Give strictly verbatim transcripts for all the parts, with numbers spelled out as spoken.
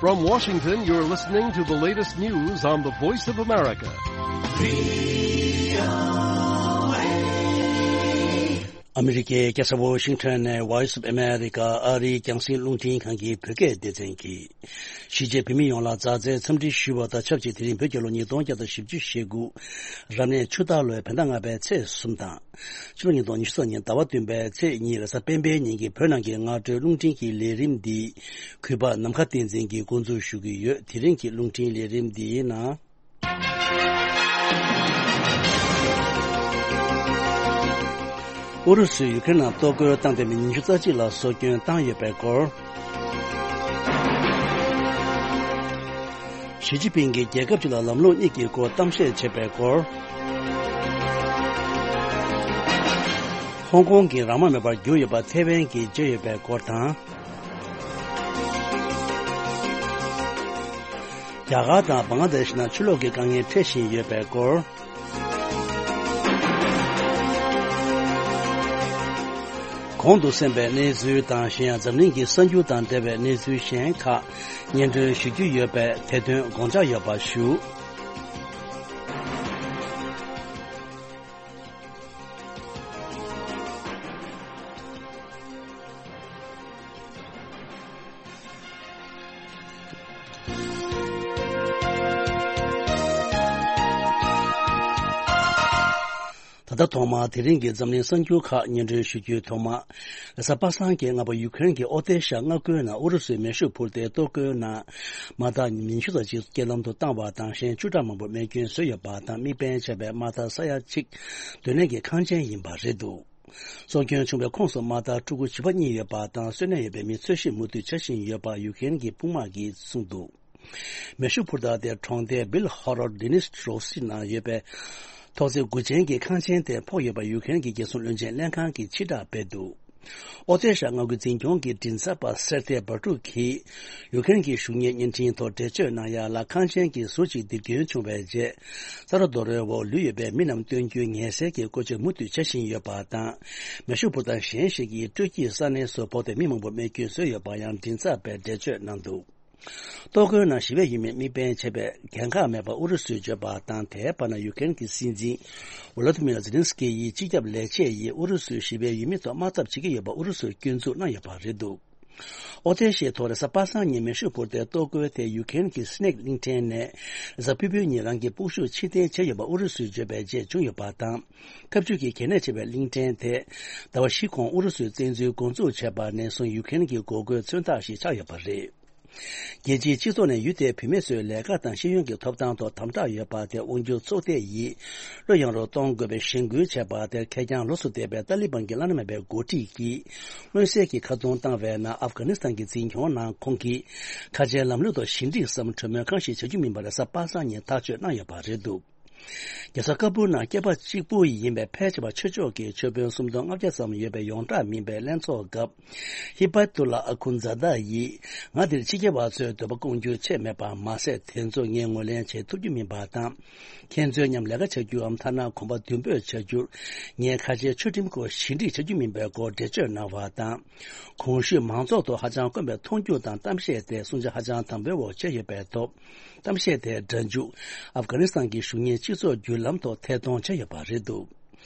From Washington, you're listening to the latest news on the Voice of America. ཨ་མི་རི་ཀའི་རྒྱལ་ས་ཝོ་ཤིང་ཊོན་ནས་Voice of America ཨ་རིའི་རྒྱང་སྲིང་རླུང་འཕྲིན་ཁང་གི་བོད་སྐད་སྡེ་ཚན་གྱིས། གཞིས་བྱེས་བོད་མི་ཡོངས་ལ་མཛའ་བརྩེའི་འཚམས་འདྲི་ཞུ་བ་དང་ཆབས་ཅིག་དེ་རིང་བོད་རྒྱལ་ལོ་ཉིས་སྟོང་བརྒྱ་དང་བཞི་བཅུ་ཞེ་དགུ། རབ་གནས་ཆུ་སྟག་ལོའི་བོད་ཟླ་ལྔ་པའི་ཚེས་གསུམ་དང་། ཕྱི་ལོ་ཉིས་སྟོང་ཉི་ཤུ་རྩ་གཉིས་ཟླ་བ་བདུན་པའི་ཚེས་གཉིས་རེས་གཟའ་སྤེན་པའི་ཉིན་གྱི་བོད་ནང་གི་སྔ་དྲོའི་རླུང་འཕྲིན་གྱི་ལས་རིམ་འདི། གུས་པ་ནམ་མཁའ་བསྟན་འཛིན་གྱིས་འགོ་འཛུགས་ཞུ་གི་ཡོད། དེ་རིང་གི་རླུང་འཕྲིན་ལས་རིམ་འདིའི་ནང་། ཨུ་རུ་སུས་ཡུ་ཀེ་རེན་ནང་གཏོར་རྒོལ་བཏང་སྟེ་མི་ཉི་ཤུ་རྩ་གཅིག་ལ་སྲོག་སྐྱོན་བཏང་ཡོད་པའི་སྐོར། ཞི་ཅིན་ཕིང་གིས་རྒྱལ་ཁབ་ཅིག་ལ་ལམ་ལུགས་གཉིས་ཀྱི་སྐོར་གཏམ་བཤད་བྱས་པའི་སྐོར། ཧོང་ཀོང་གི་རང་དབང་མེད་པར་གྱུར་ཡོད་པ་ཐེ་ཝན་གྱིས་བརྗོད་ཡོད་པའི་སྐོར་དང་། རྒྱ་གར་དང་བང་ལ་དེ་ཤི་ནང་ཆུ་ལོག་གི་དཀའ་ངལ་འཕྲད་བཞིན་ཡོད་པའི་སྐོར། གོང་དུ་གསན་པའི་གནས་ཚུལ་དང་གཞན་ཡང་འཛམ་གླིང་གི་གསར་འགྱུར་དང་འབྲེལ་བའི་གནས་ཚུལ་གཞན་ཁག་སྙན་སྒྲོན་ཞུ་རྒྱུ་ཡོད་པས་དེ་དོན་དགོངས་འཇགས་ཡོད་པ་ཞུ། ད་ལྟ་ཐོག་མར་དེ་རིང་གི་འཛམ་གླིང་གསར་འགྱུར་ཁག་སྙན་སྒྲོན་ཞུ་རྒྱུའི་ཐོག་མ། རེས་གཟའ་པ་སངས་ཀྱི་སྔ་པོ་ཡུ་ཀེ་རེན་གྱི་ཨོ་ཏེ་ཤ་མངའ་ཁུལ་ནང་ཨུ་རུ་སུའི་མེ་ཤུགས་འཕུར་མདེལ་གཏོར་རྒོལ་ནང་མ་དག་མི་ཉི་ཤུ་ཙམ་ཞིག་རྐྱེན་ལམ་དུ་བཏང་བ་དང་གཞན་བཅུ་ཕྲག་མང་པོ་རྨས་སྐྱོན་བཟོས་ཡོད་པ་དང་དམིགས་འབེན་བྱས་པའི་མ་དག་ས་ཡ་གཅིག་སྡོད་གནས་ཀྱི་ཁང་ཆེན་ཡིན་པ་རེད་འདུག་སྲོག་སྐྱོན་བྱུང་བའི་ཁོངས་སུ་མ་དག་ཕྲུ་གུ་བྱིས་པ་གཉིས་ཡོད་པ་དང་གསོན་གནས་ཡོད་པའི་མི་འཚོལ་ཞིབ་མུ་མཐུད་བྱ་བཞིན་ཡོད་པ་ཡུ་ཀེ་རེན་གྱི་དཔུང་དམག་གིས་གསུངས་འདུག་མེ་ཤུགས་འཕུར་མདའ་དེ་གྲོང་སྡེ་བིལ་ཧོ་རོ་ཌི་ནིས་ཊྲོ་སི་ནང་ཡོད་པའི་ཐོག་བརྩེགས་དགུ་ཅན་གྱི་ཁང་ཆེན་དེར་ཕོག་ཡོད་པ་ཡུ་ཀེ་རེན་གྱི་རྒྱལ་སྲུང་བློན་ཆེན་ལྷན་ཁང་གིས་ཕྱིར་བསྒྲགས་སྤེལ་འདུག་ཨོ་ཏེ་ཤ་མངའ་ཁུལ་འཛིན་སྐྱོང་གི་མགྲིན་ཚབ་པ་སེར་ཐེ་བྷ་ཀྲུག་གིས་ཡུ་ཀེ་རེན་གྱི་གཞུང་གཉེར་བརྙན་འཕྲིན་ཐོག་འགྲེལ་བརྗོད་གནང་ཡ་ལ། ཁང་ཆེན་གྱི་ཟུར་གཅིག་རྡིབ་སྐྱོན་བྱུང་བའི་རྗེས་རྩ་རོ་རྡོ་རོའི་འོག་ལུས་ཡོད་པའི་མི་རྣམས་སྟོན་རྒྱུའི་ངལ་སེལ་གྱི་བཀོལ་སྤྱོད་མུ་མཐུད་བྱ་བཞིན་ཡོད་པ་དང་། མེ་ཤུགས་འཕུར་མདའ་གཞན་ཞིག་གིས་སྤྲོ་སྐྱིད་ས་གནས་སུ་ཕོག་སྟེ་མི་མང་པོ་རྨས་སྐྱོན་བཟོས་ཡོད་པ་ཡང་མགྲིན་ཚབ་པས་འགྲེལ་བརྗོད་གནང་འདུག་གཏོར་རྒོལ་ནང་ཞི་བའི་ཡུལ་མིར་དམིགས་འབེན་བྱས་པའི་འགན་ཁག་མེད་པ་ཨུ་རུ་སུས་བརྗོད་པ་དང་། དེའི་བར་ན་ཡུ་ཀེ་རེན་གྱི་སྲིད་འཛིན་ཝོ་ལོ་དི་མིར་ཛེ་ལིན་སི་ཀི་ཡིས་སྤྱི་ཁྱབ་ལས་བྱེད་ཡིས་ཨུ་རུ་སུས་ཞི་བའི་ཡུལ་མི་ཐོག་དམག་འཐབ་བྱེད་ཀྱི་ཡོད་པ་ཨུ་རུ་སུར་སྐྱོན་འཛུགས་གནང་ཡོད་པ་རེད་འདུག་ཨོ་ཏེ་ཤའི་ཐོག་རེས་གཟའ་པ་སངས་ཉིན་མེ་ཤུགས་འཕུར་མདའི་གཏོར་རྒོལ་དེ་ཡུ་ཀེ་རེན་གྱི་སི་ནེག་གླིང་ཕྲན་ནས་རེས་གཟའ་ཕུར་བུའི་ཉིན་རང་གི་སྤོབས་ཤུགས་ཕྱིར་འཐེན་བྱས་ཡོད་པ་ཨུ་རུ་སུས་བརྗོད་པའི་རྗེས་བྱུང་ཡོད་པ་དང་། འཐབ་ཇུས་ཀྱི་གལ་གནད་ཆེ་བའི་གླིང་ཕྲན་དེ་ཟླ་བ་བཞི་གོང་ཨུ་རུ་སུས་བཙན་འཛུལ་འགོ་འཛུགས་བྱས་པ་ནས་བཟུང་ཡུ་ཀེ་རེན་གྱི་འགོག་རྒོལ་མཚོན་རྟགས་ཤིག་ཆགས་ཡོད་པ་རེད། རྒྱལ་སྤྱིའི་སྤྱི་ཚོགས་ནས་ཡུལ་དེའི་བུད་མེད་ཚོའི་ལས་ཀ་དང་ཤེས་ཡོན་གྱི་ཐོབ་ཐང་ཐོག་དམ་དྲག་ཡོད་པ་དེ་དབང་སྒྱུར་ཚོགས་སྡེ་ཡིས་བློ་ཡངས་རུ་གཏོང་དགོས་པའི་གཞེན་སྐུལ་བྱས་པ་དེར་ཁེར་རྐྱང་ལོགས་སུ་བསྡད་པའི་ཏཱ་ལི་བན་གྱི་བླ་ན་མེད་པའི་འགོ་ཁྲིད་ཀྱིས་མངོན་གསལ་གྱིས་ཁ་རྡུང་བཏང་བའི་ནང་ཨབ་གྷ་ནི་སི་ཐན་གྱི་འཛིན་སྐྱོང་ནང་ཁོང་གིས་ཁ་ཆེའི་ལམ་ལུགས་ཐོག་ཞི་འགྲིག་སམ་གྲོས་མོལ་གང་ཞིག་བྱ་རྒྱུ་མིན་པ་རེས་གཟའ་པ་སངས་ཉིན་ཐག་གཅོད་གནང་ཡོད་པ་རེད་འདུག་རྒྱལ་ས་ཀ་བུལ་ནང་སྐྱེས་པ་གཅིག་པུ་ཡིན་པའི་ཕལ་ཆེ་བ་ཆོས་ཕྱོགས་ཀྱི་ཆོས་དཔོན་སུམ་སྟོང་ལྔ་བརྒྱ་ཙམ་ཡོད་པའི་ཡོངས་གྲགས་མིན་པའི་ལྷན་ཚོགས་སྐབས། ཧི་པ་ཏུ་ལ་ཨ་ཁུན་ཛ་ད་ཡིས་ང་འདིར་ཕྱི་རྒྱལ་བ་ཚོའི་འདོད་པ་སྐོང་རྒྱུ་ཆེད་མེད་པ་མ་ཟད། དེ་ཚོ་ངས་ངོས་ལེན་བྱེད་ཐུབ་རྒྱུ་མིན་པ་དང་། ཁྱེད་ཚོའི་མཉམ་ལས་ཀ་བྱ་རྒྱུའམ་ཐ་ན་གོམ་པ་མདུན་སྤོས་བྱ་རྒྱུར་ངས་ཁ་ཆེའི་ཆོས་ཁྲིམས་སྐོར་ཞི་འགྲིག་བྱ་རྒྱུ་མིན་པའི་སྐོར་འགྲེལ་བརྗོད་གནང་བ་དང་། གོང་ཞུས་མང་ཚོགས་ཐོག་ཧ་ཅང་དཀོན་པའི་མཐོང་རྒྱུ་དང་གཏམ་བཤད་དེ་སུམ་ཆ་ཧ་ཅང་དམ་པོའི་འོག་བྱས་ཡོད་པའི་ཐོག་གཏམ་བཤད་དེའི་སྒྲ་འཇུག་ཨབ་གྷ་ནི་སི་ཐན་གྱི་གཞུང་གཉེར་སྤྱི་ཚོགས་བརྒྱུད་ལམ་ཐོག་ཐད་གཏོང་བྱས་ཡོད་པ་རེད་འདུག་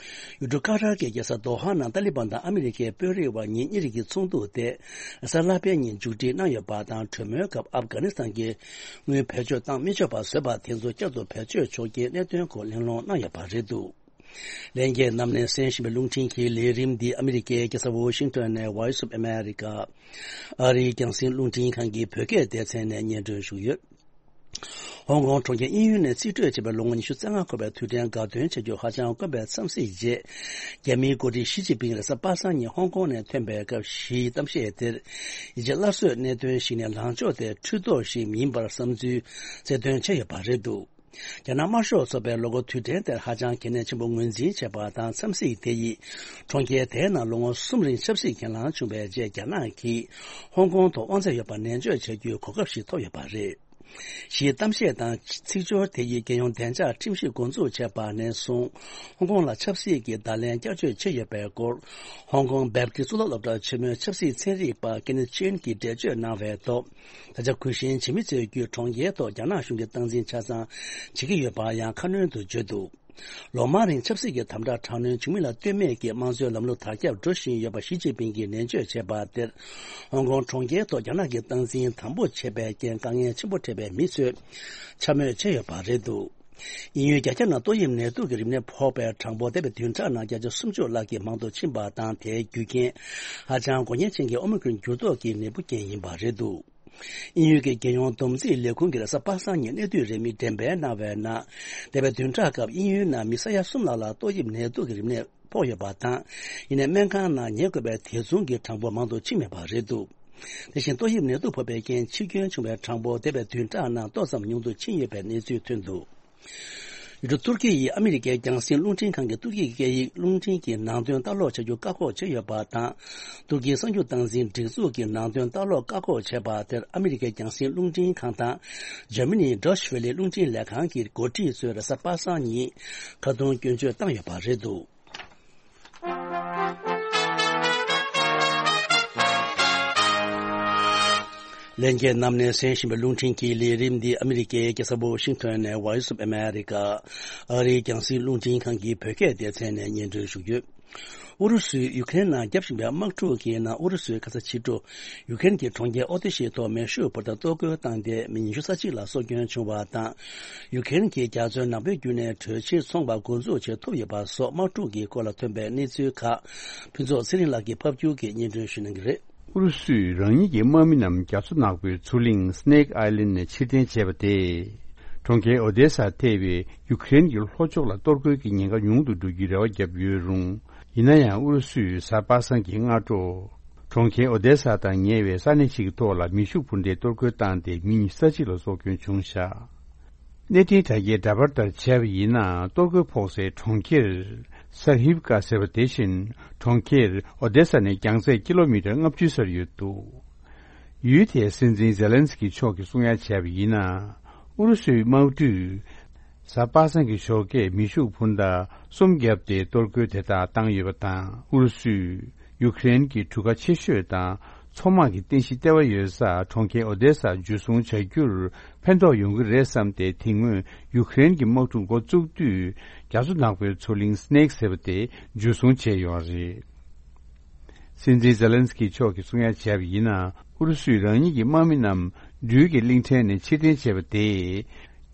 ཡུལ་གྲུ་ཀ་ཏར་གྱི་རྒྱལ་ས་དོ་ཧ་ནང་ཏཱ་ལི་བན་དང་ཨ་མི་རི་ཀའི་དཔོན་རིགས་བར་ཉིན་གཉིས་རིང་གི་ཚོགས་འདུ་དེ་གཟའ་ལྷག་པའི་ཉིན་མཇུག་སྒྲིལ་གནང་ཡོད་པ་དང་། གྲོས་མོལ་སྐབས་ཨབ་གྷ་ནི་སི་ཐན་གྱི་དངུལ་བེད་སྤྱོད་བཏང་མི་ཆོག་པ་བཟོས་པ་དེ་ཚོ་བསྐྱར་དུ་བེད་སྤྱོད་ཆོག་རྒྱུའི་གནད་དོན་སྐོར་གླེང་སློང་གནང་ཡོད་པ་རེད་འདུག་ལྷན་རྒྱས་རྣམས་ནས་གསན་བཞིན་པའི་རླུང་འཕྲིན་གྱི་ལས་རིམ་འདི་ཨ་མི་རི་ཀའི་རྒྱལ་ས་ཝོ་ཤིང་ཊོན་ནས་Voice of America ཨ་རིའི་རྒྱང་སྲིང་རླུང་འཕྲིན་ཁང་གི་བོད་སྐད་སྡེ་ཚན་ནས་སྙན་སྒྲོན་ཞུས་ཡོད། ཧོང་ཀོང་གྲོང་ཁྱེར་དབྱིན་ཡུལ་ནས་རྩིས་སྤྲོད་བྱས་པའི་ལོ་ངོ་ཉི་ཤུ་རྩ་ལྔ་འཁོར་བའི་དུས་དྲན་དགའ་སྟོན་བྱ་རྒྱུ་ཧ་ཅང་དཀོན་པའི་འཚམས་གཟིགས་རྗེས། རྒྱ་མིའི་འགོ་ཁྲིད་ཞི་ཅིན་ཕིང་རེས་གཟའ་པ་སངས་ཉིན་ཧོང་ཀོང་ནས་ཐོན་པའི་སྐབས་ཞིའི་གཏམ་བཤད་དེར། ཡིད་ཆེས་སླར་གསོའི་གནད་དོན་ཞིག་ནས་ལངས་ཕྱོགས་དེ་འཕྲུལ་རྡོག་ཞིག་མིན་པར་བསམ་ཚུལ་རྩལ་འདོན་བྱས་ཡོད་པ་རེད་འདུག་རྒྱ་ནག་དམར་ཤོག་ཚོགས་པའི་ལོ་འཁོར་དུས་དྲན་དེར་ཧ་ཅང་གལ་གནད་ཆེན་པོ་ངོས་འཛིན་བྱས་པ་དང་། འཚམས་གཟིགས་དེ་ཡིས་གྲོང་ཁྱེར་དེའི་ནང་ལོ་ངོ་གསུམ་རིང་ཆབ་སྲིད་གྱེན་ལངས་བྱུང་བའི་རྗེས། རྒྱ་ནག་གིས་ཧོང་ཀོང་ཐོག་དབང་ཚད་ཡོད་པ་ནན་བརྗོད་བྱ་རྒྱུའི་གོ་སྐབས་ཤིག་ཐོབ་ཡོད་པ་རེད། ཞེས་གཏམ་བཤད་དང་ཚིག་སྦྱོར་དེ་ཡིས་རྒྱལ་ཡོངས་བདེ་འཇགས་ཁྲིམས་གཞི་འགོ་འཛུགས་བྱས་པ་ནས་བཟུང་། ཧོང་ཀོང་ལ་ཆབ་སྲིད་ཀྱི་བརྡ་ལན་བསྐྱར་བཅོས་བྱས་ཡོད་པའི་སྐོར། ཧོང་ཀོང་བེབ་ཏི་གཙུག་ལག་སློབ་གྲྭ་ཆེན་མོའི་ཆབ་སྲིད་ཚན་རིག་པ་ཀེ་ནེ་ཆིན་གྱིས་འགྲེལ་བརྗོད་གནང་བའི་ཐོག་ད་ཆ་གུས་ཞེན་བྱེད་མི་ཚོས་བརྒྱུད་གྲོང་ཁྱེར་ཐོག་རྒྱ་ནག་གཞུང་གི་སྟངས་འཛིན་ཆ་ཚང་བྱེད་ཀྱི་ཡོད་པ་ཡང་ཁ་སྣོན་དུ་བརྗོད་འདུག་ལོ་མང་རིང་ཆབ་སྲིད་ཀྱི་དམ་དྲག་དྲག་གནོན་བྱུང་མིན་ལ་ལྟོས་མེད་ཀྱིས་དམངས་གཙོའི་ལམ་ལུགས་དར་ཁྱབ་འགྲོ་བཞིན་ཡོད་པ་ཞི་ཅིན་ཕིང་གིས་ནན་བརྗོད་བྱས་པ་དེར། ཧོང་ཀོང་གྲོང་ཁྱེར་ཐོག་རྒྱ་ནག་གི་སྟངས་འཛིན་དམ་པོ་བྱས་པའི་རྐྱེན་དཀའ་ངལ་ཆེན་པོ་འཕྲད་པའི་མི་ཚོས་འཕྱ་སྨོད་བྱས་ཡོད་པ་རེད་འདུག་དབྱིན་ཡུལ་རྒྱ་ཁྱབ་ནང་ཏོག་དབྱིབས་ནད་དུག་གི་རིམས་ནད་ཕོག་པའི་གྲངས་འབོར་འདས་པའི་བདུན་ཕྲག་ནང་བརྒྱ་ཆ་སུམ་ཅུ་ལྷག་གིས་མང་དུ་ཕྱིན་པ་དང་། དེའི་རྒྱུ་རྐྱེན་ཧ་ཅང་འགོག་ཉེན་ཅན་གྱི་ཨོ་མི་ཀྲོན་འགྱུར་ལྡོག་གི་ནད་འབུ་རྐྱེན་ཡིན་པ་རེད་འདུག་དབྱིན་ཡུལ་གྱི་རྒྱལ་ཡོངས་བསྡོམས་རྩིས་ལས་ཁུངས་ཀྱིས་རེས་གཟའ་པ་སངས་ཉིན་གནས་སྡུད་རིས་མེད་འགྲེམས་སྤེལ་གནང་བའི་ནང་། འདས་པའི་བདུན་ཕྲག་སྐབས་དབྱིན་ཡུལ་ནང་མི་ས་ཡ་གསུམ་ལྷག་ལ་ཏོག་དབྱིབས་ནད་དུག་གི་རིམས་ནད་ཕོག་ཡོད་པ་དང་། ཡིན་ནའི་སྨན་ཁང་ནང་ཉལ་དགོས་པའི་དེ་མཚུངས་ཀྱི་གྲངས་འབོར་མང་དུ་ཕྱིན་མེད་པ་རེད་འདུག་དེ་བཞིན་ཏོག་དབྱིབས་ནད་དུག་ཕོག་པའི་རྐྱེན་འཆི་སྐྱོན་བྱུང་བའི་གྲངས་འབོར་འདས་པའི་བདུན་ཕྲག་ནང་ཏོག་ཙམ་ཉུང་དུ་ཕྱིན་ཡོད་པའི་གནས་ཚུལ་ཐོན་འདུག་ཡུལ་གྲུ་ཏུར་ཀི་ཡིས་ཨ་མི་རི་ཀའི་རྒྱང་སྲིང་རླུང་འཕྲིན་ཁང་གི་ཏུར་ཀི་སྐད་ཡིག་རླུང་འཕྲིན་གྱི་ནང་དོན་ལྟ་ཀློག་བྱ་རྒྱུ་བཀག་འགོག་བྱས་ཡོད་པ་དང་། ཏུར་ཀིའི་གསར་འགྱུར་སྟངས་འཛིན་སྒྲིག་འཛུགས་ཀྱི་ནང་དོན་ལྟ་ཀློག་བཀག་འགོག་བྱས་པ་དེར་ཨ་མི་རི་ཀའི་རྒྱང་སྲིང་རླུང་འཕྲིན་ཁང་དང་། འཇར་མ་ནིའི་Deutsche Welle་རླུང་འཕྲིན་ལས་ཁང་གི་འགོ་ཁྲིད་ཚོས་རེས་གཟའ་པ་སངས་ཉིན་ཁ་རྡུང་སྐྱོན་བརྗོད་བཏང་ཡོད་པ་རེད་འདུག་ལྷན་རྒྱས་རྣམས་ནས་གསན་བཞིན་པའི་རླུང་འཕྲིན་གྱི་ལས་རིམ་འདི་ཨ་མི་རི་ཀའི་རྒྱལ་ས་ཝ་ཤིང་ཊོན་ནས་Voice of America་ཨ་རིའི་རྒྱང་སྲིང་རླུང་འཕྲིན་ཁང་གི་བོད་སྐད་སྡེ་ཚན་ནས་སྙན་སྒྲོན་ཞུ་རྒྱུ། ཨུ་རུ་སུས་ཡུ་ཀེ་རེན་ནང་བརྒྱབ་བཞིན་པའི་དམག་འཁྲུག་གི་ནང་ཨུ་རུ་སུས་ཁ་ས་ཕྱི་དྲོ་ཡུ་ཀེ་རེན་གྱི་གྲོང་ཁྱེར་ཨོ་དེ་ཤི་ཐོག་མེ་ཤུགས་འཕུར་མདའ་གཏོར་རྒོལ་བཏང་སྟེ་མི་ཉི་ཤུ་རྩ་གཅིག་ལ་སྲོག་སྐྱོན་བྱུང་བ་དང་། ཡུ་ཀེ་རེན་གྱིས་རྒྱ་མཚོའི་ནགས་དཔོན་བརྒྱུད་ནས་གྲོས་ཆོད་ཚོང་པ་འགོ་འཛུགས་བྱེད་ཐུབ་ཡོད་པ་སོགས་དམག་འཁྲུག་གི་སྐོར་ལ་ཐོན་པའི་གནས་ཚུལ་ཁག་ཕུན་ཚོགས་ཚེ་རིང་ལགས་ཀྱིས་ཕབ་སྒྱུར་གྱིས་སྙན་སྒྲོན་ཞུ་གནང་གི་རེད། ཨུ་རུ་སུས་རང་ཉིད་ཀྱི་དམག་མི་རྣམས་རྒྱ་མཚོ་ནག་པོའི་མཚོ་གླིང་Snake Island་ནས་ཕྱིར་འཐེན་བྱས་པ་དེས། གྲོང་ཁྱེར་ཨོ་དེ་ས་ཐེ་བའི་ཡུ་ཀེ་རེན་གྱི་ལྷོ་ཕྱོགས་ལ་གཏོར་རྒོལ་གྱི་ཉེན་ཁ་ཉུང་དུ་འགྲོ་རྒྱུའི་རེ་བ་བརྒྱབ་ཡོད་རུང་། ཡིན་ན་ཡང་ཨུ་རུ་སུས་གཟའ་པ་སངས་ཀྱི་སྔ་དྲོ། གྲོང་ཁྱེར་ཨོ་དེ་ས་དང་ཉེ་བའི་ས་གནས་ཤིག་གི་ཐོག་ལ་མེ་ཤུགས་འཕུར་མདའི་གཏོར་རྒོལ་བཏང་སྟེ་མི་ཉི་ཤུ་རྩ་གཅིག་ལ་སྲོག་སྐྱོན་བྱུང་བཞག་གནས་འཕྲིན་དྲ་རྒྱའི་འདྲ་པར་ལྟར་བྱས་པ་ཡིན་ན། གཏོར་རྒོལ་ཕོག་སའི་གྲོང་ཁྱེར་སར་ཧིབ་ཀ་ཟེར་བ་དེ་བཞིན་གྲོང་ཁྱེར་ཨོ་དེ་ས་ནས་རྒྱང་ཚད་ཀི་ལོ་མི་ཊར་ལྔ་བཅུ་སར་ཡོད་འདུག་ཡུལ་དེའི་སྲིད་འཛིན་ཛེ་ལན་སི་ཀི་མཆོག་གིས་གསུང་ཡ་བྱས་པ་ཡིན་ན། ཨུ་རུ་སུའི་དམག་གྲུས་གཟའ་པ་སངས་ཀྱི་ཞོགས་ཀས་མེ་ཤུགས་འཕུར་མདའ་གསུམ་བརྒྱབ་སྟེ་གཏོར་རྒོལ་དེ་དག་བཏང་ཡོད་པ་དང་། ཨུ་རུ་སུས་ཡུཀ་རེན་གྱི་གྲུ་ཁ་ཆེ་ཤོས་དང་མཚོ་དམག་གི་རྟེན་གཞི་ལྟེ་བ་ཡོད་ས་གྲོང་ཁྱེར་ཨོ་དེ་ས་འཇུ་བཟུང་བྱ་རྒྱུར་ཕན་ཐོགས་ཡོང་གི་རེད་བསམ་སྟེ། དེ་སྔོན་ཡུཀ་རེན་གྱི་དམག་འཁྲུག་འགོ་བཙུགས་དུས་རྒྱ་མཚོ་ནག་པོའི་མཚོ་གླིང་སི་ནེག་ཟེར་བ་དེ་འཇུ་བཟུང་བྱས་ཡོད་རེད། སྲིད་འཛིན་ཛེ་ལན་སི་ཀི་མཆོག་གིས་གསུང་ཡ་བྱས་པ་ཡིན་ན། ཨུ་རུ་སུས་རང་ཉིད་ཀྱི་དམག་མི་རྣམས་སྦྲུལ་གྱི་གླིང་ཕྲན་ནས་ཕྱིར་འཐེན་བྱས་པ་དེས།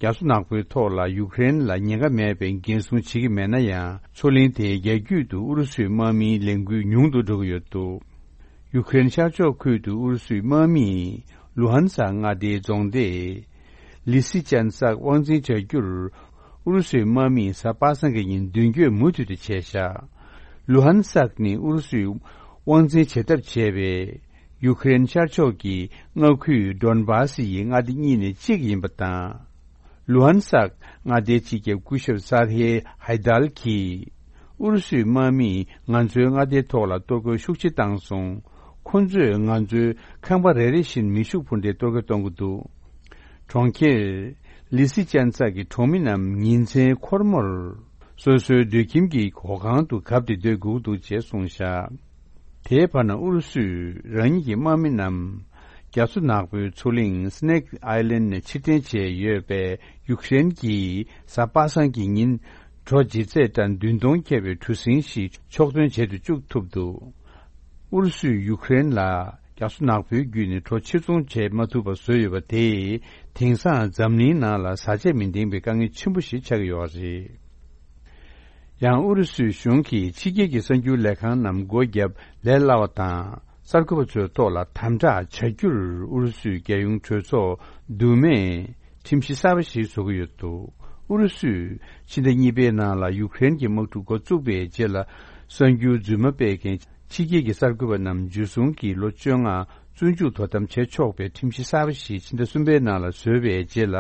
རྒྱ་མཚོ་ནག་པོའི་ཐོག་ལ་ཡུཀ་རེན་ལ་ཉེན་ཁ་མེད་པའི་འགན་སྲུང་བྱེད་ཀྱི་མེད་ན་ཡང་། མཚོ་གླིང་དེའི་རྒྱ་རྒྱུད་དུ་ཨུ་རུ་སུའི་དམག་མིའི་ལས་འགུལ་ཉུང་དུ་འགྲོ་གི་ཡོད་འདུག་ཡུཀ་རེན་ཤར་ཕྱོགས་ཁུལ་དུ་ཨུ་རུ་སུའི་དམག་མིས་ལུ་ཧན་སག་མངའ་སྡེའི་རྫོང་སྡེ་ལི་སི་ཅན་སག་དབང་འཛིན་བྱ་རྒྱུར། ཨུ་རུ་སུའི་དམག་མིས་གཟའ་པ་སངས་ཀྱི་ཉིན་མདུན་སྐྱོད་མུ་མཐུད་དུ་བྱས་བཞག་ལུ་ཧན་སག་ནི་ཨུ་རུ་སུས་དབང་འཛིན་བྱེད་ཐབས་བྱས་པའི་ཡུཀ་རེན་ཤར་ཕྱོགས་ཀྱི་མངའ་ཁུལ་ཌོན་བྷ་སི་ཡི་མངའ་སྡེ་གཉིས་ནས་གཅིག་ཡིན་པ་དང་། ལུ་ཧན་སག་མངའ་སྡེའི་སྤྱི་ཁྱབ་སྐུ་ཞབས་སར་ཧེ་ཧའི་དལ་གྱིས། ཨུ་རུ་སུའི་དམག་མིས་ང་ཚོའི་མངའ་སྡེའི་ཐོག་ལ་གཏོར་རྒོལ་ཤུགས་ཆེ་བཏང་སོང་། ཁོ་ཚོས་ང་ཚོའི་ཁང་པ་རེ་རེ་བཞིན་མེ་ཤུགས་འཕུར་མདའི་གཏོར་རྒོལ་གཏོང་གི་འདུག་གྲོང་ཁྱེར་ལི་སི་ཅན་སག་གི་གྲོང་མི་རྣམས་ཉིན་མཚན་འཁོར་མོར་སོ་སོའི་སྡོད་ཁྱིམ་གྱི་སྒོ་ཁང་དུ་གབ་སྟེ་སྡོད་དགོས་འདུག་ཅེས་གསུངས་བཞག་དེའི་བར་ན་ཨུ་རུ་སུས་རང་ཉིད་ཀྱི་དམག་མི་རྣམས་རྒྱ་མཚོ་ནག་པོའི་མཚོ་གླིང་སི་ནེག་ཨའི་ལན་ནས་ཕྱིར་འཐེན་བྱས་ཡོད་པས། ཡུཀ་རེན་གྱིས་གཟའ་པ་སངས་ཀྱི་ཉིན་གྲོ་ལྗིད་ཚད་གྲངས་བདུན་སྟོང་ཁྱབ་པའི་གྲུ་གཟིངས་ཤིག་ཕྱོགས་ཐོན་བྱེད་དུ་བཅུག་ཐུབ་འདུག་ཨུ་རུ་སུས་ཡུཀ་རེན་ལ་རྒྱ་མཚོ་ནག་པོའི་བརྒྱུད་ནས་གྲོ་ཕྱིར་ཚོང་བྱེད་མ་ཐུབ་པ་བཟོས་ཡོད་པ་དེས། དེང་སང་འཛམ་གླིང་ནང་ལ་བཟའ་ཆས་མི་འདེང་བའི་དཀའ་ངལ་ཆེན་པོ་ཞིག་ཆགས་ཀྱི་ཡོད་རེད། ཡང་ཨུ་རུ་སུའི་གཞུང་གིས་ཕྱི་རྒྱལ་གྱི་གསར་འགྱུར་ལས་ཁང་རྣམས་སྒོ་བརྒྱབ་ལས་སླ་བ་དང་། གསར་འགོད་པ་ཚོའི་ཐོག་ལ་དམ་དྲག་བྱ་རྒྱུར་ཨུ་རུ་སུའི་རྒྱལ་ཡོངས་གྲོས་ཚོགས་འདུ་མས་ཁྲིམས་གཞི་གསར་པ་ཞིག་བཟོ་གི་ཡོད་འདུག་ཨུ་རུ་སུས་ཕྱི་ཟླ་གཉིས་པའི་ནང་ལ་ཡུཀ་རེན་གྱི་དམག་འཁྲུག་འགོ་བཙུགས་པའི་རྗེས་ལ། གསར་འགྱུར་རྫུན་མ་སྤེལ་མཁན་ཕྱི་རྒྱལ་གྱི་གསར་འགོད་པ་རྣམས་འཇུ་བཟུང་གིས་ལོ་བཅོ་ལྔ་བཙོན་འཇུག་དོ་དམ་བྱེད་ཆོག་པའི་ཁྲིམས་གཞི་གསར་པ་ཞིག་ཕྱི་ཟླ་གསུམ་པའི་ནང་ལ་བཟོས་པའི་རྗེས་ལ།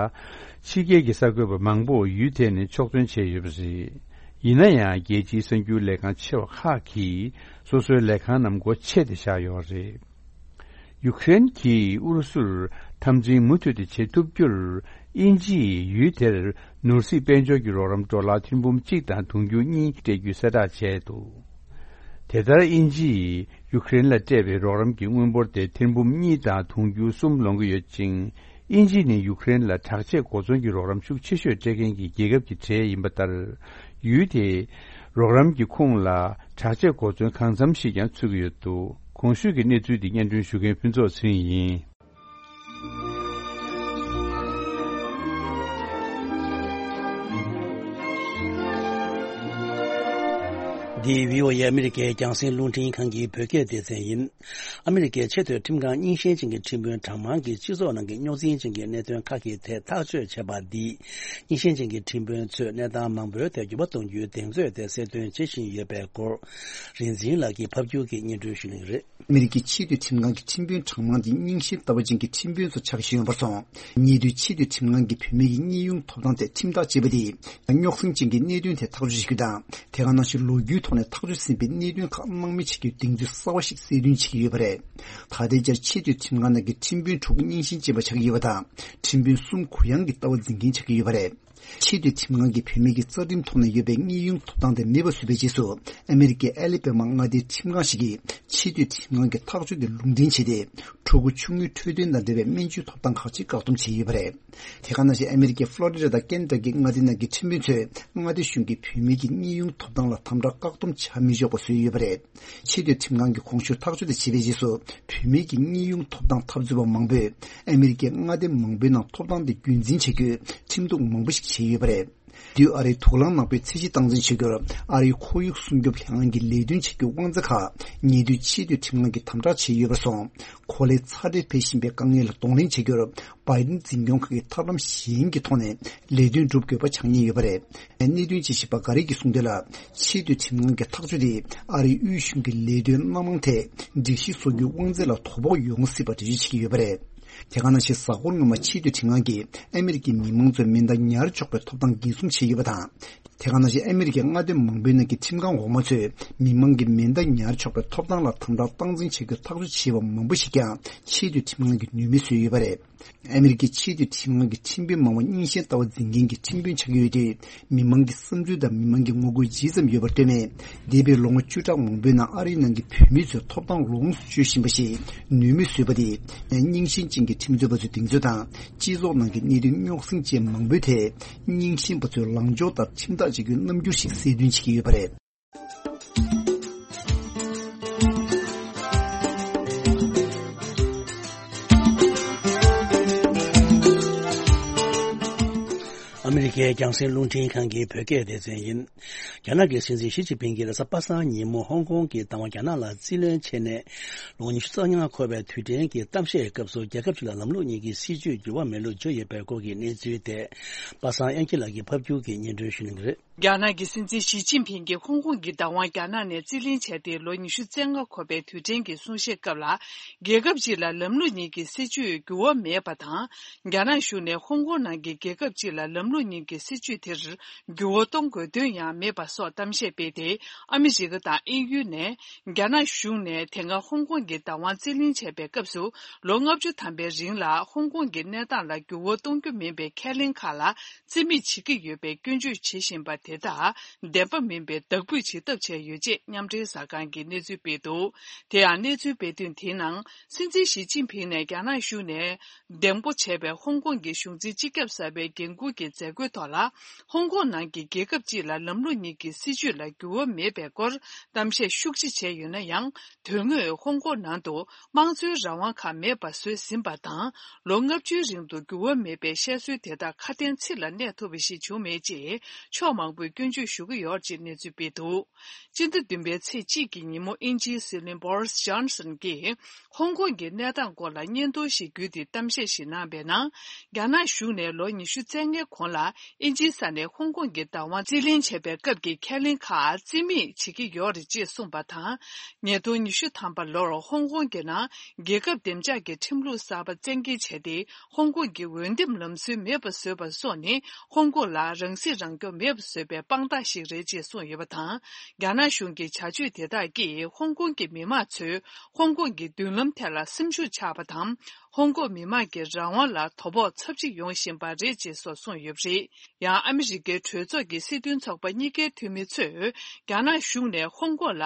ཕྱི་རྒྱལ་གྱི་གསར་འགོད་པ་མང་པོ་ཡུལ་དེ་ནས་ཕྱོགས་ཐོན་བྱས་ཡོད་པ་རེད། ཡིན་ན་ཡང་རྒྱལ་སྤྱིའི་གསར་འགྱུར་ལས་ཁང་ཆེ་བ་ཁག་གིས་སོ་སོའི་ལས་ཁང་རྣམས་སྒོ་ཕྱེ་སྟེ་བཞག་ཡོད་རེད། ཡུཀ་རེན་གྱིས་ཨུ་རུ་སུར་ འཐབ་འཛིང་མུ་མཐུད་དེ་བྱེད་ཐུབ་རྒྱུར། དབྱིན་ཇི་ཡིས་ཡུལ་དེར་ནོར་སྲིད་དཔལ་འབྱོར་གྱི་རོགས་རམ་ཌོ་ལར་ཐེར་འབུམ་གཅིག་དང་དུང་ཕྱུར་གཉིས་སྤྲད་རྒྱུའི་གསལ་བསྒྲགས་བྱས་འདུག་དེ་ལྟར་དབྱིན་ཇི་ཡིས་ཡུ་ཀེ་རེན་ལ་སྤྲད་པའི་རོགས་རམ་གྱི་དངུལ་འབོར་དེ་ཐེར་འབུམ་གཉིས་དང་དུང་ཕྱུར་གསུམ་ལོངས་ཀྱི་ཡོད་ཅིང་། དབྱིན་ཇི་ནི་ཡུ་ཀེ་རེན་ལ་དྲག་ཆས་གོ་མཚོན་གྱི་རོགས་རམ་ཤུགས་ཆེ་ཤོས་སྤྲད་མཁན་གྱི་རྒྱལ་ཁབ་ཀྱི་གྲས་ཡིན་པ་ལྟར། ཡུལ་དེས་རོགས་རམ་གྱི་ཁོངས་ལ་དྲག་ཆས་གོ་མཚོན་གང་འཚམ་ཞིག་ཀྱང་ཚུད་ཀྱི་ཡོད་འདུག་གོང་ཞུས་ཀྱི་གནས་ཚུལ་འདི་སྙན་སྒྲོན་ཞུ་མཁན་ཕུན་ཚོགས་ཚེ་རིང་ཡིན། འདི་བྷི་ཨོ་ཨེ་ཨ་མི་རི་ཀའི་རྒྱང་སྲིང་རླུང་འཕྲིན་ཁང་གི་བོད་སྐད་སྡེ་ཚན་ཡིན། ཨ་མི་རི་ཀའི་ཆེས་མཐོའི་ཁྲིམས་ཁང་རྙིང་ཞེན་ཅན་གྱི་ཁྲིམས་དཔོན་གྲངས་མང་གིས་སྤྱི་ཚོགས་ནང་གི་རྙོག་འཛིང་ཅན་གྱི་གནད་དོན་ཁག་གི་ཐད་ཐག་གཅོད་བྱས་པ་འདིས། རྙིང་ཞེན་ཅན་གྱི་ཁྲིམས་དཔོན་ཚོས་གནས་སྟངས་མང་པོའི་ཐད་འགྱུར་བ་གཏོང་རྒྱུའི་གདེང་ཚོད་དེ་གསལ་སྟོན་བྱེད་བཞིན་ཡོད་པའི་སྐོར། རིག་འཛིན་ལགས་ཀྱིས་ཕབ་སྒྱུར་གྱིས་སྙན་སྒྲོན་ཞུ་གནང་གི་རེད། ཨ་མི་རི་ཀའི་ཆེས་མཐོའི་ཁྲིམས་ཁང་གི་ཁྲིམས་དཔོན་གྲངས་མང་འདི་རྙིང་ཞེན་ལྟ་བ་ཅན་གྱི་ཁྲིམས་དཔོན་ཚོ་ཆགས་བཞིན་ཡོད་པར་སོང་། ཉེ་དུས་ཆེས་མཐོའི་ཁྲིམས་ཁང་གིས་བུད་མེད་ཀྱི་གཉིད་ཡོང་ཐོབ་ཐང་ཐད་ཁྲིམས་ཐག་བཅད་པ་དེས། རྙོག་ཟིང་ཅན་གྱི་གནད་དོན་ཐད་ཐག་གཅོད་བྱེད་རྒྱུ་དང་། དེ་ག་ནང་བཞིན་ལོ་རྒྱུས་ཐོག་ནས་ཐག་གཅོད་ཟིན་པའི་གནད་དོན་ཁག་སྣང་མེད་བྱེད་རྒྱུའི་གདེང་ཚོད་གསར་བ་ཞིག་གསལ་སྟོན་བྱེད་ཀྱི་ཡོད་པ་རེད། ད་ལྟའི་ཆར་ཆེས་མཐོའི་ཁྲིམས་ཁང་ནང་གི་ཁྲིམས་དཔོན་དྲུག་རྙིང་ཞེན་ཅན་པ་ཆགས་ཀྱི་ཡོད་པ་དང་། ཁྲིམས་དཔོན་གསུམ་གུ་ཡངས་ཀྱི་ལྟ་བ་འཛིན་མཁན་ཆགས་ཀྱི་ཡོད་པ་རེད། ཆེས་མཐོའི་ཁྲིམས་ཁང་གིས་བུད་མེད་ཀྱི་རྩ་ཁྲིམས་ཐོག་ནས་ཡོད་པའི་གཉིད་ཡོང་ཐོབ་ཐང་དེ་མེད་པ་བཟོས་པའི་རྗེས་སུ། ཨ་མི་རི་ཀའི་ཨ་ལི་པེ་མ་མངའ་སྡེའི་ཁྲིམས་ཁང་ཞིག་གིས་ཆེས་མཐོའི་ཁྲིམས་ཁང་གི་ཐག་གཅོད་དེ་ལུང་འདྲེན་བྱས་ཏེ། ཕྲུ་གུ་ཆུང་ངུའི་འཕྲོད་བསྟེན་དང་འབྲེལ་བའི་སྨན་བཅོས་ཐོབ་ཐང་ཁག་ཅིག་བཀག་སྡོམ་བྱས་ཡོད་པ་རེད། དེ་ག་ནང་བཞིན་ཨ་མི་རི་ཀའི་ཕློ་རི་ཌ་དང་ཀེན་ཊ་ཀི་མངའ་སྡེ་ནང་གི་ཁྲིམས་དཔོན་ཚོས་མངའ་སྡེ་གཞུང་གིས་བུད་མེད་ཀྱི་གཉིད་ཡོང་ཐོབ་ཐང་ལ་དམ་དྲག་བཀག་སྡོམ་བྱ་མི་ཆོག་པ་བཟོས་ཡོད་པ་རེད། ཆེས་མཐོའི་ཁྲིམས་ཁང་གིས་གོང་ཞུས་ཐག་གཅོད་དེ་བྱས་པའི་རྗེས་སུ། བུད་མེད་ཀྱི་གཉིད་ཡོང་ཐོབ་ཐང་འཐབ་རྩོད་པ་མང་པོས་ཨ་མི་རི་ཀའི་མངའ་སྡེ་མང་པོའི་ནང་ཐོབ་ཐང་དེ་རྒྱུན་འཛིན་བྱ་རྒྱུའི་ཁྲིམས་གཏུག་མང་པོ་ཞིག་བྱས་ཡོད་པ་རེད། དུས་ཨ་རིའི་དུག་རླངས་ནག་པོའི་ཚད་གཞི་སྟངས་འཛིན་བྱེད་རྒྱུར་ཨ་རིའི་ཁོར་ཡུག་སྲུང་སྐྱོབ་ལྷན་ཁང་གི་ལས་དོན་བྱེད་རྒྱུའི་དབང་ཚད་ཁག་ཉེ་དུས་ཆེས་མཐོའི་ཁྲིམས་ཁང་གིས་དམ་དྲག་བྱས་ཡོད་པར་སོང་། གོ་ལའི་ཚ་དྲོད་འཕེལ་བཞིན་པའི་དཀའ་ངལ་ལ་གདོང་ལེན་བྱེད་རྒྱུར། བྷའི་ཌེན་འཛིན་སྐྱོང་ཁང་གིས་ཐབས་ལམ་གཞན་གྱི་ཐོག་ནས་ལས་དོན་སྒྲུབ་དགོས་པ་ཆགས་ཉེན་ཡོད་པ་རེད། གནད་དོན་དཔྱད་ཞིབ་པ་འགའ་རེས་ཀྱིས་གསུངས་དོན་ལ། ཆེས་མཐོའི་ཁྲིམས་ཁང་གི་ཐག་གཅོད་དེས་ཨ་རིའི་དབུས་གཞུང་གི་ལས་དོན་སྣ་མང་ཐད་སྒྲིག་གཞི་བཟོ་རྒྱུའི་དབང་ཚད་ལ་དོ་ཕོག་ཡོང་སྲིད་པ་འགྲེལ་བརྗོད་བྱེད་ཀྱི་ཡོད་པ་རེད། དེ་ག་ནང་བཞིན་གཟའ་འཁོར་སྔོན་མ་ཆེས་མཐོའི་ཁྲིམས་ཁང་གིས་ཨ་མི་རི་ཀའི་མི་མང་ཚོའི་མེ་མདའ་ཉར་ཆོག་པའི་ཐོབ་ཐང་འགན་སྲུང་བྱས་ཡོད་པ་དང་། དེ་ག་ནང་བཞིན་ཨ་མི་རི་ཀའི་མངའ་སྡེ་མང་པོའི་ནང་གི་ཁྲིམས་ཁང་འོག་མ་ཚོས་མི་མང་གི་མེ་མདའ་ཉར་ཆོག་པའི་ཐོབ་ཐང་ལ་དམ་དྲག་སྟངས་འཛིན་བྱ་རྒྱུ་ཐག་གཅོད་བྱས་པ་མང་པོ་ཞིག་ཀྱང་ཆེས་མཐོའི་ཁྲིམས་ཁང་གིས་ནུས་མེད་བཟོས་ཡོད་པ་རེད། ཨ་མི་རི་ཀའི་ཆེས་མཐོའི་ཁྲིམས་ཁང་གི་ཁྲིམས་དཔོན་མང་བ་རྙིང་ཞེན་ལྟ་བ་འཛིན་མཁན་གྱི་ཁྲིམས་དཔོན་ཆགས་ཀྱི་ཡོད་དུས། མི་མང་གི་བསམ་ཚུལ་དང་མི་མང་གི་ངོ་རྒོལ་ཇི་ཙམ་ཡོད་པར་ལྟོས་མེད། འདས་པའི་ལོ་ངོ་བཅུ་ཕྲག་མང་པོའི་ནང་ཨ་རིའི་ནང་གི་བུད་མེད་ཚོའི་ཐོབ་ཐང་ལོངས་སུ་སྤྱོད་བཞིན་པ་ཞིག་ནུས་མེད་བཟོས་པ་དེས། རྙིང་ཞེན་ཅན་གྱི་ཁྲིམས་རྩོད་པ་ཚོའི་གདེང་ཚོད་དང་། སྤྱི་ཚོགས་ནང་གི་གནད་དོན་རྙོག་ཟིང་ཅན་མང་པོའི་ཐད། རྙིང་ཞེན་པ་ཚོའི་ལངས་ཕྱོགས་ལྟར་ཁྲིམས་ཐག་གཅོད་རྒྱུའི་རྣམ་འགྱུར་ཞིག་གསལ་སྟོན་བྱེད་ཀྱི་ཡོད་པ་རེད། ཨ་མི་རི་ཀའི་རྒྱང་སྲིང་རླུང་འཕྲིན་ཁང་གི་བོད་སྐད་སྡེ་ཚན་ཡིན། རྒྱ་ནག་གི་སྲིད་འཛིན་ཞི་ཅིན་ཕིང་གིས་རེས་གཟའ་པ་སངས་ཉིན་མོ་ཧོང་ཀོང་གི་བདག་དབང་རྒྱ་ནག་ལ་རྩིས་ལེན་བྱས་ནས། ལོ་ཉི་ཤུ་རྩ་ལྔ་འཁོར་བའི་དུས་དྲན་གྱི་གཏམ་བཤད་སྐབས་སུ། རྒྱལ་ཁབ་ཅིག་ལ་ལམ་ལུགས་གཉིས་ཀྱི་སྲིད་བྱུས་འགྱུར་བ་མེད་ལུགས་བརྗོད་ཡོད་པའི་སྐོར་གྱི་གནས་ཚུལ་ཐད། པ་སངས་དབྱངས་སྐྱིད་ལགས་ཀྱིས་ཕབ་སྒྱུར་གྱིས་སྙན་སྒྲོན་ཞུ་གནང་གི་རེད། རྒྱ་ནག་གི་སྲིད་འཛིན་ཞི་ཅིན་ཕིང་གིས་ཧོང་ཀོང་གི་བདག་དབང་རྒྱ་ནག་ནས་རྩིས་ལེན་བྱས་ཏེ་ལོ་ཉི་ཤུ་རྩ་ལྔ་འཁོར་བའི་དུས་དྲན་གྱི་གསུང་བཤད་སྐབས་ལ། རྒྱལ་ཁབ་ཅིག་ལ་ལམ་ལུགས་གཉིས་ཀྱི་སྲིད་བྱུས་འགྱུར་བ་མེད་པ་དང་། རྒྱ་ནག་གཞུང་ནས་ཧོང་ཀོང་ནང་གི་རྒྱལ་ཁབ་ཅིག་ལ་ལམ་ལུགས་གཉིས་ཀྱི་སྲིད་བྱུས་དེར་འགྱུར་བ་གཏོང་དགོས་དོན་ཡང་མེད་པ་སོགས་གཏམ་བཤད་སྤེལ་ཏེ། ཨ་མི་རི་ཀ་དང་དབྱིན་ཡུལ་ནས་རྒྱ་ནག་གཞུང་ནས་དེ་སྔ་ཧོང་ཀོང་གི་བདག་དབང་རྩིས་ལེན་བྱས་པའི་སྐབས་སུ། ལོ་ལྔ་བཅུ་ཐམ་པའི་རིང་ལ་ཧོང་ཀོང་གི་གནས་སྟངས་ལ་འགྱུར་བ་གཏོང་རྒྱུ་མིན་པའི་ཁས་ལེན་ཁག་ལ། རྩིས་མེད་བྱེད་ཀྱི་ཡོད་པའི་སྐྱོན་བརྗོད་བྱེད་བཞིན་པ་དེ་དག་བདེན་པ་མིན་པའི་བདག་འབུད་བྱེད་ཐབས་བྱས་ཡོད་ཅེས་མཉམ་འབྲེལ་གསར་ཁང་གིས་གནས་ཚུལ་སྤེལ་འདུག་དེ་ཡང་གནས་ཚུལ་སྤེལ་དོན་དེའི་ནང་། སྲིད་འཛིན་ཞི་ཅིན་ཕིང་ནས་རྒྱ་ནག་གཞུང་ནས་གདེང་སྤོ་བྱས་པའི་ཧོང་ཀོང་གི་གཞུང་འཛིན་སྤྱི་ཁྱབ་གསར་པའི་འགན་འཁུར་གྱི་མཛད་སྒོའི་ཐོག་ལ། ཧོང་ཀོང་ནང་གི་རྒྱལ་ཁབ་ཅིག་ལ་ལམ་ལུགས་གཉིས་ཀྱི་སྲིད་བྱུས་ལ་འགྱུར་བ་མེད་པའི་སྐོར་གཏམ་བཤད་ཤུགས་ཆེ་བྱས་ཡོད་ན་ཡང་། དོན་དངོས་ཧོང་ཀོང་ནང་དུ་དམངས་གཙོའི་རང་དབང་ཁག་མེད་པ་བཟོས་ཟིན་པ་དང་། ལོ་ལྔ་བཅུའི་རིང་དུ་འགྱུར་བ་མེད་པའི་བཤད་སྲོལ་དེ་དག་ཁ་དན་ཚིག་ལ་གནས་ཐུབ་པ་ཞིག་བྱུང་མེད་ཅེས་ཕྱོགས་མང་པོས་སྐྱོན་བརྗོད་ཞུ་གི་ཡོད་ཅེས་གནས་ཚུལ་སྤེལ་འདུག་སྤྱི་ཟླ་བདུན་པའི་ཚེས་གཅིག་གི་ཉིན་མོ་དབྱིན་ཇིའི་སྲིད་བློན་Boris Johnson་གྱིས་ཧོང་ཀོང་གི་གནས་སྟངས་སྐོར་ལ་སྙན་ཐོ་ཞིག་བརྒྱུད་དེ་གཏམ་བཤད་ཞིག་གནང་བའི་ནང་། རྒྱ་ནག་གཞུང་ནས་ལོ་ཉི་ཤུ་རྩ་ལྔའི་གོང་ལ། དབྱིན་ཇིའི་ས་ནས་ཧོང་ཀོང་གི་བདག་དབང་རྩིས་ལེན་བྱས་པའི་སྐབས་ཀྱི་ཁས་ལེན་ཁག་རྩིས་མེད་བྱེད་ཀྱི་ཡོད་རེད་ཅེས་གསུངས་པ་དང་། ཉིས་སྟོང་ཉི་ཤུ་ཐམ་པ་ལོར་ཧོང་ཀོང་གི་ནང་རྒྱལ་ཁབ་བདེ་འཇགས་ཀྱི་ཁྲིམས་ལུགས་གསར་པ་བཙན་འགེལ་བྱས་ཏེ། ཧོང་ཀོང་གི་འོས་འདེམས་ལམ་སྲོལ་མེད་པ་བཟོས་པ་སོགས་ནི་ཧོང་ཀོང་ལ་རང་སྲིད་རང་སྐྱོང་མེད་པ་བཟོས་པའི་དཔང་རྟགས་ཤིག་རེད་ཅེས་གསུངས་ཡོད་པ་དང་། རྒྱ་ནག་གཞུང་གི་བྱ་སྤྱོད་དེ་དག་གིས་ཧོང་ཀོང་གི་མི་མང་ཚོས་ཧོང་ཀོང་གི་མདུན་ལམ་ཐད་ལ་སེམས་ཤུགས་ཆག་པ་དང་། ཧོང་ཀོང་མི་མང་གི་རང་དབང་ལ་དོ་ཕོག་ཚབས་ཆེ་ཡོང་བཞིན་པ་རེད་ཅེས་སོགས་གསུངས་ཡོད་པ་རེད། ཡང་ཨ་མི་རི་ཀའི་གྲོས་ཚོགས་ཀྱི་སྲིད་དོན་ཚོགས་པ་གཉིས་ཀའི་འཐུས་མི་ཚོས་རྒྱ་ནག་གཞུང་ནས་ཧོང་ཀོང་ལ་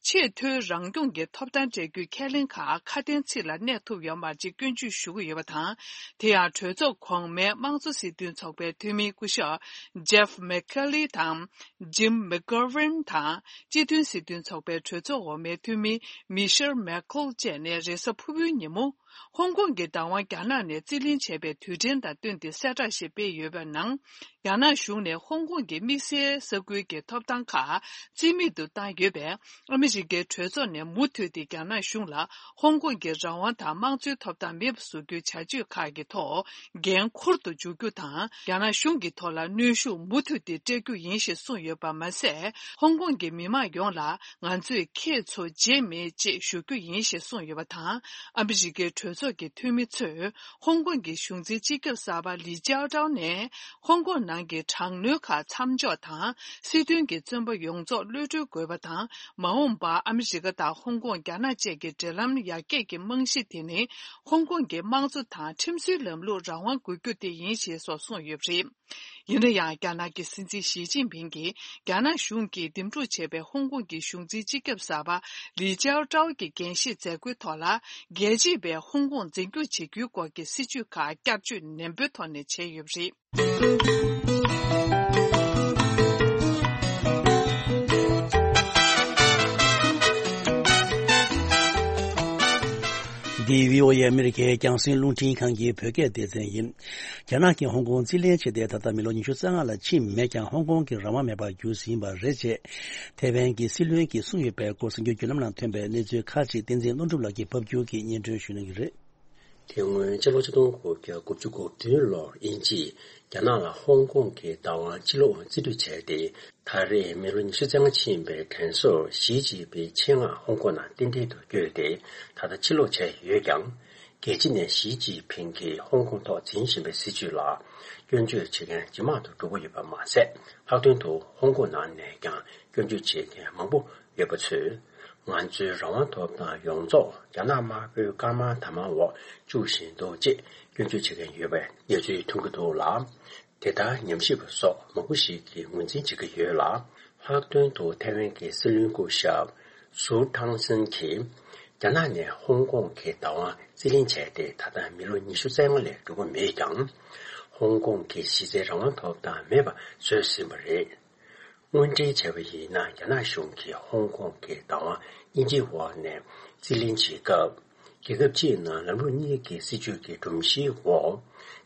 ཆེས་མཐོའི་རང་སྐྱོང་གི་ཐོབ་ཐང་སྤྲད་རྒྱུའི་ཁས་ལེན་ཁག་ཁ་དན་ཚིག་ལ་གནས་ཐུབ་ཡོད་མ་རེད་ཅེས་སྐྱོན་བརྗོད་ཞུ་གི་ཡོད་པ་དང་། དེ་ཡང་གྲོས་ཚོགས་གོང་མའི་དམངས་གཙོ་སྲིད་དོན་ཚོགས་པའི་འཐུས་མི་སྐུ་ཞབས་Jeff McKelly དང་Jim McGovern དང་། སྤྱི་མཐུན་སྲིད་དོན་ཚོགས་པའི་གྲོས་ཚོགས་འོག་མའི་འཐུས་མི་Michelle McCaul བཅས་ནས་རེས་གཟའ་ཕུར་བུའི་ཉིན་མོ། ཧོང་ཀོང་གི་བདག་དབང་རྒྱ་ནག་ནས་རྩིས་ལེན་བྱས་པའི་དུས་དྲན་དང་བསྟུན་ཏེ་གསལ་བསྒྲགས་ཤིག་སྤེལ་ཡོད་པའི་ནང་། རྒྱ་ནག་གཞུང་ནས་ཧོང་ཀོང་གི་དམིགས་བསལ་ས་ཁུལ་གྱི་ཐོབ་ཐང་ཁག་རྩིས་མེད་དུ་བཏང་ཡོད་པས། ཨ་མི་རི་ཀའི་གྲོས་ཚོགས་ནས་མུ་མཐུད་དེ་རྒྱ་ནག་གཞུང་ལ་ཧོང་ཀོང་གི་རང་དབང་དང་དམངས་གཙོའི་ཐོབ་ཐང་མེད་པ་བཟོ་རྒྱུའི་བྱ་སྤྱོད་ཁག་གི་ཐོག་འགན་འཁུར་དུ་འཇུག་རྒྱུ་དང་། རྒྱ་ནག་གཞུང་གི་ཐོག་ལ་གནོན་ཤུགས་མུ་མཐུད་དེ་སྤྲད་རྒྱུ་ཡིན་ཞེས་གསུངས་ཡོད་པ་མ་ཟད། ཧོང་ཀོང་གི་མི་མང་ཡོངས་ལ། ང་ཚོས་ཁྱེད་ཚོ་བརྗེད་མེད་ཅེས་ཞུ་རྒྱུ་ཡིན་ཞེས་གསུངས་ཡོད་པ་དང་། ཨ་མི་རི་ཀའི་གྲོས་ཚོགས་ཀྱི་འཐུས་མི་ཚོས་ཧོང་ཀོང་གི་གཞུང་འཛིན་སྤྱི་ཁྱབ་གསར་པ་ལི་ཅའོ་ཀྲའོ་ནས་ཧོང་ཀོང་ནང་གི་དྲག་གནོན་ཁག་མཚམས་འཇོག་དང་། སྲིད་དོན་གྱི་བཙོན་པ་ཡོངས་རྫོགས་གློད་གྲོལ་དགོས་པ་དང་། མ་འོངས་པར་ཨ་མི་རི་ཀ་དང་ཧོང་ཀོང་། རྒྱ་ནག་བཅས་ཀྱི་འབྲེལ་ལམ་ཡར་རྒྱས་ཀྱི་རྨང་གཞི་དེ་ནི་ཧོང་ཀོང་གི་དམངས་གཙོ་དང་ཁྲིམས་སྲོལ་ལམ་ལུགས་རང་དབང་དགོས་རྒྱུ་དེ་ཡིན་ཞེས་སོགས་གསུངས་ཡོད་པ་རེད། ཡིན་ན་ཡང་། རྒྱ་ནག་གི་སྲིད་འཛིན་ཞི་ཅིན་ཕིང་གིས་རྒྱ་ནག་གཞུང་གིས་འདེམས་སྒྲུག་བྱས་པའི་ཧོང་ཀོང་གི་གཞུང་འཛིན་སྤྱི་ཁྱབ་གསར་པ་ལི་ཅའོ་ཀྲའོ་གི་འགན་བཞེས་མཛད་སྒོའི་ཐོག་ལ། རྒྱལ་གཅེས་པས་ཧོང་ཀོང་འཛིན་སྐྱོང་བྱེད་རྒྱུའི་སྐོར་གྱི་སྲིད་བྱུས་ཁག་བསྐྱར་བཅོས་ནན་པོའི་ཐོག་ནས་བྱས་ཡོད་པ་རེད། འདི་བྷི་ཨོ་ཨེ་ཨ་མི་རི་ཀའི་རྒྱང་སྲིང་རླུང་འཕྲིན་ཁང་གི་བོད་སྐད་སྡེ་ཚན་ཡིན། རྒྱ་ནག་གིས་ཧོང་ཀོང་རྩིས་ལེན་བྱས་ཏེ་ད་ལྟ་མི་ལོ་ཉི་ཤུ་རྩ་ལྔ་ལ་ཕྱིན་མེད་ཀྱང་། ཧོང་ཀོང་གི་རང་དབང་མེད་པར་གྱུར་ཟིན་པ་རེད་ཅེས་ཐེ་ཝན་གྱི་སྲིད་བློན་གྱིས་གསུངས་ཡོད་པའི་སྐོར། གསར་འགྱུར་བརྒྱུད་ལམ་ནང་ཐོན་པའི་གནས་ཚུལ་ཁག་ཅིག་བསྟན་འཛིན་ཀློང་གྲུབ་ལགས་ཀྱིས་ཕབ་སྒྱུར་གྱིས་སྙན་སྒྲོན་ཞུ་གནང་གི་རེད། དེ་སྔོན་སྤྱི་ལོ་ཆིག་སྟོང་དགུ་བརྒྱ་དགུ་བཅུ་གོ་བདུན་ལོར་དབྱིན་ཇིས་རྒྱ་ནག་ལ་ཧོང་ཀོང་གི་བདག་དབང་ཕྱིར་སློག་རྩིས་སྤྲོད་བྱས་ཏེ། ད་རེས་མི་ལོ་ཉི་ཤུ་རྩ་ལྔ་ཕྱིན་པའི་དྲན་གསོར་ཞི་ཅིན་ཕིང་ཆེད་མངགས་ཧོང་ཀོང་ནང་རྟེན་འབྲེལ་དུ་བསྐྱོད་དེ་ད་ལྟ་ཕྱིར་སློག་བྱས་ཡོད་ཀྱང་། རྒྱལ་སྤྱི་ནས་ཞི་ཅིན་ཕིང་གིས་ཧོང་ཀོང་ཐོག་འཛིན་བཞིན་པའི་སྲིད་བྱུས་ལ་སྐྱོན་བརྗོད་བྱེད་མཁན་ཇེ་མང་དུ་འགྲོ་གི་ཡོད་པ་མ་ཟད། ལྷག་དོན་དུ་ཧོང་ཀོང་ནང་ནས་ཀྱང་སྐྱོན་བརྗོད་བྱེད་མཁན་མང་པོ་ཡོད་པ་ཚོས། ང་ཚོའི་རང་དབང་ཐོབ་ཐང་ཡོངས་རྫོགས་རྒྱ་ནག་དམར་པོའི་སྐར་མ་དར་མ་འོག་བཅུག་བཞིན་འདུག་ཅེས་སྐྱོན་བརྗོད་བྱེད་མཁན་ཡོད་པའི་གནས་ཚུལ་ཐོན་གྱི་འདུག་ལ། དེ་ལྟར་ཉམས་ཞིབ་པ་སོགས་མང་པོ་ཞིག་གིས་ངོས་འཛིན་བྱེད་ཀྱི་ཡོད་ལ། ལྷག་དོན་དུ་ཐེ་ཝན་གྱི་སྲིད་བློན་སྐུ་ཞབས་སུའུ་ཐང་སན་གྱིས། རྒྱ་ནག་ནས་ཧོང་ཀོང་གི་བདག་དབང་རྩིས་ལེན་བྱས་ཏེ་ད་ལྟ་མི་ལོ་ཉི་ཤུ་རྩ་ལྔ་ལས་འགྲོ་གི་མེད་ཀྱང་། ཧོང་ཀོང་གི་གཞི་རྩའི་རང་དབང་ཐོབ་ཐང་མེད་པ་བཟོས་ཟིན་པ་རེད། དངོས་འབྲེལ་བྱས་པ་ཡིན་ན། རྒྱ་ནག་གཞུང་གིས་ཧོང་ཀོང་གི་བདག་དབང་དབྱིན་ཇིའི་འོག་ནས་རྩིས་ལེན་བྱེད་སྐབས། རྒྱལ་ཁབ་གཅིག་ནང་ལམ་ལུགས་གཉིས་ཀྱི་སྲིད་བྱུས་ཀྱི་སྒྲོམ་གཞིའི་འོག་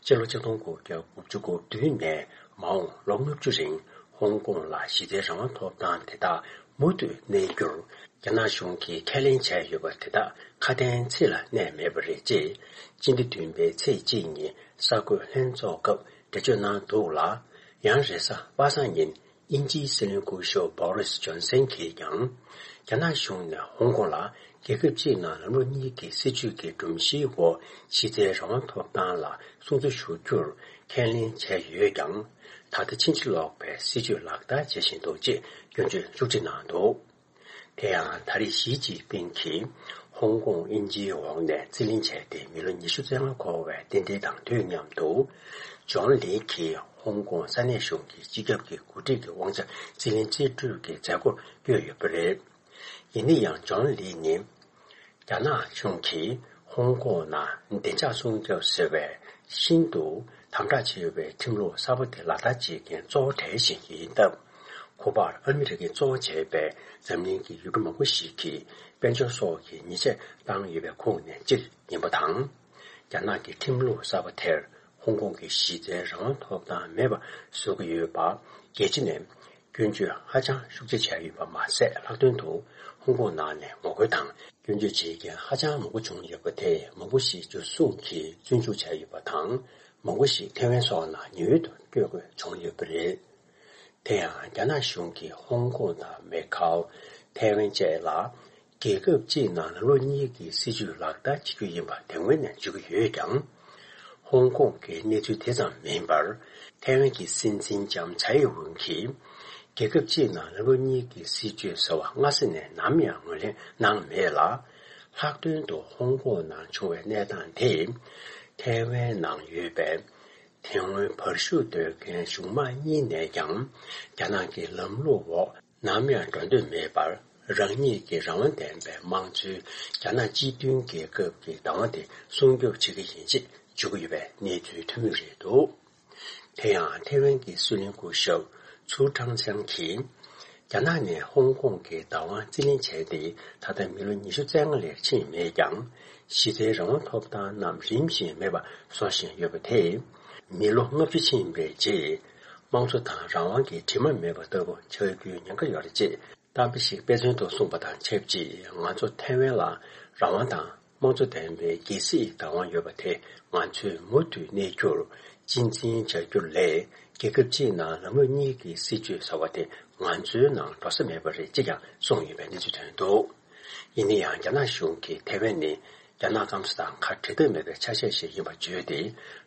སྤྱི་ལོ་ཆིག་སྟོང་དགུ་བརྒྱ་དགུ་བཅུ་གོ་བདུན་ནས་མ་འོངས་ལོ་ལྔ་བཅུ་རིང་ཧོང་ཀོང་ལ་གཞི་རྩའི་རང་དབང་ཐོབ་ཐང་དེ་དག་མུ་མཐུད་གནས་རྒྱུར། རྒྱ་ནག་གཞུང་གིས་ཁས་ལེན་བྱས་ཡོད་པ་དེ་དག་ཁ་དན་ཚིག་ལ་གནས་མེད་པ་རེད་ཅེས། སྤྱི་ཟླ་བདུན་པའི་ཚེས་གཅིག་ཉིན་གསར་འགོད་ལྷན་ཚོགས་སྐབས་འགྲེལ་བརྗོད་གནང་འདུག་ལ། ཡང་རེས་གཟའ་པ་སངས་ཉིན། དབྱིན་ཇིའི་སྲིད་བློན་སྐུ་ཞབས་བྷོ་རིས་ཇོན་སན་གྱིས་ཀྱང་། རྒྱ་ནག་གཞུང་ནས་ཧོང་ཀོང་ལ་རྒྱལ་ཁབ་གཅིག་ནང་ལམ་ལུགས་གཉིས་ཀྱི་སྲིད་བྱུས་ཀྱི་སྒྲོམ་གཞིའི་འོག་གཞི་རྩའི་རང་དབང་ཐོབ་ཐང་ལ་སྲུང་བརྩི་ཞུ་རྒྱུར་ཁས་ལེན་བྱས་ཡོད་ཀྱང་། ད་ལྟ་ཕྱིན་ཅི་ལོག་པའི་སྲིད་བྱུས་ལག་བསྟར་བྱེད་བཞིན་འདུག་ཅེས་སྐྱོན་བརྗོད་ཤུགས་ཆེ་གནང་འདུག་དེ་ཡང་ད་རེས་ཞི་ཅིན་ཕིང་གིས་ཧོང་ཀོང་དབྱིན་ཇིའི་འོག་ནས་རྩིས་ལེན་བྱས་ཏེ་མི་ལོ་ཉི་ཤུ་རྩ་ལྔ་འཁོར་བའི་རྟེན་འབྲེལ་དང་དུས་མཉམ་དུ། ཇོན་ལི་གིས་ཧོང་ཀོང་ས་གནས་གཞུང་གི་སྤྱི་ཁྱབ་ཀྱི་འགོ་ཁྲིད་ཀྱི་དབང་ཆ་རྩིས་ལེན་རྩིས་སྤྲོད་ཀྱི་མཛད་སྒོར་བསྐྱོད་ཡོད་པ་རེད། ཡིན་ན་ཡང་ཇོན་ལི་ནི། རྒྱ་ནག་གཞུང་གིས་ཧོང་ཀོང་ནང་བདེ་འཇགས་སྲུང་སྐྱོབ་ཟེར་བའི་ཤིན་ཏུ་དམ་དྲག་ཆེ་བའི་ཁྲིམས་ལུགས་གསར་པ་དེ་ལག་བསྟར་བྱེད་མཁན་གཙོ་བོ་གྲས་ཤིག་ཡིན་སྟབས། ཁོ་པར་ཨ་མི་རི་ཀས་གཙོ་བོ་བྱས་པའི་འཛམ་གླིང་གི་ཡུལ་གྲུ་མང་པོ་ཞིག་གིས་དཔལ་འབྱོར་སོགས་ཀྱི་ཉེས་ཆད་བཏང་ཡོད་པའི་ཁོངས་ནས་གཅིག་ཡིན་པ་དང་། རྒྱ་ནག་གི་ཁྲིམས་ལུགས་གསར་པ་དེར་ཧོང་ཀོང་གི་གཞི་རྩའི་རང་དབང་ཐོབ་ཐང་མེད་པ་བཟོ་གི་ཡོད་པ། རྒྱལ་སྤྱི་ནས་སྐྱོན་བརྗོད་ཧ་ཅང་ཤུགས་ཆེ་བྱས་ཡོད་པ་མ་ཟད། ལྷག་དོན་དུ་ཧོང་ཀོང་ནང་ནས་ངོ་རྒོལ་དང་སྐྱོན་བརྗོད་བྱེད་མཁན་ཧ་ཅང་མང་པོ་བྱུང་ཡོད་པ་དེས་མང་པོ་ཞིག་འཇུ་བཟུང་གིས་བཙོན་འཇུག་བྱས་ཡོད་པ་དང་། མང་པོ་ཞིག་ཐེ་ཝན་སོགས་ནང་ཉེ་འོལ་དུ་བསྐྱོད་དགོས་བྱུང་ཡོད་པ་རེད། དེ་ཡང་རྒྱ་ནག་གཞུང་གིས་ཧོང་ཀོང་དང་མེ་ཁའོ། ཐེ་ཝན་བཅས་ལ། རྒྱལ་ཁབ་གཅིག་ནང་ལ་ལོ་གཉིས་ཀྱི་སྲིད་ཇུས་ལག་བསྟར་བྱེད་རྒྱུ་ཡིན་པ་དེ་སྔོན་ནས་བརྗོད་ཀྱི་ཡོད་ཀྱང་། ཧོང་ཀོང་གི་གནས་ཚུལ་དེ་ཙམ་མིན་པར། ཐའེ་ཝན་གྱི་སྲིད་འཛིན་ལྕམ་ཚའེ་ཝུན་གྱིས། རྒྱལ་ཁབ་གཅིག་ནང་ལ་ལོ་གཉིས་ཀྱི་སྲིད་ཇུས་ཟེར་བ་སྔ་ས་ནས་ནམ་ཡང་ངོས་ལེན་གནང་མེད་ལ། ལྷག་དོན་དུ་ཧོང་ཀོང་ནང་བྱུང་བའི་གནས་སྟངས་དེས། ཐའེ་ཝན་ནང་ཡོད་པའི། དེ་སྔོན་བར་ཞུགས་འདོད་མཁན་གཞུང་དམངས་གཉིས་ནས་ཀྱང་། རྒྱ་ནག་གི་ལམ་ལུགས་འོག་ནམ་ཡང་འགྲོ་འདོད་མེད་པར། རང་ཉིད་ཀྱི་རང་དབང་ལྡན་པའི་དམངས་གཙོའི་རྒྱ་ནག་སྤྱི་མཐུན་རྒྱལ་ཁབ་ཀྱི་བདག་དབང་དེ་སྲུང་སྐྱོབ་བྱེད་ཀྱི་ཡིན་ཅེས་བརྗོད་ཀྱི་ཡོད་པའི་གནས་ཚུལ་ཐོན་མུས་རེད་འདུག་དེ་ཡང་ཐེ་ཝན་གྱི་སྲིད་བློན་སྐུ་ཞབས་ཚུའུ་ཁྲང་ཚང་གིས། རྒྱ་ནག་ནས་ཧོང་ཀོང་གི་བདག་དབང་རྩིས་ལེན་བྱས་ཏེ་ད་ལྟ་མི་ལོ་ཉི་ཤུ་རྩ་ལྔ་ལས་ཕྱིན་མེད་ཀྱང་། གཞི་རྩའི་རང་དབང་ཐོབ་ཐང་རྣམས་རིམ་བཞིན་མེད་པ་བཟོ་བཞིན་ཡོད་པ་དེས། མི་ལོ་ལྔ་བཅུ་ཕྱིན་པའི་རྗེས། དམངས་གཙོ་དང་རང་དབང་གི་དྲི་མ་མེད་པ་ལྟ་བུ་ཆགས་རྒྱུའི་ཉེན་ཁ་ཡོད་རེད་ཅེས་གཏམ་དཔེ་ཞིག་དཔེ་མཚོན་དུ་གསུངས་པ་དང་ཆབས་ཅིག་ང་ཚོ་ཐའེ་ཝན་ལ་རང་དབང་དང་། དམངས་གཙོ་ལྡན་པའི་རྒྱལ་སྲིད་བདག་དབང་ཡོད་པ་དེ་ང་ཚོས་མུ་མཐུད་གནས་རྒྱུར་གཅེས་འཛིན་བྱ་རྒྱུ་ལས། རྒྱལ་ཁབ་གཅིག་ནང་ལམ་ལུགས་གཉིས་ཀྱི་སྲིད་བྱུས་ཟེར་བ་དེ་ང་ཚོའི་ནང་འགྲོ་ས་མེད་པ་རེད་ཅེས་ཀྱང་གསུངས་ཡོད་པའི་གནས་ཚུལ་ཐོན་འདུག་ཡིན་ན་ཡང་རྒྱ་ནག་གཞུང་གིས་ཐའེ་ཝན་ནི་རྒྱ་ནག་སྐམ་ས་དང་ཁ་བྲལ་ཐབས་མེད་པའི་ཆ་ཤས་ཤིག་ཡིན་པ་བརྗོད་དེ།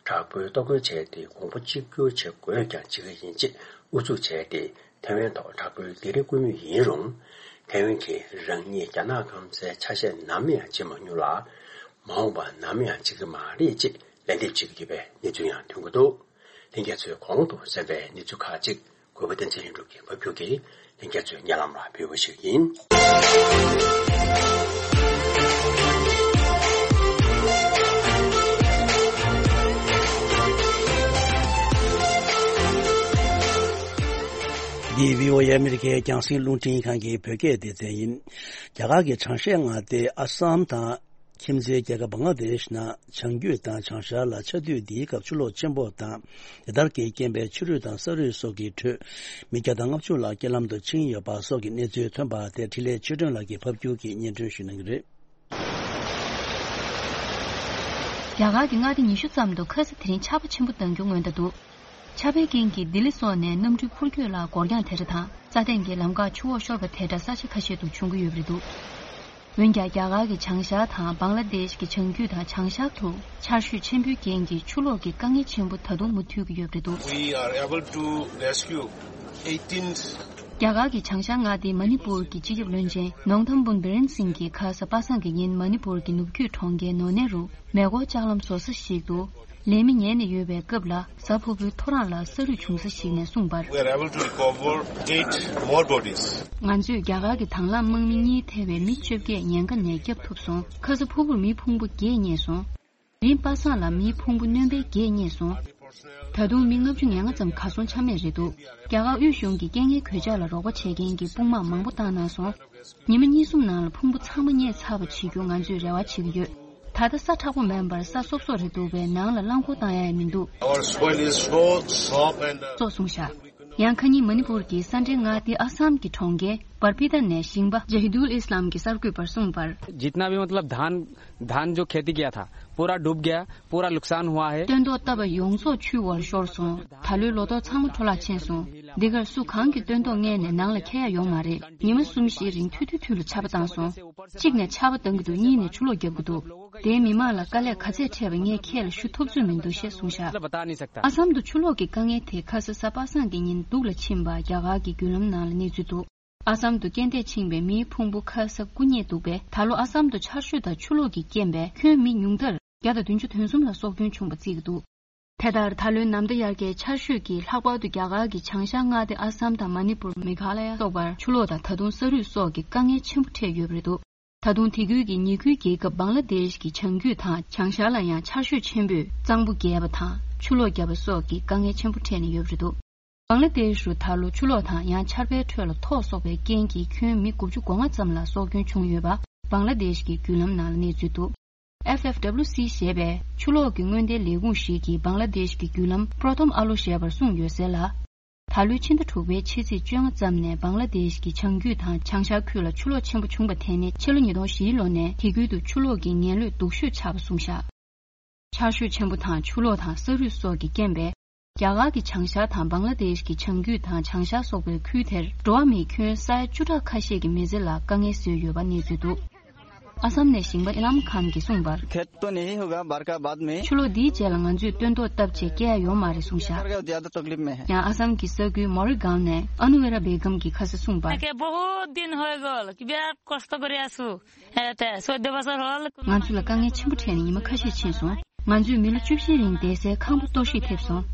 དྲག་པོའི་ལྟོ་གོས་བྱས་ཏེ་གོང་བུ་གཅིག་གྱུར་བྱེད་དགོས་ཀྱང་བྱེད་ཀྱི་ཡིན་ཅེས་ཨུ་ཚུགས་བྱས་ཏེ། ཐའེ་ཝན་ཐོག་དྲག་པོའི་སྡིགས་ར་བསྐུལ་མུས་ཡིན་རུང་། ཐའེ་ཝན་གྱིས་རང་ཉིད་རྒྱ་ནག་སྐམ་སའི་ཆ་ཤས་ནམ་ཡང་བརྗེད་མ་མྱོང་ལ། མ་འོངས་པ་ནམ་ཡང་བརྗེད་ཀྱི་མ་རེད་ཅེས་ལན་འདེབས་བྱེད་ཀྱི་ཡོད་པའི་གནས་ཚུལ་ཡང་ཐོན་གྱི་འདུག་ལྷན་རྒྱས་ཚོས་གོང་དུ་གསན་པའི་གནས་ཚུལ་ཁག་ཅིག་གུས་པ་བསྟན་འཛིན་ལྷུན་གྲུབ་ཀྱིས་ཕབ་སྒྱུར་གྱིས་ལྷན་རྒྱས་ཚོའི་སྙན་ལམ་ལ་ཕུལ་བ་ཞིག་ཡིན། འདི་བྷི་ཨོ་ཨེ་ཨ་མི་རི་ཀའི་རྒྱང་སྲིང་རླུང་འཕྲིན་ཁང་གི་བོད་སྐད་སྡེ་ཚན་ཡིན། རྒྱ་གར་གྱི་བྱང་ཤར་མངའ་སྡེ་ཨ་སམ་དང་། ཁྱིམ་མཚེས་རྒྱལ་ཁབ་བང་ལ་དེཤ་ནང་བྱང་རྒྱུད་དང་བྱང་ཤར་ལ་ཆར་དུས་འདིའི་སྐབས་ཆུ་ལོག་ཆེན་པོ་དང་དེ་ལྟར་གྱི་རྐྱེན་པས་ཆུ་རུད་དང་ས་རུད་སོགས་ཀྱི་ཁྲོད་མི་བརྒྱ་དང་ལྔ་བཅུ་ལྷག་རྐྱེན་ལམ་དུ་ཕྱིན་ཡོད་པ་སོགས་ཀྱི་གནས་ཚུལ་ཐོན་པ་དེ་འཕྲིན་ལས་ཆོས་སྒྲོན་ལགས་ཀྱིས་ཕབ་སྒྱུར་གྱིས་སྙན་སྒྲོན་ཞུ་གནང་གི་རེད། རྒྱ་གར་གྱི་མངའ་སྡེ་ཉི་ཤུ་ཙམ་དུ་ཁ་ས་དེ་རིང་ཆར་པ་ཆེན་པོ་ལྡང་རྒྱུ་སྔོན་བརྡ་འདུག་ཆར་པའི་རྐྱེན་གྱིས་ལྡི་ལི་སོགས་ནས་གནམ་གྲུའི་འཕུར་སྐྱོད་ལ་འགོར་འགྱངས་དེ་འདྲ་དང་རྩྭ་ཐང་གི་ལམ་ཁར་ཆུ་འོག་ཤོར་བ་དེ་འདྲ་ས་ཆ་ཁ་ཤས་སུ་བྱུང་གི་ཡོད་པ་རེད་འདུག་འོན་ཀྱང་རྒྱ་གར་གྱི་བྱང་ཤར་དང་བང་ལ་དེཤ་གྱི་བྱང་རྒྱུད་དང་བྱང་ཤར་དུ་ཆར་ཞོད་ཆེན་པོའི་རྐྱེན་གྱིས་ཆུ་ལོག་གི་དཀའ་ངལ་ཆེན་པོ་ད་དུང་མུ་མཐུད་ཀྱི་ཡོད་པ་རེད་འདུག We are able to rescue eighteen. རྒྱ་གར་གྱི་བྱང་ཤར་མངའ་སྡེ་མ་ནི་པུར་གྱི་སྤྱི་ཁྱབ་བློན་ཆེན་ནོང་ཐམ་བུན་བི་རེན་སིང་གིས་ཁ་ས་པ་སངས་ཀྱི་ཉིན་མ་ནི་པུར་གྱི་ནུབ་རྒྱུད་གྲོང་ཁྱེར་ནོ་ནེ་རུ་མེ་འཁོར་ལྕགས་ལམ་བཟོ་ས་ཞིག་ཏུ། ལས་མི་ཉལ་ནས་ཡོད་པའི་སྐབས་ལ་གཟའ་ཕུར་བུའི་ཐོ་རངས་ལ་ས་རུད་བྱུང་ས་ཞིག་ནས་གསུངས་པར། We are able to recover eight more bodies. ང་ཚོས་རྒྱ་གར་གྱི་དང་བླངས་དམག་མི་གཉིས་ཐེ་བའི་མི་བཅོ་བརྒྱད་ཉེན་ཁ་ནས་བསྐྱབས་ཐུབ་སོང་། ཁ་ས་ཕུར་བུར་མིའི་ཕུང་པོ་བརྒྱད་རྙེད་སོང་། དེ་རིང་པ་སངས་ལ་མིའི་ཕུང་པོ་སྣོན་པའི་བརྒྱད་རྙེད་སོང་། ད་དུང་མི་ལྔ་བཅུ་ང་ལྔ་ཙམ་གར་སོང་ཆ་མེད་རེད་འདུག་རྒྱ་གར་དབུས་གཞུང་གིས་རྐྱེན་ངན་གོད་ཆག་ལ་རོགས་པ་བྱེད་མཁན་གྱི་དཔུང་དམག་མང་པོ་བཏང་གནང་སོང་། ཉི་མ་གཉིས་གསུམ་ནང་ལ་ཕུང་པོ་ཚང་མ་རྙེད་ཚར་བ་བྱེད་རྒྱུ་ང་ཚོས་རེ་བ་བྱེད་ཀྱི་ཡོད། ད་ལྟ་ས་མཁྲེགས་པོ་མིན་པར་ས་སོབ་སོབ་རེད་འདུག་པས་ནང་ལ་རླངས་འཁོར་བཏང་ཡ་ཡང་མི་འདུག Our soil is so soft and, uh, སོགས་གསུངས་བཞག་ཡང་ཁ་ཉིན་མ་ནི་པུར་གྱི་ས་འབྲེལ་མངའ་སྡེ་ཨ་སམ་གྱི་གྲོང་ཁྱེར་བར་པི་ཏ་ནས་ཞིང་པ་ཇ་ཧི་དུལ་ཨི་སི་ལམ་གྱིས་གསར་འགོད་པར་གསུངས་པར། जितना भी मतलब धान धान जो खेती किया था पूरा डूब गया। पूरा नुकसान हुआ है। སྟོན་ཐོག་བཏབ་པ་ཡོངས་རྫོགས་ཆུའི་འོག་ཤོར་སོང་། ད་ལོའི་ལོ་ཏོག་ཚང་མ་འཕྲོ་བརླག་ཕྱིན་སོང་། འདི་གར་སུ་གང་གིས་སྟོན་ཐོག་བརྔས་ནས་ནང་ལ་འཁྱེར་ཡ་ཡོང་མ་རེད། ཉི་མ་གསུམ་བཞིའི་རིང་ཐུལ་ཐུལ་ཐུལ་ལ་ཆར་པ་བཏང་སོང་། གཅིག་ནས་ཆར་པ་བཏང་གི་འདུག་གཉིས་ནས་ཆུ་ལོག་རྒྱབ་ཀྱི་འདུག་དེའི་མི་མང་ལ་དཀའ་ལས་ག་ཚད་འཕྲད་པ་ངས་ཁྱེད་ལ་ཞུ་ཐུབ་ཚོད་མི་འདུག་ཞེས་གསུངས་བཞག་ཨ་སམ་དུ་ཆུ་ལོག་གི་དཀའ་ངལ་དེ་ཁ་ས་གཟའ་པ་སངས་ཀྱི་ཉིན་སྡུག་ལ་ཕྱིན་པ་རྒྱ་གར་གྱི་བརྒྱུད་ལམ་ནང་ལ་གནས་ཚུལ་འདུག་ཨ་སམ་དུ་རྐྱེན་འདས་ཕྱིན་པའི་མིའི་ཕུང་པོ་ཁ་ས་དགུ་རྙེད་འདུག་པས། ད་ལོ་ཨ་སམ་དུ་ཆར་ཞོད་དང་ཆུ་ལོག་གི་རྐྱེན་པས་ཁྱོན་མི་ཉུང་མཐར་བརྒྱ་དང་བདུན་ཅུ་དོན་གསུམ་ལ་སྲོག་སྐྱོན་བྱུང་བ་བརྩི་གི་འདུག་དེ་ལྟར་ད་ལོའི་ནམ་ཟླ་དབྱར་ཁའི་ཆར་ཞོད་ཀྱིས་ལྷག་པར་དུ་རྒྱ་གར་གྱི་བྱང་ཤར་མངའ་སྡེ་ཨ་སམ་དང་མ་ནི་པུར། མེ་གྷ་ལ་ཡ་སོགས་པར་ཆུ་ལོག་དང་ད་དུང་ས་རུད་སོགས་ཀྱི་དཀའ་ངལ་ཆེན་པོ་འཕྲད་ཡོད་པ་རེད་འདུག་ད་དུང་དེ་ཁུལ་གྱི་ཉེ་ཁུལ་རྒྱལ་ཁབ་བང་ལ་དེཤ་གྱི་བྱང་རྒྱུད་དང་བྱང་ཤར་ལ་ཡང་ཆར་ཞོད་ཆེན་པོས་གཙང་པོ་རྒྱས་པ་དང་ཆུ་ལོག་བརྒྱབ་པ་སོགས་ཀྱི་དཀའ་ངལ་ཆེན་པོ་འཕྲད་ནས་ཡོད་པ་རེད་འདུག་བང་ལ་དེཤ་རུ་ད་ལོ་ཆུ་ལོག་དང་ཡང་ཆར་པའི་ཁྲོད་ལ་ཐོག་སོགས་པའི་རྐྱེན་གྱིས་ཁྱོན་མི་དགུ་བཅུ་གོ་ལྔ་ཙམ་ལ་སྲོག་སྐྱོན་བྱུང་ཡོད་པ་བང་ལ་དེཤ་གི་བརྒྱུད་ལམ་ནང་ལ་གནས་ཚུལ་འདུག F F W C ཞེས་པའི་ཆུ་ལོག་གི་སྔོན་བརྡའི་ལས་ཁུངས་ཤིག་གིས་བང་ལ་དེཤ་གི་བརྒྱུད་ལམ་པྲོ་ཐོམ་ཨ་ལོ་ཞེས་པར་གསུངས་ཡོད་གསལ་ལ། ད་ལོའི་ཕྱི་ཟླ་དྲུག་པའི་ཕྱི་ཚེས་བཅོ་ལྔ་ཙམ་ནས་བང་ལ་དེཤ་གི་བྱང་རྒྱུད་དང་བྱང་ཤར་ཁུལ་ལ་ཆུ་ལོག་ཆེན་པོ་བྱུང་བ་དེ་ནི་ཕྱི་ལོ་ཉིས་སྟོང་བཞིའི་ལོ་ནས་དེ་ཁུལ་དུ་ཆུ་ལོག་གི་ངན་ལུས་སྡུག་ཤོས་ཆགས་པ་གསུངས་བཞག་ཆར་ཞོད་ཆེན་པོ་དང་ཆུ་ལོག་དང་ས་རུད་སོགས་ཀྱི་རྐྱེན་པས། རྒྱ་གར་གྱི་བྱང་ཤར་དང་བང་ལ་དེཤ་གི་བྱང་རྒྱུད་དང་བྱང་ཤར་སོགས་པའི་ཁུལ་དེར་འགྲོ་བ་མིའི་ཁྱོན་ས་ཡ་བཅུ་ཕྲག་ཁ་ཤས་ཀྱི་མི་སེར་ལ་དཀའ་ངལ་བཟོས་ཡོད་པ་གནས་ཚུལ་འདུག། ཨ་སམ་ནས་ཞིང་པ་ཨི་ལམ་ཁཱན་གྱིས་གསུངས་པར། खेत तो नहीं होगा बाढ़ का बाद में। ཆུ་ལོག་འདིའི་རྗེས་ལ་ང་ཚོས་སྟོན་ཐོག་བཏབ་རྗེས་སྐྱེ་ཡ་ཡོད་མ་རེད་གསུངས་བཞག། सरकार ज्यादा तकलीफ में है। ཡང་ཨ་སམ་གྱི་ས་ཁུལ་མོ་རི་གཱན་ནས་ཨ་ནུ་ཝེ་ར་བེ་གམ་གྱིས་ཁ་སང་གསུངས་པར། ང་ཚོ་ལ་དཀའ་ངལ་ཆེན་པོ་འཕྲད་ནས་ཉི་མ་ཁ་ཤས་ཕྱིན་སོང་། ང་ཚོས་མི་ལོ་བཅུ་བཞིའི་རིང་བསྡད་སའི་ཁང་པ་གཏོར་བཤིག་ཐེབས་སོང་།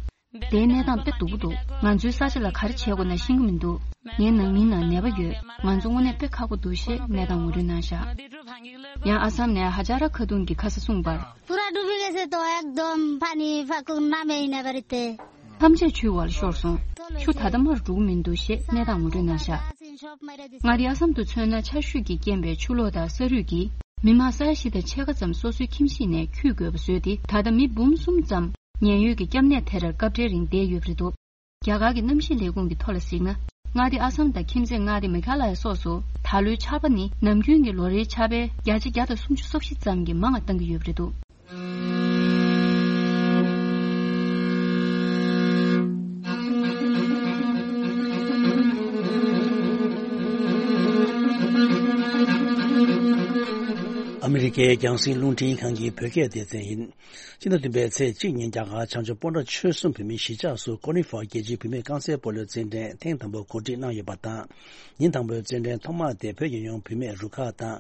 དེའི་གནས་སྟངས་དཔེ་སྡུག་པོ་འདུག། ང་ཚོའི་ས་ཆ་ལ་ག་རེ་བྱེད་དགོས་ན་ཤེས་ཀྱི་མི་འདུག། ངའི་ནང་མིའི་ནང་ནད་པ་ཡོད། ང་ཚོ་དངོས་གནས་དཔེ་ཁག་པོ་འདུག་ཞེས་གནས་སྟངས་ངོ་སྤྲོད་གནང་བཞག། ཡང་ཨ་སམ་ནས་ཧ་ཇ་ར་ཁ་ཏུང་གིས་ཁ་སང་གསུངས་པར། पूरा डूबी गए से तो एकदम पानी फाकुंग ना में ही नहीं भरते। ཐམས་ཅད་ཆུའི་འོག་ལ་ཤོར་སོང་། ཆུ་ད་ལྟ་མར་འགྲོ་གི་མི་འདུག་ཞེས་གནས་སྟངས་ངོ་སྤྲོད་གནང་བཞག། མངའ་སྡེ་ཨ་སམ་དུ་མཚོན་ན་ཆར་ཞོད་ཀྱི་རྐྱེན་པས་ཆུ་ལོག་དང་ས་རུད་ཀྱིས་མི་མང་ས་ཡ་བཞི་དང་ཕྱེད་ཀ་ཙམ་སོ་སོའི་ཁྱིམ་གཞིས་ནས་འཁྱུད་དགོས་པ་བཟོས་ཏེ། ད་ལྟ་མི་འབུམ་གསུམ་ཙམ་ཉེན་གཡོལ་གྱི་སྐྱབས་གནས་དེར་སྐབས་འཕྲལ་རིང་བསྡད་ཡོད་པ་རེད་འདུག། རྒྱ་གར་གྱི་གནམ་གཤིས་ལས་ཁུངས་ཀྱི་ཐོག་ལ་གཟིགས་ན། མངའ་སྡེ་ཨ་སམ་དང་ཁྱིམ་མཚེས་མངའ་སྡེ་མེ་གྷ་ལ་ཡ་སོགས་སུ་ད་ལོའི་ཆར་པ་ནི་ནམ་རྒྱུན་གྱི་ལོ་རེའི་ཆར་པའི་བརྒྱ་ཆ་བརྒྱ་དང་སུམ་ཅུ་སོ་བཞི་ཙམ་གྱིས་མང་བ་བཏང་གི་ཡོད་པ་རེད་འདུག། ཨ་མི་རི་ཀའི་རྒྱང་སྲིང་རླུང་འཕྲིན་ཁང་གི་བོད་སྐད་སྡེ་ཚན་ཡིན། སྤྱི་ཟླ་བདུན་པའི་ཚེས་གཅིག་ཉིན་རྒྱ་གར་བྱང་ཕྱོགས་སྤོན་ཊ་ཆོལ་གསུམ་བོད་མིའི་གཞིས་ཆགས་སུ་ཀོ་ནི་ཧྥ་རྒྱལ་སྤྱིའི་བུད་མེད་རྐང་རྩེད་སྤོ་ལོའི་རྩེད་འགྲན་ཐེངས་དང་པོ་གོ་སྒྲིག་གནང་ཡོད་པ་དང་། ཉིན་དང་པོའི་རྩེད་འགྲན་ཐོག་མ་དེ་བོད་རྒྱལ་ཡོངས་བུད་མེད་རུ་ཁག་དང་།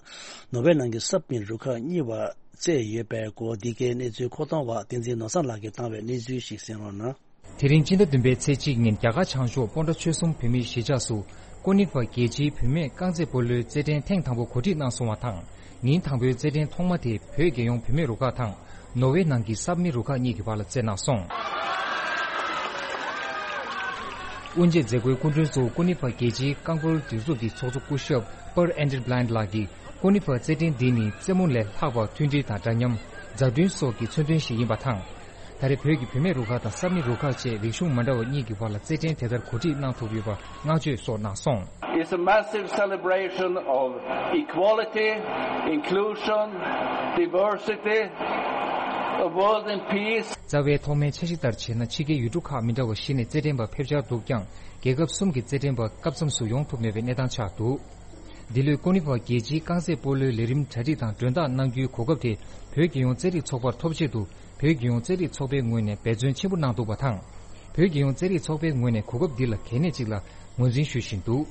ནོར་ཝེ་ནང་གི་སབ་མི་རུ་ཁག་གཉིས་བར་རྩེད་ཡོད་པའི་སྐོར། འདི་གའི་གནས་ཚུལ་མཁོ་གཏོང་བ་བསྟན་འཛིན་ནོར་བཟང་ལགས་ཀྱིས་བཏང་བའི་གནས་ཚུལ་ཞིག་གསན་རོགས་གནང་། དེ་རིང་སྤྱི་ཟླ་བདུན་པའི་ཚེས་གཅིག་ཉིན་རྒྱ་གར་བྱང་ཕྱོགས་སྤོན་ཊ་ཆོལ་གསུམ་བོད་མིའི་གཞིས་ཆགས་སུ་ཀོ་ནི་ཧྥ་རྒྱལ་སྤྱིའི་བུད་མེད་རྐང་རྩེད་སྤོ་ལོའི་རྩེད་འགྲན་ཐེངས་དང་པོ་གོ་སྒྲིག་གནང་སོང་བ་དང་། ཉིན་དང་པོའི་རྩེད་འགྲན་ཐོག་མ་དེ་བོད་རྒྱལ་ཡོངས་བུད་མེད་རུ་ཁག་དང་ནོར་ཝེ་ནང་གི་སབ་མི་རུ་ཁག་གཉིས་ཀྱི་བར་ལ་རྩེད་གནང་སོང་། དབུ་འབྱེད་མཛད་སྒོའི་སྐུ་མགྲོན་གཙོ་བོ་ཀོ་ནི་ཧྥ་རྒྱལ་སྤྱིའི་རྐང་སྤོལ་སྒྲིག་འཛུགས་ཀྱི་ཚོགས་གཙོ་སྐུ་ཞབས་པར་ཨན་ཌི་བྷི་ལན་ལགས་ཀྱིས། ཀོ་ནི་ཧྥ་རྩེད་འགྲན་འདི་ནི་རྩེད་མོ་ལས་ལྷག་པར་མཐུན་སྒྲིལ་དང་འདྲ་མཉམ། མཛའ་མཐུན་སོགས་ཀྱི་མཚོན་དོན་ཞིག་ཡིན་པ་དང་། ད་རེས་བོད་ཀྱི་བུད་མེད་རུ་ཁག་དང་སབ་མི་རུ་ཁག་བཅས་རིག་གཞུང་མ་འདྲ་བ་གཉིས་ཀྱི་བར་ལ་རྩེད་འགྲན་དེ་ལྟར་གོ་སྒྲིག་གནང་ཐུབ་ཡོད་པར་བསྔགས་བརྗོད་སོགས་གནང་སོང་། It's a massive celebration of equality, inclusion, diversity, a world in peace. རྩ་བའི་ཐོག་མའི་འཆར་གཞི་ལྟར་བྱས་ན། ཕྱི་རྒྱལ་ཡུལ་གྲུ་ཁག་མི་འདྲ་བ་བཞི་ནས་རྩེད་འགྲན་པ་ཕེབས་འཆར་འདུག་ཀྱང་། རྒྱལ་ཁབ་གསུམ་གྱི་རྩེད་འགྲན་པ་སྐབས་མཚམས་སུ་ཡོང་ཐུབ་མེད་པའི་གནས་སྟངས་ཆགས་འདུག། འདི་ལོའི་ཀོ་ནི་ཧྥ་རྒྱལ་སྤྱིའི་རྐང་རྩེད་སྤོ་ལོའི་ལས་རིམ་གྲ་སྒྲིག་དང་མགྲོན་བདག་གནང་རྒྱུའི་གོ་སྐབས་དེ་བོད་རྒྱལ་ཡོངས་རྩེད་རིགས་ཚོགས་པར་ཐོབ་ཆེད་དུ། བོད་རྒྱལ་ཡོངས་རྩེད་རིགས་ཚོགས་པའི་ངོས་ནས་འབད་བརྩོན་ཆེན་པོ་གནང་འདུག་པ་དང་། བོད་རྒྱལ་ཡོངས་རྩེད་རིགས་ཚོགས་པའི་ངོས་ནས་གོ་སྐབས་འདི་ལ་གལ་གནད་ཅིག་ལ་ངོས་འཛིན་ཞུ་བཞིན་འདུག།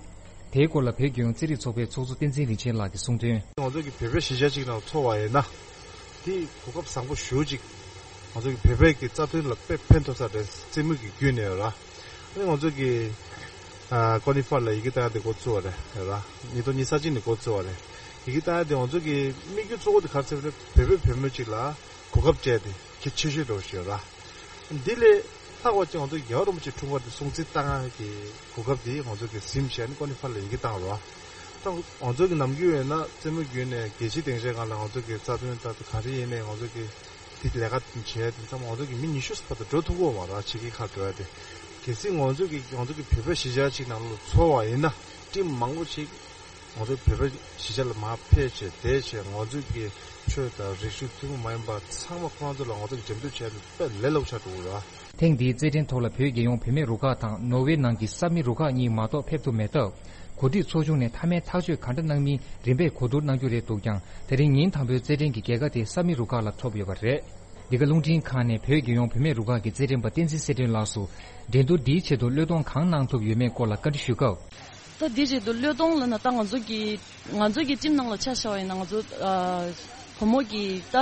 དེའི་སྐོར་ལ་བོད་རྒྱལ་ཡོངས་རྩེད་རིགས་ཚོགས་པའི་ཚོགས་གཙོ་བསྟན་འཛིན་རིན་ཆེན་ལགས་ཀྱིས་གསུངས་དོན། ང་ཚོ་གི་བོད་པའི་གཞིས་ཆགས་གཅིག་ནང་འཚོ་བ་ཡིན་ན། དེ་གོ་སྐབས་བཟང་པོ་ཞེ་པོ་ཅིག། ང་ཚོ་གི་བོད་པའི་གི་རྩ་དོན་ལ་དཔེ་ཕན་ཐོགས་ས་རེད། རྩེད་མོ་གི་བརྒྱུད་ནས་ར། ཨ་ནི་ང་ཚོ་གི་ཨ་ཀོ་ནི་ཧྥ་ལ་ཡི་གེ་བཏང་ཡ་དེ་འགོ་བཙུགས་པ་རེད་ར། ཉིས་སྟོང་ཉི་ཤུ་རྩ་གཅིག་ནས་འགོ་བཙུགས་པ་རེད། ཡི་གེ་བཏང་ཡ་དེ་ང་ཚོ་གི་དམིགས་ཡུལ་གཙོ་བོ་དེ་ག་རེ་ཟེར་བ་རེད། བོད་པའི་བུ་མོ་ཅིག་ལ་གོ་སྐབས་སྤྲད་དེ་གལ་ཆེ་ཤོས་འགྲོ་ཞེས་ར། འདི་ལས་ལྷག་པ་ཅིག་ང་ཚོ་རྒྱལ་བ་རིན་པོ་ཆེ་འཁྲུངས་སྐར་དེ་སྲུང་བརྩི་བཏང་ཡ་གི་གོ་སྐབས་དེ་ང་ཚོ་གི་ཟིན་བྱས་ནས་ཀོ་ནི་ཧྥ་ལ་ཡི་གེ་བཏང་ར། ད་ང་ཚོ་གི་ནམ་རྒྱུན་ཡིན་ན་རྩེད་མོ་བརྒྱུད་ནས་རྒྱལ་སྤྱིའི་སྡིངས་ཆའི་སྒང་ལ་ང་ཚོ་གི་རྩ་དོན་ལྟར་དུ་ག་རེ་ཡིན་ནའི་ང་ཚོ་གི་དེ་ལས་ཀ་བྱས་དེ་ཚང་མ་ང་ཚོ་གི་མི་ཉི་ཤུ་བར་དུ་འགྲོ་ཐུབ་ཀྱི་ཡོད་མ་རེད། ཕྱི་རྒྱལ་ཁག་འགྲོ་ཡ་དེ། གལ་སྲིད་ང་ཚོ་གི་ང་ཚོ་གི་བོད་པའི་གཞིས་ཆགས་གཅིག་ནང་ལ་འཚོ་བ་ཡིན་ན་ཊིམ་མང་པོ་ཞིག་ང་ཚོ་བོད་པའི་གཞིས་ཆགས་ལ་མར་ཕེབས་བྱས་བསྡད་བྱས་ང་ཚོ་གི་ཆོས་དང་རིག་གཞུང་ཐུན་མོང་མ་ཡིན་པ་ཚང་མ་ཁོ་རང་ཚོ་ལ་ང་ཚོ་གི་འགྲེམས་སྟོན་བྱས་ནས་དཔེ་ལས་སླ་པོ་ཆགས་འགྲོ་གི་རེད། ཐེངས་འདིའི་རྩེད་འགྲན་ཐོག་ལ་བོད་རྒྱལ་ཡོངས་བུད་མེད་རུ་ཁག་དང་ནོར་ཝེ་ནང་གི་སབ་མི་རུ་ཁག་གཉིས་མ་གཏོགས་ཕེབས་ཐུབ་མེད་སྟབས། གོ་སྒྲིག་ཚོགས་ཆུང་ནས་མཐའ་མའི་ཐག་གཅོད་ག་འདྲ་གནང་མིན་རིམ་པས་གོ་བསྡུར་གནང་རྒྱུ་རེད་འདུག་ཀྱང་། དེ་རིང་ཉིན་དང་པོའི་རྩེད་འགྲན་གྱི་རྒྱལ་ཁ་དེ་སབ་མི་རུ་ཁག་ལ་ཐོབ་ཡོད་པ་རེད། འདི་ག་རླུང་འཕྲིན་ཁང་ནས་བོད་རྒྱལ་ཡོངས་བུད་མེད་རུ་ཁག་གི་རྩེད་འགྲན་པ་བསྟན་འཛིན་གསལ་སྒྲོན་ལགས་སུ། འགྲན་བསྡུར་འདིའི་ཆེད་དུ་བློས་གཏོང་གང་གནང་ཐུབ་ཡོད་མེད་སྐོར་ལ་བཀའ་འདྲི་ཞུས་སྐབས། ད་འདིའི་ཆེད་དུ་བློས་གཏོང་ལབ་ན་ད་ང་ཚོ་གི་ང་ཚོ་གི་ཊིམ་ནང་ལ་ཆ་བཞག་པ་ཡིན་ན་ང་ཚོ་ཨ་བུ་མོ་གི་ད་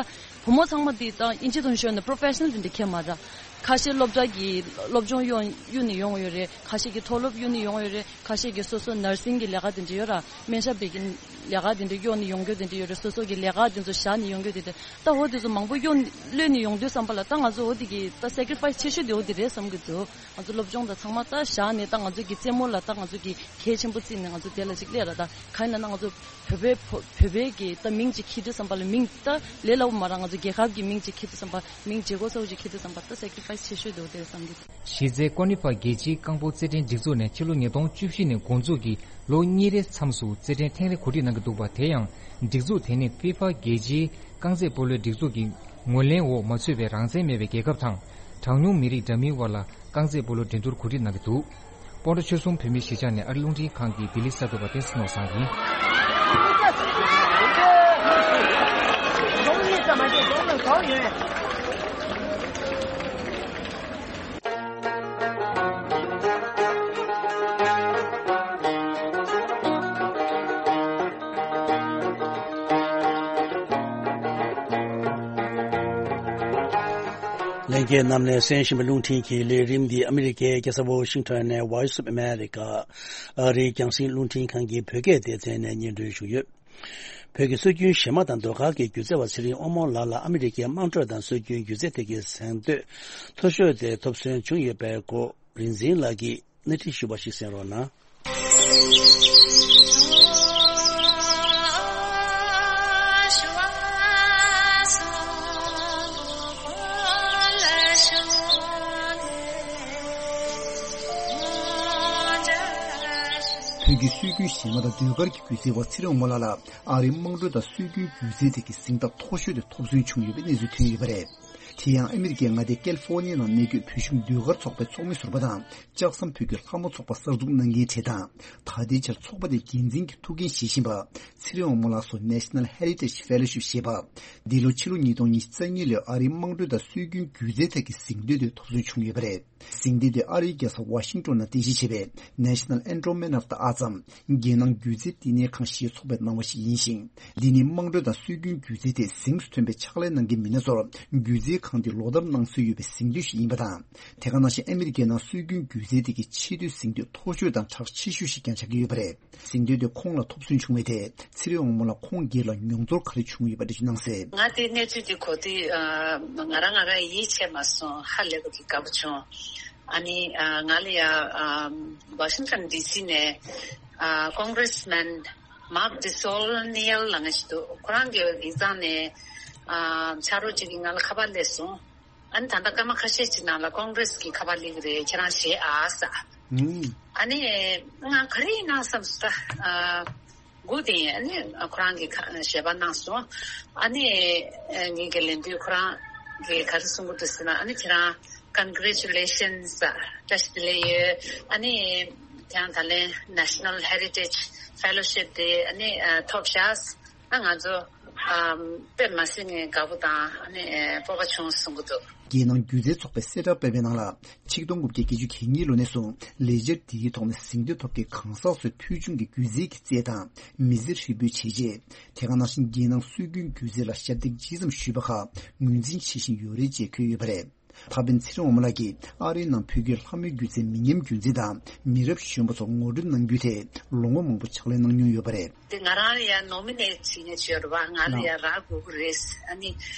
བུ་མོ་ཚང་མ་འདི་ད་ཨིན་ཇི་ཐོག་ནས་ཤོད་ན་པྲོ་ཕེ་ཤ་ནལ་དེ་འདྲ་ཁྱད་མ་ར། ཁ་ཤས་སློབ་གྲྭ་གི་སློབ་སྦྱོང་གཡོག་གཡུག་ནས་ཡོང་ཡོད་རེད། ཁ་ཤས་ཀྱི་མཐོ་སློབ་གཡུག་ནས་ཡོང་ཡོད་རེད། ཁ་ཤས་ཀྱི་སོ་སོ་ནར་སིང་གི་ལས་ཀ་དེ་འདྲ་ཡོད་ར། སྨན་ཞབས་པའི་གི་ལས་ཀ་དེ་འདྲ་གཡོག་ནས་ཡོང་རྒྱུ་དེ་འདྲ་ཡོད་རེད། སོ་སོ་གི་ལས་ཀ་དེ་ཚོ་བཞག་ནས་ཡོང་རྒྱུ་དེ་འདྲ། ད་འོ་དེ་ཚོ་མང་པོ་གཡོག་གློད་ནས་ཡོང་དུས་ཙམ་པ་ལ་ད་ང་ཚོ་འོ་དེ་གི་ད་སེ་ཀི་རི་ཕའི་སི་ཆེ་ཤོས་དེ་འོ་དེ་རེད་བསམ་གི་འདུག། ང་ཚོ་སློབ་སྦྱོང་དང་ཚང་མ་ད་བཞག་ནས་ད་ང་ཚོ་གི་རྩེད་མོ་ལ་ད་ང་ཚོ་གི་གལ་ཆེན་པོ་བརྩིས་ནས་ང་ཚོ་དེ་ལ་ཅིག་སླེབས་ར། ད་གང་ཡིན་ན་ང་ཚོ་བོད་པའི་བོད་པའི་གི་ད་མིང་ཅིག་འཁྱེར་དུས་ཙམ་པ་ལ་མིང་ད་ལས་སླ་པོ་མ་རེད། ང་ཚོ་རྒྱལ་ཁབ་ཀྱི་མིང་ཅིག་འཁྱེར་དུས་ཙམ་པ་མིང་བརྗེ་སྒོ་གསར་པ་ཅིག་འཁྱེར་དུས་ཙམ་པ་ད་སེ་ཀི་རི་ཕའི་སི་ཆེ་ཤོས་དེ་འོ་དེ་རེད་བསམ་གི་འདུག། གཞི་རྩའི་ཀོ་ནི་ཧྥ་རྒྱལ་སྤྱིའི་རྐང་སྤོལ་རྩེད་འགྲན་སྒྲིག་འཛུགས་ནས་ཕྱི་ལོ་ཉིས་སྟོང་བཅུ་བཞི་ནས་འགོ་འཛུགས་ཀྱིས་ལོ་གཉིས་རེའི་མཚམས་སུ་རྩེད་འགྲན་ཐེངས་རེ་གོ་སྒྲིག་གནང་གི་འདུག་པ། དེ་ཡང་སྒྲིག་འཛུགས་དེ་ནི་ཧྥི་ཧྥ་རྒྱལ་སྤྱིའི་རྐང་རྩེད་སྤོ་ལོའི་སྒྲིག་འཛུགས་ཀྱི་ ངོས་ལེན་འོག་མ་ཚུད་པའི་རང་བཙན་མེད་པའི་རྒྱལ་ཁབ་དང་། གྲངས་ཉུང་མི་རིགས་འདྲ་མིན་དབར་ལ་རྐང་རྩེད་སྤོ་ལོ་འགྲན་བསྡུར་གོ་སྒྲིག་གནང་གི་འདུག། སྤོན་ཊ་ཆོལ་གསུམ་བོད་མིའི་གཞིས་ཆགས་ནས་ཨ་རི་རླུང་འཕྲིན་ཁང་གི་ལྡི་ལི་གསར་འགོད་པ་བསྟན་འཛིན་ནོར་བཟང་ཡིན། ལྷན་རྒྱས་རྣམས་ནས་གསན་བཞིན་པའི་རླུང་འཕྲིན་གྱི་ལས་རིམ་འདི་ཨ་མི་རི་ཀའི་རྒྱལ་ས་ཝོ་ཤིང་ཊོན་ནས་Voice of America ཨ་རིའི་རྒྱང་སྲིང་རླུང་འཕྲིན་ཁང་གི་བོད་སྐད་སྡེ་ཚན་ནས་སྙན་སྒྲོན་ཞུས་ཡོད། བོད་ཀྱི་སྲོལ་རྒྱུན་གཞས་མ་དང་ཟློས་གར་གྱི་སྒྱུ་རྩལ་བ་ཚེ་རིང་དབང་མོ་ལགས་ལ་ཨ་མི་རི་ཀའི་དམངས་ཁྲོད་དང་སྲོལ་རྒྱུན་སྒྱུ་རྩལ་ཐད་ཀྱི་གཟེངས་བསྟོད་མཐོ་ཤོས་དེ་ཐོབ་སོན་བྱུང་ཡོད་པའི་སྐོར་རིག་འཛིན་ལགས་ཀྱིས་སྣེ་ཁྲིད་ཞུས་པ་ཞིག་གསན་རོགས་གནང་། བོད་ཀྱི་སྲོལ་རྒྱུན་གཞས་མ་དང་ཟློས་གར་གྱི་སྒྱུ་རྩལ་བ་ཚེ་རིང་དབང་མོ་ལགས་ལ་ཨ་རིའི་དམངས་ཁྲོད་དང་སྲོལ་རྒྱུན་སྒྱུ་རྩལ་ཐད་ཀྱི་གཟེངས་རྟགས་མཐོ་ཤོས་དེ་ཐོབ་སོན་བྱུང་ཡོད་པའི་གནས་ཚུལ་ཐོན་ཡོད་པ་རེད། དེ་ཡང་ཨ་མི་རི་ཀའི་མངའ་སྡེ་ཀལ་ཧྥོ་ནི་ཡ་ནང་གནས་འཁོད་བོད་གཞུང་ཟློས་གར་ཚོགས་པའི་ཚོགས་མི་ཟུར་པ་དང་ལྕགས་ཟམ་བོད་ཀྱི་ལྷ་མོ་ཚོགས་པ་གསར་འཛུགས་གནང་མཁན་གྲས་དང་། ད་ལྟའི་ཆར་ཚོགས་པ་དེའི་འགན་འཛིན་གྱི་ཐུགས་འགན་བཞེས་བཞིན་པ་ཚེ་རིང་དབང་མོ་ལགས་སུ་National Heritage Fellowship ཞེས་པ། འདི་ལོ་ཕྱི་ལོ་ཉིས་སྟོང་ཉི་ཤུ་རྩ་གཉིས་ལོའི་ཨ་རིའི་དམངས་ཁྲོད་དང་སྲོལ་རྒྱུན་སྒྱུ་རྩལ་ཐད་ཀྱི་གཟེངས་བསྟོད་དེ་ཐོབ་སོན་བྱུང་ཡོད་པ་རེད། གཟེངས་བསྟོད་དེ་ཨ་རིའི་རྒྱལ་ས་ཝ་ཤིང་ཏོན་ནང་རྟེན་གཞི་བྱས་པའི་National Endowment of the Arts འམ་རྒྱལ་ནང་སྒྱུ་རྩལ་བསྟི་གནས་ཁང་ཞེས་ཚོགས་པས་གནང་བ་ཞིག་ཡིན་ཞིང་། འདི་ནི་དམངས་ཁྲོད་དང་སྲོལ་རྒྱུན་སྒྱུ་རྩལ་ཐད་གཟེངས་སུ་ཐོན་པའི་ཕྱག་ལས་གནང་མཁན་མི་སྣ་ཚོར་སྒྱུ་རྩལ་ཁང་དེ་ལོ་ལྟར་གནང་སྲོལ་ཡོད་པའི་གཟེངས་བསྟོད་ཞིག་ཡིན་པ་དང་། དེ་ག་ནང་བཞིན་ཨ་མི་རི་ཀའི་ནང་སྲོལ་རྒྱུན་སྒྱུ་རྩལ་ཐད་ཀྱི་ཆེས་མཐོའི་གཟེངས་བསྟོད་མཐོ་ཤོས་དང་གྲགས་ཆེ་ཤོས་ཤིག་ཀྱང་ཆགས་ཀྱི་ཡོད་པ་རེད། གཟེངས་བསྟོད་དེ་ཁོང་ལ་ཐོབ་སོན་བྱུང་བའི་ཐད་ཚེ་རིང་དབང་མོ་ལགས་ཁོང་སྒེར་ལ་མྱོང་ཚོར་ག་རེ་བྱུང་ཡོད་པ་འགྲེལ་བརྗོད་གནང་གསལ། ང་དེ་གནས་ཚུལ་དེ་གོ་དུས་ང་རང་ང་རང་ཡིད་ཆེས་མ་སོང་། ཧ་ལས་པ་གི་དགའ་པོ་བྱུང་། ཨ་ནི་ང་ལ་ཡ་Washington D C ནས་Congressman Mark De Saulnier ལབ་མཁན་ཞིག་འདུག། ཁོ་རང་གི་ཡིག་ཚང་ནས་ཕྱག་རོགས་ཅིག་གིས་ང་ལ་ཁ་པར་སླེབས་སོང་། ཨ་ནི་ད་ལྟ་སྐར་མ་ཁ་ཤས་ཅིག་ནང་ལ་ཀོང་གྷི་རེ་སི་གི་ཁ་པར་སླེབས་ཀྱི་རེད། ཁྱེད་རང་གཞས་ཨ་ཟེར། ཨུམ། ཨ་ནི་ང་ག་རེ་ཡིན་ན་བསམ་སོང་། ད་ཨ་སྒུག་བསྡད་ཡིན། ཨ་ནི་ཁོ་རང་གིས་ཁ་ཞལ་པར་གནང་སོང་། ཨ་ནི་ངེད་ཀྱིས་ལན་དུས་ཁོ་རང་གིས་ག་རེ་གསུང་གི་འདུག་ཟེར་ན། ཨ་ནི་ཁྱེད་རང་Congratulations བཀྲ་ཤིས་བདེ་ལེགས་ཡོད། ཨ་ནི་ཁྱེད་རང་ད་ལན་National Heritage Fellowship དེ་ཨ་ནི་ཐོབ་ཤག། ཨ་ང་ཚོ་ཨམ་དཔེ་མ་སྲིད་ནས་དགའ་པོ་དང་ཨ་ནི་སྤོབས་པ་བྱུང་གསུང་གི་འདུག། རྒྱལ་ནང་སྒྱུ་རྩལ་ཚོགས་པས་གསལ་བསྒྲགས་སྤེལ་བའི་ནང་ལ། ཆིག་སྟོང་དགུ་བརྒྱ་བརྒྱད་ཅུ་གྱ་གཉིས་ལོ་ནས་བཟུང་ལས་འཆར་འདིའི་ཐོག་ནས་གཟེངས་བསྟོད་ཐོབ་མཁན་གང་ཟག་ཚོའི་ཕུལ་བྱུང་གི་སྒྱུ་རྩལ་གྱི་རྩལ་དང་མི་ཚེ་ཧྲིལ་པོའི་བྱས་རྗེས། དེ་ག་ནང་བཞིན་རྒྱལ་ནང་སྲོལ་རྒྱུན་སྒྱུ་རྩལ་ལ་ཞབས་འདེགས་ཇི་ཙམ་ཞུས་པ་ཁག་ངོས་འཛིན་བྱེད་བཞིན་ཡོད་རེད་ཅེས་འཁོད་ཡོད་པ་རེད། ད་ཕན་ཚེ་རིང་དབང་མོ་ལགས་ཀྱིས་ཨ་རིའི་ནང་བོད་ཀྱི་ལྷ་མོའི་སྒྱུ་རྩལ་མི་ཉམས་རྒྱུན་འཛིན་དང་མི་རབས་གཞོན་པ་ཚོར་ངོ་སྤྲོད་གནང་རྒྱུའི་ཐད་ལོ་ངོ་མང་པོ་ཕྱག་ལས་གནང་མྱོང་ཡོད་པ་རེད། དེ་ང་རང་ལ་ཡང་ནོ་མི་ནེ་ཊི་བྱེད་མཁན་ཅིག་ཡོད་རེད་པ། ང་ལ་ཡང་རག་དགོས་ཀྱི་རེད། ཨ་ནི་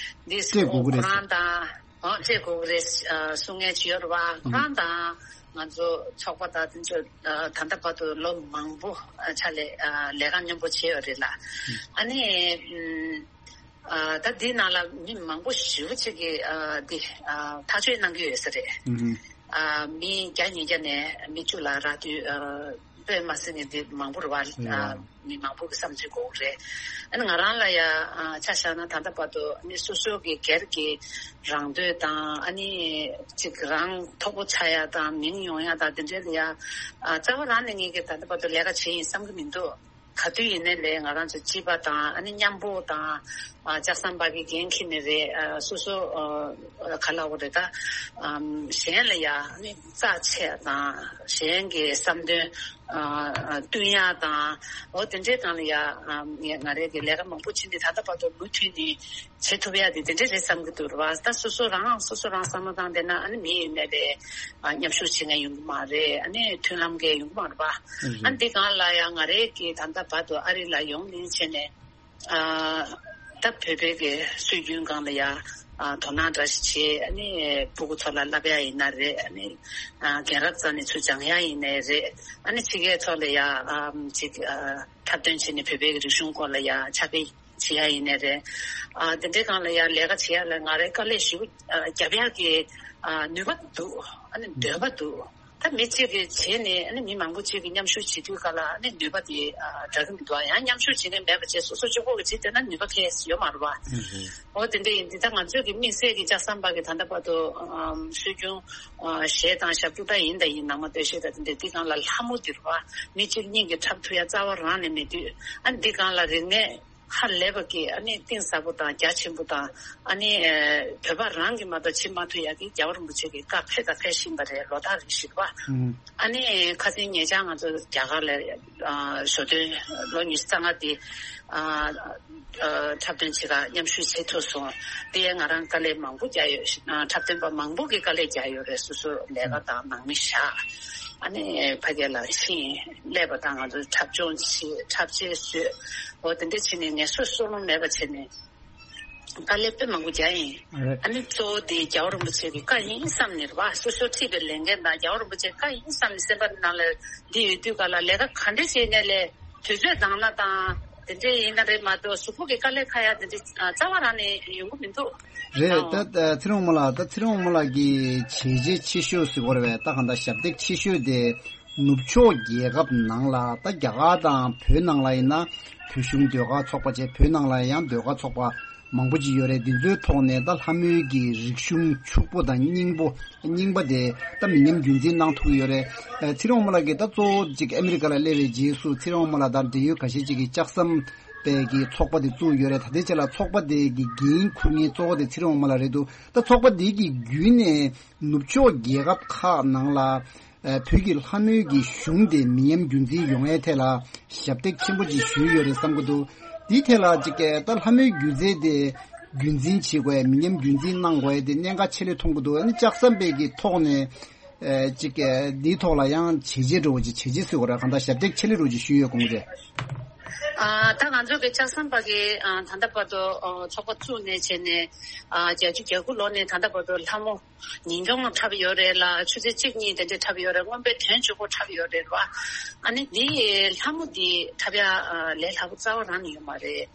འདི་སྤྲད་དགོས་ཀྱི་རེད། ཁོ་རང་དང་ཨོ་སྤྲད་དགོས་ཀྱི་རེད་གསུང་མཁན་ཅིག་ཡོད་རེད་པ། ཁོ་རང་དང་ང་ཚོ་ཚོགས་པ་དང་དེ་ཚོ་ད་ལྟ་བར་དུ་ལོ་མང་པོ་ཕྱག་ལས་ལས་ཀ་མཉམ་པོ་བྱས་ཡོད་རེད་ལ། ཨ་ནི། ཨ་ད་འདི་ནང་ལ་མི་མང་པོ་ཞེ་པོ་ཅིག་གིས་ཨ་འདི་ཨ་ཐག་གཅོད་གནང་གི་ཡོད་ས་རེད། ཨ་མི་བརྒྱ་ཉིས་བརྒྱ་ནས་མི་བཅུ་ལ་རག་དུས་ཨ་དཔེ་མ་སྲིད་ནས་འདི་མང་པོ་རེད་བ། ཨ་མི་མང་པོ་གི་བསམ་ཚུལ་དགོས་ཀྱི་རེད། ཨ་ནི་ང་རང་ལ་ཡ་ཨ་ཆ་བཞག་ན་ད་ལྟ་བར་དུ་ཨ་ནི་སོ་སོ་གི་སྒེར་གྱི་རང་འདོད་དང་ཨ་ནི་ཅིག་རང་མཐོ་པོ་ཆགས་ཡ་དང་མིང་ཡོང་ཡ་དང་དེ་འདྲའི་ལ་ཡ་ཨ་རྩ་བ་རང་ནས་ངེད་ཀྱིས་ད་ལྟ་བར་དུ་ལས་ཀ་བྱས་ཡིན་བསམ་གྱི་མི་འདུག། ག་དུས་ཡིན་ནའི་ལས་ང་རང་ཚོ་སྤྱི་པ་དང་ཨ་ནི་མཉམ་པོ་དང་ཨ་ལྕགས་ཟམ་པ་གི་འགན་འཁྱེར་ནས་རེད། ཨ་སོ་སོ་ཨ་ག་ལབ་དགོས་རེད་ད། ཨམ་གཞན་ལ་ཡ་ཨ་ནི་རྩ་ཆེ་དང་གཞན་གྱི་བསམ་དོན་ཨ་ཨ་བསྟུན་ཡ་དང་འོ་དེ་འདྲའི་སྒང་ལ་ཡ་ཨམ་ང་ང་རང་གིས་ལས་ཀ་མང་པོ་བྱས་ནས་ད་ལྟ་བར་དུ་མུ་མཐུད་ནས་བྱེད་ཐུབ་ཡ་དེ་དེ་འདྲ་རེད་བསམ་གྱི་འདུག་རེད་བ། ད་སོ་སོ་རང་སོ་སོ་རང་བསམ་བློ་བཏང་བསྡད་ན་ཨ་ནི་མི་ཡིན་ནའི་རེད། ཨ་མཉམ་ཞུགས་བྱེད་མཁན་ཡོང་གི་མ་རེད། ཨ་ནི་མཐུན་ལམ་འགལ་ཡོང་གི་མ་རེད་བ། ཨ་ནི་འདི་སྒང་ལ་ཡང་ང་རའི་གི་ད་ལྟ་བར་དུ་ཨ་རི་ལ་ཡོང་ལེན་བྱས་ནས་ཨ་ད་བོད་པའི་གི་སྲོལ་རྒྱུན་སྒང་ལ་ཡང་ཨ་དོ་སྣང་འདྲ་ཞིག་བྱས། ཨ་ནི་ཕྲུ་གུ་ཚོ་ལ་བསླབ་ཡ་ཡིན་ན་རེད། ཨ་ནི་ཨ་རྒན་རབས་རྩ་ནས་ཚུར་སྦྱང་ཡ་ཡིན་ནའི་རེད། ཨ་ནི་ཕྱི་རྒྱལ་ཚོ་ལ་ཡང་ཨ་ཅིག་ཨ་འཁྲབ་སྟོན་བྱས་ནས་བོད་པའི་གི་རིག་གཞུང་སྐོར་ལ་ཡང་ཕྱག་དཔེ་བྱེད་ཡ་ཡིན་ནའི་རེད། ཨ་དེ་འདྲའི་སྒང་ལ་ཡང་ལས་ཀ་བྱེད་ཡ་ལ་ང་རའི་དཀའ་ལས་ཞེ་པོ་ཨ་རྒྱབ་ཡ་གི་ཨ་ནུས་པ་འདུག། ཨ་ནི་འདོད་པ་འདུག། ད་མི་གཅིག་གིས་བྱས་ནས་ཨ་ནི་མི་མང་པོ་གཅིག་གིས་མཉམ་ཞུགས་བྱེད་དུས་ག་ལ་ཨ་ནི་ནུས་པ་དེ་ཨ་འདྲ་གི་མི་འདུག་ཡང་མཉམ་ཞུགས་བྱེད་མཁན་མེད་པ་བྱས་སོ་སོ་གཅིག་པོ་གིས་བྱེད་བསྡད་ན་ནུས་པ་གང་ཡང་ཡོད་མ་རེད་བ། འོ་དེ་འདྲ་ཡིན་དུས་ད་ང་ཚོའི་གི་དམིགས་བསལ་གྱི་ལྕགས་ཟམ་པ་གི་ད་ལྟ་བར་དུ་ཨམ་སྲོལ་རྒྱུན་ཨ་གཞས་དང་ཞབས་བྲོ་འདྲ་ཡིན་ད་ཡིན་ནང་མ་སྟོད་གཞས་དང་དེ་འདྲ་འདི་སྒང་ལ་ལྷ་མོ་འདི་རེད་བ། མི་གཅིག་གཉིས་ཀྱིས་འཁྲབ་ཐུབ་ཡ་རྩ་བ་རང་ནས་མེད་དུས་ཨ་འདི་སྒང་ལ་རིག་གནས་ཧ་ལས་པ་གི་ཨ་ནི་གཏིང་ཟབ་པོ་དང་རྒྱ་ཆེན་པོ་དང་ཨ་ནི་ཨེ་བོད་པ་རང་གི་མ་གཏོགས་བྱེད་མ་ཐུབ་ཡ་གི་རྒྱལ་བ་རིན་པོ་ཆེ་གི་བཀའ་ཕེབས་དང་ཕེབས་བཞིན་པ་རེད། ལོ་ལྟར་རེ་བཞིན་པ། ཨ་ནི་ཁ་སང་ཉེ་ཆར་ང་ཚོ་རྒྱ་གར་ལ་ཨ་ཞོ་སྟོན་ལོ་ཉི་ཤུ་རྩ་ལྔ་དེ་ཨ་ཨ་འཁྲབ་སྟོན་བྱེད་ག་མཉམ་ཞུགས་བྱེད་ཐུབ་སོང་། དེ་ཡང་ང་རང་དཀའ་ལས་མང་པོ་རྒྱག་ཡོད། ཨ་འཁྲབ་སྟོན་པ་མང་པོ་གི་དཀའ་ལས་རྒྱག་ཡོད་རེད། སོ་སོ་ལས་ཀ་དང་ནང་མི་བཞག་ཨ་ནི་ཕ་གི་ལ་ཕྱིན་སླེབས་པ་དང་ང་ཚོ་འཁྲབ་སྦྱོང་བྱེད། འཁྲབ་ཆས་བཟོས། འོ་དེ་འདྲ་བྱས་ནས་ངལ་གསོ་གསོ་ལོང་མེད་པ་བྱས་ནས་དཀའ་ལས་དཔེ་མང་པོ་རྒྱག་ཡིན། རེད། ཨ་ནི་གཙོ་བོ་དེ་རྒྱལ་བ་རིན་པོ་ཆེ་གི་བཀའ་ཡིན་བསམ་ནས་རེད་བ། སོ་སོ་ཁྲིད་པའི་ལས་འགན་དང་རྒྱལ་བ་རིན་པོ་ཆེ་བཀའ་ཡིན་བསམ་ནས་སེམས་པ་ནང་ལ་འདི་ཡོད་དུས་ག་ལ་ལས་ཀ་ག་འདྲ་བྱས་ནས་ལས་དུས་ཚོད་འདང་ན་དང་དེ་འདྲ་ཡིན་ན་རེད་མ་གཏོགས་གཟུགས་པོ་གི་དཀའ་ལས་ཁག་ཡ་དེ་འདྲ་རྩ་བ་རང་ནས་ཡོང་གི་མི་འདུག་རེད། ད་ད་ཚེ་རིང་དབང་མོ་ལགས། ད་ཚེ་རིང་དབང་མོ་ལགས་ཀྱི་བྱས་རྗེས་ཆེ་ཤོས་ཟེར་དགོས་རེད་པས། ད་གང་ལྟར་ཞབས་འདེགས་ཆེ་ཤོས་དེ་ནུབ་ཕྱོགས་རྒྱལ་ཁབ་ནང་ལ། ད་རྒྱ་གར་དང་བོད་ནང་ལ་ཡིན་ན་བོད་གཞུང་ཟློས་གར་ཚོགས་པ་བྱས། བོད་ནང་ལ་ཡང་ཟློས་གར་ཚོགས་པ་མང་པོ་ཅིག་ཡོད་རེད། འདི་ཚོའི་ཐོག་ནས་ད་ལྷ་མོའི་གི་རིག་གཞུང་ཕྱུག་པོ་དང་རྙིང་པོ་རྙིང་པ་དེ་ད་མི་ཉམས་རྒྱུན་འཛིན་གནང་ཐུབ་ཀྱི་ཡོད་རེད། ཨ་ཚེ་རིང་དབང་མོ་ལགས་ཀྱིས་ད་གཙོ་བོ་ཅིག་ཨ་མི་རི་ཀ་ལ་སླེབས་པའི་རྗེས་སུ་ཚེ་རིང་དབང་མོ་ལགས་དང་འབྲེལ་ཡོད་ཁ་ཤས་ཅིག་གིས་ལྕགས་ཟམ་པའི་གི་ཚོགས་པ་དེ་བཙུགས་ཡོད་རེད། ད་ལྟའི་ཆ་ལ་ཚོགས་པ་དེ་གི་འགན་འཁུར་མཁན་གཙོ་བོ་དེ་ཚེ་རིང་དབང་མོ་ལགས་རེད་འདུག་ད་ཚོགས་པ་དེ་གི་བརྒྱུད་ནས་ནུབ་ཕྱོགས་རྒྱལ་ཁབ་ཁག་ནང་ལ་ཨ་བོད་ཀྱི་ལྷ་མོའི་གི་གཞུང་དེ་མི་ཉམས་རྒྱུན་འཛིན་ཡོང་ཡའི་ཐད་ལ་ཞབས་འདེགས་ཆེན་པོ་ཅིག་ཞུས་ཡོད་རེད་བསམ་གྱི་འདུག་འདིའི་ཐད་ལ་ཅིག་ད་ལྷ་མོའི་སྒྱུ་རྩལ་དེ་རྒྱུན་འཛིན་བྱེད་དགོས་ཡ། མི་ཉམས་རྒྱུན་འཛིན་གནང་དགོས་ཡ་དེ་གནད་འགག་ཆེ་ལོས་མཐོང་གི་འདུག་ཨ་ནི་ལྕགས་ཟམ་པའི་གི་ཐོག་ནས་ཨ་ཅིག་འདིའི་ཐོག་ལ་ཡང་བྱས་རྗེས་འདྲ་བོ་ཅིག་བྱས་རྗེས་ཟེར་དགོས་རེད། གང་ལྟར་ཞབས་འདེགས་ཆེ་ལོས་འདྲ་བོ་ཅིག་ཞུས་ཡོད་དགོངས་ཀྱི་རེད། ཨ་ད་ང་ཚོ་གི་ལྕགས་ཟམ་པ་གི་ཨ་ད་ལྟ་བར་དུ་ཨ་ཚོགས་པ་བཙུགས་ནས་བྱས་ནས་ཨ་བརྒྱད་ཅུ་གྱ་དགུ་ལོ་ནས་ད་ལྟ་བར་དུ་ལྷ་མོ་ཉིན་གུང་འཁྲབ་ཡོད་རེད་ལ། ཆུ་ཚོད་གཅིག་གཉིས་དེ་འདྲ་འཁྲབ་ཡོད་རེད། སྔོན་དཔེ་དོན་གཅིག་པོ་འཁྲབ་ཡོད་རེད་བ། ཨ་ནི་འདི་ལྷ་མོ་འདི་འཁྲབ་ཡ་ཨ་ལས་སླ་པོ་རྩ་བ་རང་ནས་ཡོད་མ་རེད།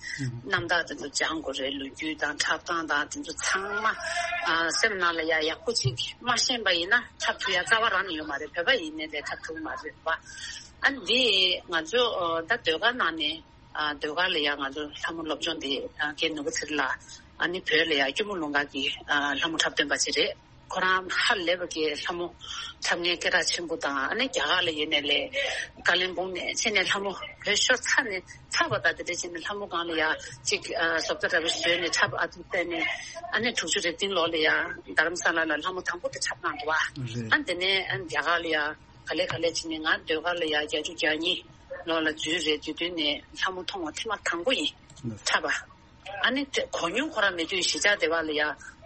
རྣམ་ཐར་དེ་ཚོ་སྦྱང་དགོས་རེད། ལོ་རྒྱུས་དང་འཁྲབ་སྟངས་དང་དེ་ཚོ་ཚང་མ་ཨ་སེམས་ནང་ལ་ཡ་ཡག་པོ་ཅིག་མ་ཤེས་པ་ཡིན་ན་འཁྲབ་ཐུབ་ཡ་རྩ་བ་རང་ནས་ཡོད་མ་རེད། བོད་པ་ཡིན་ནའི་ལས་འཁྲབ་ཐུབ་མ་རེད་བ། ཨ་ནི་འདི་ང་ཚོ་ཨ་ད་ཟློས་གར་ནང་ནས་ཨ་ཟློས་གར་ལ་ཡ་ང་ཚོ་ལྷ་མོ་སློབ་སྦྱོང་འདི་ཨ་རྒན་ནོར་བུ་ཚེ་རིང་ལགས་ཨ་ནི་བོད་ལ་ཡ་སྐྱོར་མོ་ལུང་དཀར་གྱི་ཨ་ལྷ་མོ་འཁྲབ་སྟོན་པ་ཅིག་རེད། ཁོ་རང་ཧ་ལས་པ་གི་ལྷ་མོ་འཁྲབ་མཁན་སྐད་གྲགས་ཆེན་པོ་དང་། ཨ་ནི་རྒྱ་གར་ལ་ཡོད་ནས་ལས་ཀ་ལིམ་པོང་ནས་ཕྱིན་ནས་ལྷ་མོ་བོད་ཤོར་ཚར་ནས་ཚར་བ་དང་དེ་འདྲ་བྱས་ནས་ལྷ་མོ་སྒང་ལ་ཡ་གཅིག་ཨ་བཟོ་ལྟ་འདྲ་པོ་བཟོས་ནས་འཁྲབ་ཨ་ཐུ་བལྟས་ནས། ཨ་ནི་དྲུག་ཅུ་རེ་བདུན་ལོ་ལ་ཡ་རྡ་རམ་ས་ལ་ལ་ལྷ་མོ་དང་པོ་དེ་འཁྲབ་གནང་འདུག་བ། རེད། ཨ་ནི་དེ་ནས་ཨ་ནི་རྒྱ་གར་ལ་ཡ་ག་ལེ་ག་ལེ་བྱས་ནས། ང་ཟློས་གར་ལ་ཡ་བརྒྱད་ཅུ་གྱ་གཉིས་ལོ་ལ་འཛུལ་རེད། དེ་དུས་ནས་ལྷ་མོ་མཐོང་བ་ཐེངས་མ་དང་པོ་ཡིན། རེད། འཁྲབ་པ། ཨ་ནི་དེ་གོ་མྱོང་ཁོ་རང་མེད་དུས་གཞིས་ཆགས་སྡེ་བ་ལ་ཡ།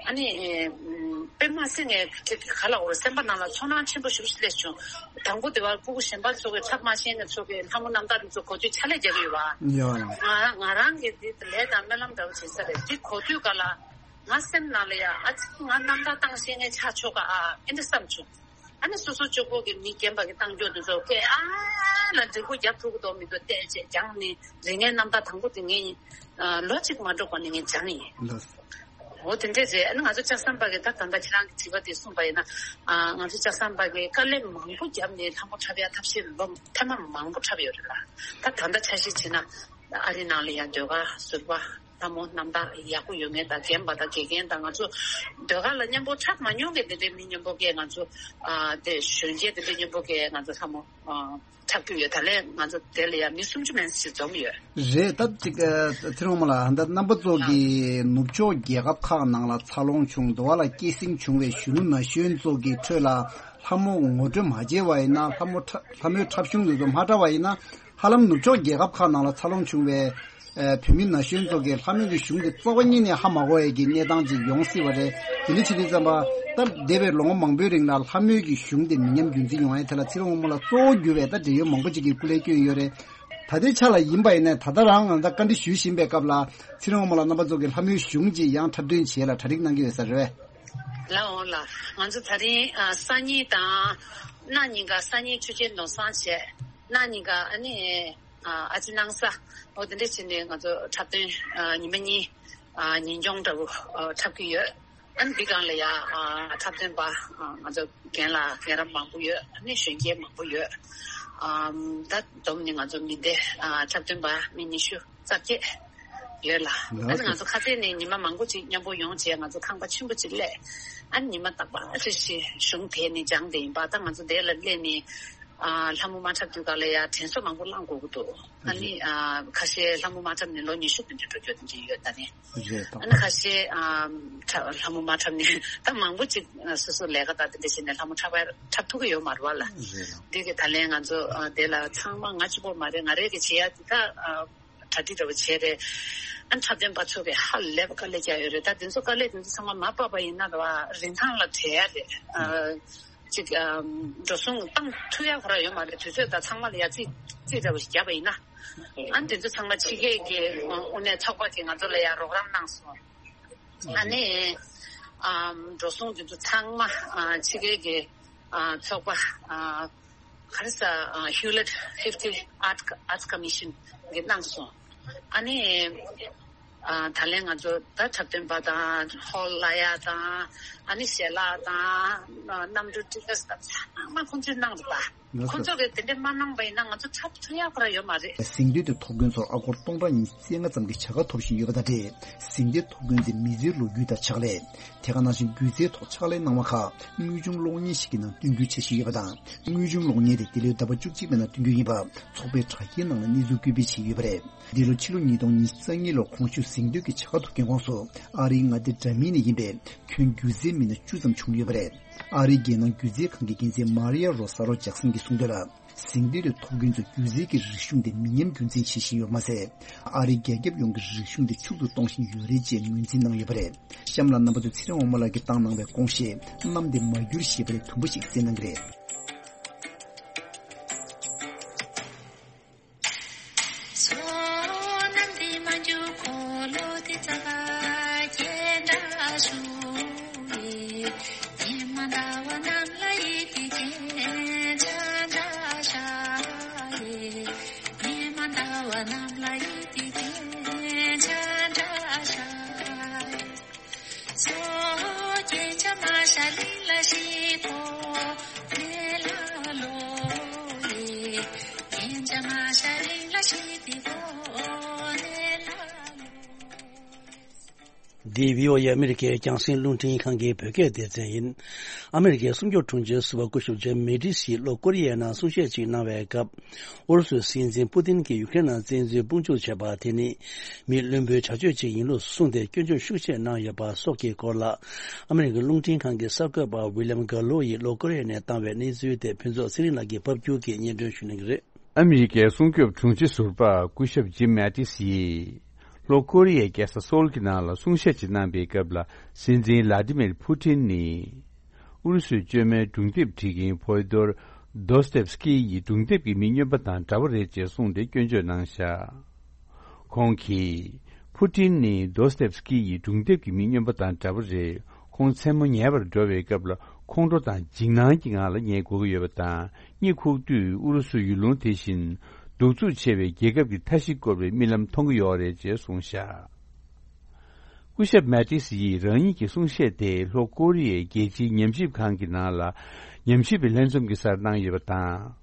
ཨ་ནི་ཨེ་ཨམ་དཔེ་མ་སྲིད་ངས་དེ་ག་ལ་འོར་སེམས་པ་ནང་ལ་ཚོར་སྣང་ཆེན་པོ་ཞེ་པོ་ཞིག་སླེབས་བྱུང་། དང་པོ་སྡེ་བ་སྤུ་གུ་གཞན་པ་ཚོ་གི་འཁྲབ་མ་ཤེས་ནས་ཚོ་གི་ལྷ་མོ་རྣམ་ཐར་འདི་ཚོ་གོ་དུས་ཕྱག་ལས་རྒྱག་གི་ཡོད་བ། ཡོད། ང་ང་རང་གི་འདི་ལས་དང་སྨོན་ལམ་འདྲ་བོ་བྱེད་ས་རེད། འདི་གོ་དུས་ག་ལ་ང་སེམས་ནང་ལ་ཡ་ཨ་ཙི་ང་རྣམ་ཐར་བཏང་ཤེས་ངས་ཆགས་ཆོག་ག་ཨ་ཨེ་འདྲ་བསམ་བྱུང་། ཨ་ནི་སོ་སོ་གཅིག་པོ་གི་མི་རྒན་པ་གི་བཏང་རྒྱུ་དེ་ཚོ་སྐད་ཨ་ལ་འགྲིག་པོ་རྒྱབ་ཐུབ་ཀྱི་འདུག་མི་འདུག་བལྟས་བྱས་སྦྱངས་ནས་རིག་གནས་རྣམ་ཐར་དང་པོ་དེ་ངས་ཡིན། ལོ་གཅིག་མ་འགྲོ་གོང་ནས་ངས་སྦྱངས་ཡིན། ལགས་སོ། འོ་དེ་འདྲས་རེད། ཨ་ནི་ང་ཚོ་ལྕགས་ཟམ་པ་གི་ད་ད་ལྟ་ཁྱེད་རང་གི་དྲི་བ་དེ་གསུངས་པ་ཡིན་ན། ང་ཚོ་ལྕགས་ཟམ་པ་གི་དཀའ་ལས་མང་པོ་བརྒྱབ་ནས་ལྷ་མོ་འཁྲབ་ཡ་ཐབས་ཤེས་ལོ་ཐེངས་མ་མང་པོ་འཁྲབ་ཡོད་རེད་ལ། ད་ད་ལྟ་ཆ་བཞག་བྱས་ན་ཨ་རི་ནང་ལ་ཡང་ཟློས་གར་ཟུར་པ། ལྷ་མོ་རྣམ་དག་ཡག་པོ་ཡོད་མཁན་དང་རྒན་པ་དང་དགེ་རྒན་དང་། ང་ཚོ་ཟློས་གར་ལ་མཉམ་པོ་འཁྲབ་མ་མྱོང་མཁན་དེ་འདྲའི་མི་མཉམ་པོ་གས་ང་ཚོ་ཨ་དེ་གཞོན་སྐྱེས་དེ་འདྲའི་མཉམ་པོ་གས་ང་ཚོ་ལྷ་མོ་ཨ་འཁྲབ་ཀྱི་ཡོད། ད་ལན་ང་ཚོ་དེ་ལ་ཡང་མི་སུམ་ཅུ་མན་ཙམ་ཞིག་འཛོམས་ཡོད། རེད། ད་ཅིག་ཨ་ཚེ་རིང་དབང་མོ་ལགས། ད་རྣམ་པ་ཚོ་གིས་ནུབ་ཕྱོགས་རྒྱལ་ཁབ་ཁག་ནང་ལ་འཚར་ལོངས་བྱུང་། འདི་བ་ལ་སྐྱེད་སྲིང་བྱུང་བའི་གཞོན་ནུ་ན་གཞོན་ཚོ་གི་ཁྲོད་ལ་ལྷ་མོ་ངོ་སྤྲོད་མ་བྱས་པ་ཡིན་ན། ལྷ་མོ་འཁྲབ་ལྷ་མོའི་འཁྲབ་གཞུང་དེ་ཚོ་མ་འཁྲབ་པ་ཡིན་ན། ཧ་ལམ་ནུབ་ཕྱོགས་རྒྱལ་ཁབ་ཁག་ནང་ལ་འཚར་ལོངས་བྱུང་བའི་ཨ་བོད་མི་ན་གཞོན་ཚོ་གིས་ལྷ་མོའི་གི་གཞུང་དེ་རྩ་བ་ཉིད་ནས་ཧ་མ་གོ་ཡས་ཀྱི་གནས་སྟངས་ཅིག་ཡོང་སྲིད་པ་རེད། དེ་འདྲ་བྱེད་དུས་ཙམ་པ། ད་འདས་པའི་ལོ་ངོ་མང་པོའི་རིང་ལ་ལྷ་མོའི་གི་གཞུང་དེ་མི་ཉམས་རྒྱུན་འཛིན་ཡོང་ཡས་ཐད་ལ་ཚེ་རིང་དབང་མོ་ལགས་གཙོ་བོ་གྱུར་བའི་ད་འབྲེལ་ཡོད་མང་པོ་ཅིག་གིས་སྐུ་ལས་བསྐྱོན་ཡོད་རེད། ད་ལྟའི་ཆ་ལ་ཡིན་པ་ཡིན་ན། ད་ལྟ་རང་ང་ད་བཀའ་འདྲི་ཞུས་བཞིན་པའི་སྐབས་ལ་ཚེ་རིང་དབང་མོ་ལགས་རྣམ་པ་ཚོ་གིས་ལྷ་མོའི་གཞུང་ཅིག་ཡང་འཁྲབ་སྟོན་བྱེད་ལ་གྲ་སྒྲིག་གནང་གི་ཡོད་ས་རེད་པས། ལགས་འོང་ལགས། ང་ཚོ་ད་རིང་ཨ་སང་ཉིན་དང་གནངས་ཉིན་ཀ། སང་ཉིན་ཆོས་རྒྱལ་ནོར་བཟང་བྱས། གནངས་ཉིན་ཀ་ཨ་ནི་ཨ་ཨ་ཅེ་སྣང་ས། འོ་དེ་འདྲ་བྱས་ནས་ང་ཚོ་འཁྲབ་སྟོན་ཨ་ཉི་མ་གཉིས་ཨ་ཉིན་སྦྱོང་འདྲ་བོ་ཨ་འཁྲབ་ཀྱི་ཡོད། ཨ་ནི་འདི་སྒང་ལ་ཡ་ཨ་འཁྲབ་སྟོན་པ་ཨ་ང་ཚོ་རྒན་ལགས་རྒན་རབས་མང་པོ་ཡོད། ཨ་ནི་གཞོན་སྐྱེས་མང་པོ་ཡོད། ཨམ་ད་བསྡོམས་ནས་ང་ཚོ་མི་སྡེ་ཨ་འཁྲབ་སྟོན་པ་མི་ཉི་ཤུ་རྩ་བརྒྱད་ཡོད་ལ། ལགས་ཨ་ནི་ང་ཚོ་ཁ་སང་ནས་ཉི་མ་མང་པོ་ཅིག་མཉམ་པོ་ཡོང་བྱས། ང་ཚོ་ཁང་པ་ཆེན་པོ་ཅིག་སླེབས། ཨ་ནི་ཉི་མ་རྟག་པར་རེ་བཞིན་གཞུང་དེ་ནས་སྦྱངས་བསྡད་ཡིན་པ། ད་ང་ཚོ་དེ་ལ་སླེབས་ནས་ཨ་ལྷ་མོ་མ་འཁྲབ་དུས་སྒང་ལ་ཡ་དྲན་གསོ་མང་པོ་བླངས་དགོས་ཀྱི་འདུག་ཨ་ནི་ཨ་ཁ་ཤས་ལྷ་མོ་མ་འཁྲབ་ནས་ལོ་ཉི་ཤུ་དེ་འདྲ་འགྲོ་རྒྱུ་དེ་འདྲ་ཡོད། ད་ནི་རེད་ད། ཨ་ནི་ཁ་ཤས་ཨ་འཁྲབ་ལྷ་མོ་མ་འཁྲབ་ནས་ད་མང་པོ་ཅིག་ཨ་སོ་སོ་ལས་ཀ་དང་དེ་འདྲ་བྱས་ནས་ལྷ་མོ་འཁྲབ་པ་འཁྲབ་ཐུབ་ཀྱི་ཡོད་མ་རེད་པ་ལ། རེད་ལ། འདི་གི་ད་ལན་ང་ཚོ་ཨ་དེ་ལ་ཚང་མ་ང་གཅིག་པོ་མ་རེད། ང་རང་གིས་བྱེད་ཡ་འདི་ད་ཨ་གྲ་སྒྲིག་འདྲ་པོ་བྱས་རེད། ཨ་འཁྲབ་སྟོན་པ་ཚོ་གིས་ཧ་ལས་པ་དཀའ་ལས་རྒྱག་ཡོད་རེད། ད་དེ་ཚོ་དཀའ་ལས་དེ་ཚོ་ཚང་མ་མ་འཕགས་པ་ཡིན་ན་རེད་པ། རིན་ཐང་ལ་བྲལ་ཡ་རེད། ཨ་ཅིག་ཨ་འགྲོ་སོང་བཏང་ཐུབ་ཡ་ཁོ་རང་ཡོད་མ་རེད། དུས་ཚོད་དང་ཚང་མ་ལ་ཡ་རྩིས་རྩིས་འདྲ་པོ་ཞིག་བརྒྱབ་པ་ཡིན་ན། ཨ་ནི་དེ་ཚོ་ཚང་མ་ཕྱི་རྒྱལ་གྱི་དངོས་གནས་ཚོགས་པ་གིས་ང་ཚོ་ལ་ཡ་རོགས་རམ་གནང་སོང་། ཨ་ནི་ཨམ་འགྲོ་སོང་དེ་ཚོ་ཚང་མ་ཨ་ཕྱི་རྒྱལ་གྱི་ཨ་ཚོགས་པ་ཨ་ག་རེ་ཟ་ཨ་Hewlett Packard Arts Commission གིས་གནང་སོང་། ཨ་ནི་ཨ་ད་ལན་ང་ཚོ་ད་འཁྲབ་སྟོན་པ་དང་ཧོལ་གླ་ཡ་དང་ཨ་ནི་ཞལ་ལག་དང་ཨ་གནམ་གྲུ་ཊི་ཀེ་ཊི་དང་ཚང་མ་ཁོང་ཚོས་གནང་འདུག་པ། ང་ཚོ། ཁོང་ཚོ་གིས་དེ་འདྲ་མ་གནང་པ་ཡིན་ན་ང་ཚོ་འཁྲབ་ཐུབ་ཡ་ཁོ་རང་ཡོད་མ་རེད། གཟེངས་བསྟོད་དེ་ཐོབ་མཁན་ཚོར་ཨ་སྒོར་སྟོང་ཕྲག་ཉི་ཤུ་རྩ་ལྔ་ཙམ་གྱི་བྱ་དགའ་ཐོབ་བཞིན་ཡོད་པ་དང་འབྲེལ། གཟེངས་བསྟོད་ཐོབ་མཁན་དེ་མི་ཚེའི་ལོ་རྒྱུས་དང་ཕྱག་ལས། དེ་ག་ནང་བཞིན་སྒྱུ་རྩལ་ཐོག་ཕྱག་ལས་གནང་བ་ཁག་དངོས་བྱུང་གློག་བརྙན་ཞིག་གི་ནང་སྟོན་སྐུལ་བྱེད་བཞིན་ཡོད་པ་དང་། དངོས་བྱུང་གློག་བརྙན་དེ་འདི་ལོའི་ཟླ་བ་བཅུ་གཅིག་པའི་ནང་སྟོན་རྒྱུ་ཡིན་པ་ཚོགས་པའི་དྲ་རྒྱའི་ནང་ལ་གནས་ཚུལ་སྐུལ་སྤེལ་བྱས་ཡོད་པ་རེད། འདི་ལོ་ཕྱི་ལོ་ཉིས་སྟོང་ཉི་ཤུ་རྩ་གཉིས་ལོར་གོང་ཞུས་གཟེངས་བསྟོད་ཀྱི་བྱ་དགའ་ཐོབ་མཁན་ཁོངས་སུ་ཨ་རིའི་མངའ་སྡེ་འདྲ་མིན་ནས་ཡིན་པའི་ཁྱོན་སྒྱུ་རྩལ་མི་སྣ་བཅུ་ཙམ་བྱུང་ཡོད་པ་རེད། ཨ་རིའི་རྒྱལ་ནང་སྒྱུ་རྩལ་ཁང་གི་འགན་འཛིན་མ་རི་ཡ་རོ་ས་རོ་ཇག་སན་གྱིས་གསུངས་དོན་ལ། གཟེངས་བསྟོད་དེ་ཐོབ་མཁན་ཚོས་སྒྱུ་རྩལ་གྱི་རིག་གཞུང་དེ་མི་ཉམས་རྒྱུན་འཛིན་བྱེད་བཞིན་ཡོད་པ་མ་ཟད། ཨ་རིའི་རྒྱལ་ཁབ་ཡོངས་ཀྱི་རིག་གཞུང་དེ་ཕྱུག་ཏུ་གཏོང་བཞིན་ཡོད་རེད་ཅེས་ངོས་འཛིན་གནང་ཡོད་པ་རེད། གཤམ་ལ་རྣམ་པ་ཚོས་ཚེ་རིང་དབང་མོ་ལགས་ཀྱིས་བཏང་གནང་བའི་དགོངས་བཞེད་གནམ་བདེ་མ་འགྱུར་ཞེས་པའི་དུམ་བུ་ཞིག་གསན་གནང་གི་རེད། འདི་བྷི་ཨོ་ཨེ་ཨ་མི་རི་ཀའི་རྒྱང་སྲིང་རླུང་འཕྲིན་ཁང་གི་བོད་སྐད་སྡེ་ཚན་ཡིན། ཨ་མི་རི་ཀའི་སྲུང་སྐྱོབ་དྲུང་ཆེ་ཟུར་པ་སྐུ་ཞབས་ཇིམ་མེ་ཏིས་ཡིས་ལྷོ་ཀོ་རི་ཡའི་ནང་གསུང་བཤད་ཅིག་གནང་བའི་སྐབས། ཨུ་རུ་སུའི་སྲིད་འཛིན་པུ་ཏིན་གྱིས་ཡུ་ཀེ་རེན་ནང་བཙན་འཛུལ་དཔུང་འཇུག་བྱས་པ་དེ་ནི་མི་བླུན་པོའི་བྱ་སྤྱོད་ཅིག་ཡིན་ལུགས་གསུངས་ཏེ་སྐྱོན་བརྗོད་ཤུགས་ཆེ་གནང་ཡོད་པ་སོགས་ཀྱི་སྐོར་ལ། ཨ་མི་རི་ཀའི་རླུང་འཕྲིན་ཁང་གི་གསར་འགོད་པ་ཝི་ལིམ་གྷ་ལོ་ཡིས་ལྷོ་ཀོ་རི་ཡ་ནས་བཏང་བའི་གནས་ཚུལ་དེ་ཕུན་ཚོགས་ཚེ་རིང་ལགས་ཀྱིས་ཕབ་སྒྱུར་གྱིས་སྙན་སྒྲོན་ཞུ་གནང་གི་རེད། ཨ་མི་རི་ཀའི་སྲུང་སྐྱོབ་དྲུང་ཆེ་ཟུར་པ་སྐུ་ཞབས་ཇིམ་མེ་ཏིས་ཡིས། ལྷོ་ཀོ་རི་ཡའི་རྒྱལ་ས་སོལ་གྱི་ནང་ལ་གསུང་བཤད་ཅིག་གནང་པའི་སྐབས་ལ། སྲིད་འཛིན་ལ་ཏི་མིར་ཕུ་ཏིན་ནི། ཨུ་རུ་སུའི་བཅོས་མའི་སྒྲུང་དེབ་བྲིས་མཁན་ཕོ་དོར་དོ་སྟེབ་སི་ཀི་ཡི་སྒྲུང་དེབ་ཀྱི་མི་སྨྱོན་པ་དང་འདྲ་བ་རེད་ཅེས་གསུངས་ཏེ་སྐྱོན་བརྗོད་གནང་བཞག་ཁོང་གིས། ཕུ་ཏིན་ནི་དོ་སྟེབ་སི་ཀི་ཡི་སྒྲུང་དེབ་ཀྱི་མི་སྨྱོན་པ་དང་འདྲ་བ་རེད། ཁོང་མཚན་མོ་ཉལ་བར་འགྲོ་བའི་སྐབས་ལ་ཁོང་ཁྲོ་དང་འཇིགས་སྣང་གི་ངང་ལ་ཉལ་དགོས་ཀྱི་ཡོད་པ་དང་། གཉིད་ཁུག་དུས་ཨུ་རུ་སུ་ཡུལ་ལུང་དེ་བཞིན་གདུག་རྩུབ་ཆེ་བའི་རྒྱལ་ཁབ་ཀྱི་མཐའ་བཞི་བསྐོར་བའི་རྨི་ལམ་མཐོང་གི་ཡོད་རེད་ཅེས་གསུངས་བཞག་སྐུ་ཞབས་མེ་ཏིས་ཡིས་རང་ཉིད་ཀྱི་གསུང་བཤད་དེ་ལྷོ་ཀོ་རི་ཡའི་རྒྱལ་སྤྱིའི་ཉམས་ཞིབ་ཁང་གི་ནང་ལ་ཉམས་ཞིབ་པའི་ལྷན་འཛོམས་ཀྱི་སར་གནང་ཡོད་པ་དང་།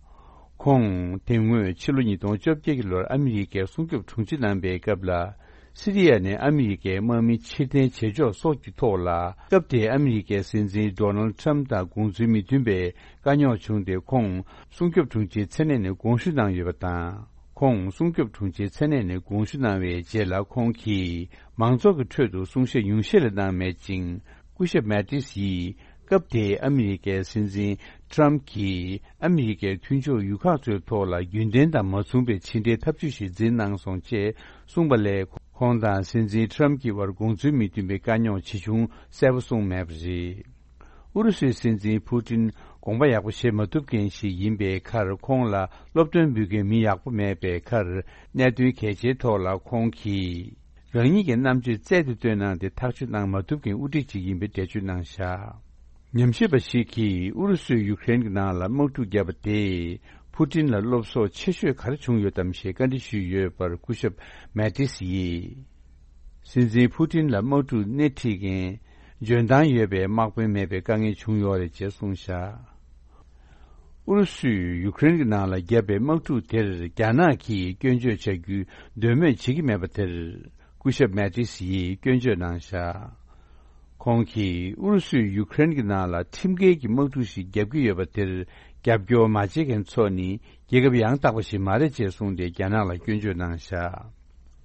ཁོང་དེ་སྔོན་ཕྱི་ལོ་ཉིས་སྟོང་བཅོ་བརྒྱད་ཀྱི་ལོར་ཨ་མི་རི་ཀའི་སྲུང་སྐྱོབ་དྲུང་ཆེ་གནང་པའི་སྐབས་ལ། སི་རི་ཡ་ནས་ཨ་མི་རི་ཀའི་དམག་མི་ཕྱིར་འཐེན་བྱེད་ཕྱོགས་སོགས་ཀྱི་ཐོག་ལ། སྐབས་དེའི་ཨ་མི་རི་ཀའི་སྲིད་འཛིན་ཌོ་ནལ་ཁྲམ་དང་དགོངས་ཚུལ་མི་མཐུན་པའི་དཀའ་རྙོག་བྱུང་སྟེ། ཁོང་སྲུང་སྐྱོབ་དྲུང་ཆེའི་མཚན་གནས་ནས་དགོངས་ཞུ་གནང་ཡོད་པ་དང་། ཁོང་སྲུང་སྐྱོབ་དྲུང་ཆེའི་མཚན་གནས་ནས་དགོངས་ཞུ་གནང་བའི་རྗེས་ལ། ཁོང་གིས་མང་ཚོགས་ཀྱི་ཁྲོད་དུ་གསུང་བཤད་ཉུང་ཤས་ལས་གནང་མེད་ཅིང་། སྐུ་ཞབས་མེ་ཏིས་ཡིས། སྐབས་དེའི་ཨ་མི་རི་ཀའི་སྲིད་འཛིན་ཁྲམ་གྱིས་ཨ་མི་རི་ཀའི་མཐུན་ཕྱོགས་ཡུལ་ཁག་ཚོའི་ཐོག་ལ་རྒྱུན་ལྡན་དང་མ་མཚུངས་པའི་ཕྱི་འབྲེལ་ཐབས་ཇུས་ཤིག་འཛིན་གནང་སོང་ཅེས་གསུངས་པ་ལས། ཁོང་དང་སྲིད་འཛིན་ཁྲམ་གྱི་བར་དགོངས་ཚུལ་མི་མཐུན་པའི་དཀའ་རྙོག་ཇི་བྱུང་གསལ་པོ་གསུངས་མེད་པ་རེད། ཨུ་རུ་སུའི་སྲིད་འཛིན་ཕུ་ཏིན་དགོངས་པ་ཡག་པོ་བཞེས་མ་ཐུབ་མཁན་ཞིག་ཡིན་པའི་ཁར། ཁོང་ལ་སློབ་སྟོན་འབུལ་མཁན་མི་ཡག་པོ་མེད་པའི་ཁར། གནད་དོན་གལ་ཆེའི་ཐོག་ལ་ཁོང་གིས། རང་ཉིད་ཀྱི་རྣམ་དཔྱོད་རྩལ་དུ་བཏོན་གནང་སྟེ་ཐག་གཅོད་གནང་མ་ཐུབ་མཁན་དབུ་ཁྲིད་ཅིག་ཡིན་པའི་འགྲེལ་བརྗོད་གནང་བཞག་ཉམས་ཞིབ་པ་ཞིག་གིས་ཨུ་རུ་སུས་ཡུ་ཀེ་རེན་གྱི་ནང་ལ་དམག་འཁྲུག་བརྒྱབ་པ་དེས་ཕུ་ཏིན་ལ་བློ་བཟང་ཆེ་ཤོས་ག་རེ་བྱུང་ཡོད་དམ་ཞེས་བཀའ་འདྲི་ཞུས་ཡོད་པར། སྐུ་ཞབས་མེ་ཏིས་ཡིས། སྲིད་འཛིན་ཕུ་ཏིན་ལ་དམག་འཁྲུག་སྣེ་ཁྲིད་མཁན་ འཇོན་ཐང་ཡོད་པའི་དམག་དཔོན་མེད་པའི་དཀའ་ངལ་བྱུང་ཡོད་རེད་ཅེས་གསུངས་བཞག་ཨུ་རུ་སུས་ཡུ་ཀེ་རེན་གྱི་ནང་ལ་བརྒྱབ་པའི་དམག་འཁྲུག་དེར་རྒྱ་ནག་གིས་སྐྱོན་བརྗོད་བྱ་རྒྱུའི་འདོད་མོས་བྱེད་ཀྱི་མེད་པ་དེར། སྐུ་ཞབས་མེ་ཏིས་ཡིས་སྐྱོན་བརྗོད་གནང་བཞག་ཁོང་གིས་ཨུ་རུ་སུས་ཡུ་ཀེ་རེན་གྱི་ནང་ལ་ཁྲིམས་འགལ་གྱི་དམག་འཁྲུག་ཞིག་བརྒྱབ་ཀྱི་ཡོད་པ་དེར་རྒྱབ་སྐྱོར་མ་བྱེད་མཁན་ཚོ་ནི་རྒྱལ་ཁབ་ཡང་དག་པ་ཞིག་མ་རེད་ཅེས་གསུངས་ཏེ་རྒྱ་ནག་ལ་སྐྱོན་བརྗོད་གནང་བཞག་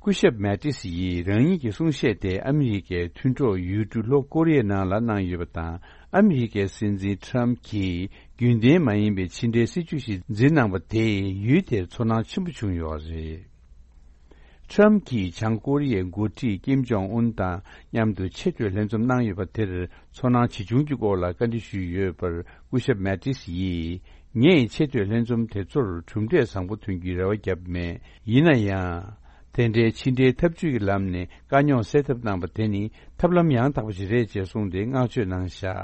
སྐུ་ཞབས་མེ་ཏིས་ཡིས་རང་ཉིད་ཀྱི་གསུང་བཤད་དེ་ཨ་མི་རི་ཀའི་མཐུན་གྲོགས་ཡུལ་གྲུ་ལྷོ་ཀོ་རི་ཡའི་ནང་ལ་གནང་ཡོད་པ་དང་། ཨ་མི་རི་ཀའི་སྲིད་འཛིན་ཁྲམ་གྱིས་རྒྱུན་ལྡན་མ་ཡིན་པའི་ཕྱི་འབྲེལ་སྲིད་ཇུས་ཤིག་འཛིན་གནང་བ་དེས་ཡུལ་དེར་ཚོར་སྣང་ཆེན་པོ་བྱུང་ཡོད་རེད། ཁྲམ་གྱིས་བྱང་ཀོ་རི་ཡའི་འགོ་ཁྲིད་ཀིམ་ཇོང་ཨུན་དང་མཉམ་དུ་ཆེས་མཐོའི་ལྷན་འཛོམས་གནང་ཡོད་པ་དེར་ཚོར་སྣང་ཇི་བྱུང་གི་སྐོར་ལ་བཀའ་འདྲི་ཞུས་ཡོད་པར། སྐུ་ཞབས་མེ་ཏིས་ཡིས། ངས་ཆེས་མཐོའི་ལྷན་འཛོམས་དེ་ཚོར་གྲུབ་འབྲས་བཟང་པོ་ཐོན་རྒྱུའི་རེ་བ་བརྒྱབ་མེད། ཡིན་ན་ཡང་། དེ་འདྲའི་ཕྱི་འབྲེལ་ཐབས་ཇུས་ཀྱི་ལམ་ནས་དཀའ་རྙོག་སེལ་ཐབས་གནང་པ་དེ་ནི་ཐབས་ལམ་ཡང་དག་པ་ཞིག་རེད་ཅེས་གསུངས་ཏེ་བསྔགས་བརྗོད་གནང་བཞག་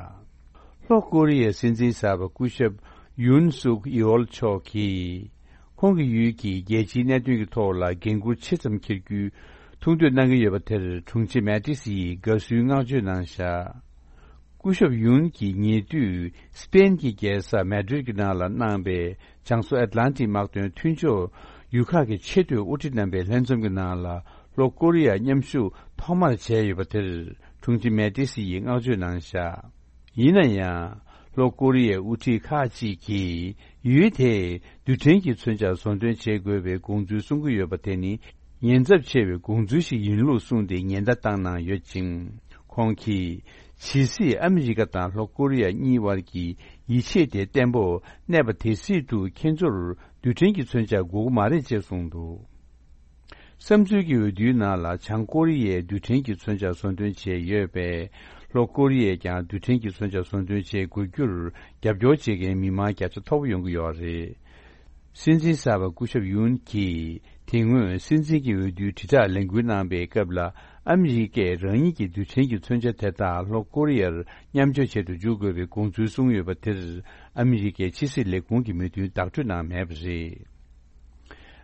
ལྷོ་ཀོ་རི་ཡའི་སྲིད་འཛིན་གསར་པ་སྐུ་ཞབས་ཡུན་སུག་ཡོལ་མཆོག་གིས། ཁོང་གི་ཡུལ་གྱི་རྒྱལ་སྤྱིའི་གནད་དོན་གྱི་ཐོག་ལ་འགན་འཁུར་ཆེ་ཙམ་འཁྱེར་རྒྱུའི་ཐུགས་འདོད་གནང་གི་ཡོད་པ་དེར་དྲུང་ཆེ་མེ་ཏིས་ཡིས་དགའ་བསུའི་བསྔགས་བརྗོད་གནང་བཞག་སྐུ་ཞབས་ཡུན་གྱིས་ཉེ་དུས་སི་པེན་གྱི་རྒྱལ་ས་མེ་ཌྲིད་ཀྱི་ནང་ལ་གནང་པའི་བྱང་མཚོ་ཨེཊ་ལན་ཊིག་དམག་དོན་མཐུན་ཕྱོགས་ཡུལ་ཁག་གི་ཆེས་མཐོའི་དབུ་ཁྲིད་རྣམ་པའི་ལྷན་འཛོམས་ཀྱི་ནང་ལ་ལྷོ་ཀོ་རི་ཡ་མཉམ་ཞུགས་ཐོག་མར་བྱས་ཡོད་པ་དེར་དྲུང་ཆེ་མེ་ཏིས་ཡིས་བསྔགས་བརྗོད་གནང་བཞག་ཡིན་ན་ཡང་། ལྷོ་ཀོ་རི་ཡའི་དབུ་ཁྲིད་ཁག་ཅིག་གིས་ཡུལ་དེས་རྡུལ་ཕྲན་གྱི་མཚོན་ཆ་བཟོ་འདོན་བྱེད་དགོས་པའི་དགོངས་ཚུལ་གསུང་གི་ཡོད་པ་དེ་ནི་ཉེན་ཚབས་ཆེ་བའི་དགོངས་ཚུལ་ཞིག་ཡིན་ལུགས་གསུངས་ཏེ་ཉེན་བརྡ་བཏང་གནང་ཡོད་ཅིང་། ཁོང་གིས། ཇི་སྲིད་ཨ་མི་རི་ཀ་དང་ལྷོ་ཀོ་རི་ཡ་གཉིས་དབར་གྱི་ཡིད་ཆེས་དེ་བརྟན་པོ་གནས་པ་དེ་སྲིད་དུ་ཁྱེད་ཚོར་རྡུལ་ཕྲན་གྱི་མཚོན་ཆ་དགོས་ཀྱི་མ་རེད་ཅེས་གསུངས་འདུག་བསམ་ཚུལ་གྱི་འོས་བསྡུའི་ནང་ལ་བྱང་ཀོ་རི་ཡས་རྡུལ་ཕྲན་གྱི་མཚོན་ཆ་བཟོ་འདོན་བྱས་ཡོད་པས། ལྷོ་ཀོ་རི་ཡས་ཀྱང་རྡུལ་ཕྲན་གྱི་མཚོན་ཆ་བཟོ་འདོན་བྱེད་དགོས་རྒྱུར་རྒྱབ་སྐྱོར་བྱེད་མཁན་མི་མང་བརྒྱ་ཆ་མཐོ་པོ་ཡོང་གི་ཡོད་རེད། སྲིད་འཛིན་གསར་པ་སྐུ་ཞབས་ཡུན་གྱིས་དེ་སྔོན་སྲིད་འཛིན་གྱི་འོས་བསྡུའི་དྲིལ་བསྒྲགས་ལས་འགུལ་གནང་པའི་སྐབས་ལ། ཨ་མི་རི་ཀས་རང་ཉིད་ཀྱི་རྡུལ་ཕྲན་གྱི་མཚོན་ཆ་དེ་དག་ལྷོ་ཀོ་རི་ཡར་མཉམ་སྤྱོད་བྱེད་དུ་འཇུག་དགོས་པའི་དགོངས་ཚུལ་གསུངས་ཡོད་པ་དེར། ཨ་མི་རི་ཀའི་ཕྱི་སྲིད་ལས་ཁུངས་ཀྱིས་མོས་མཐུན་བདག་སྤྲོད་གནང་མེད་པ་རེད།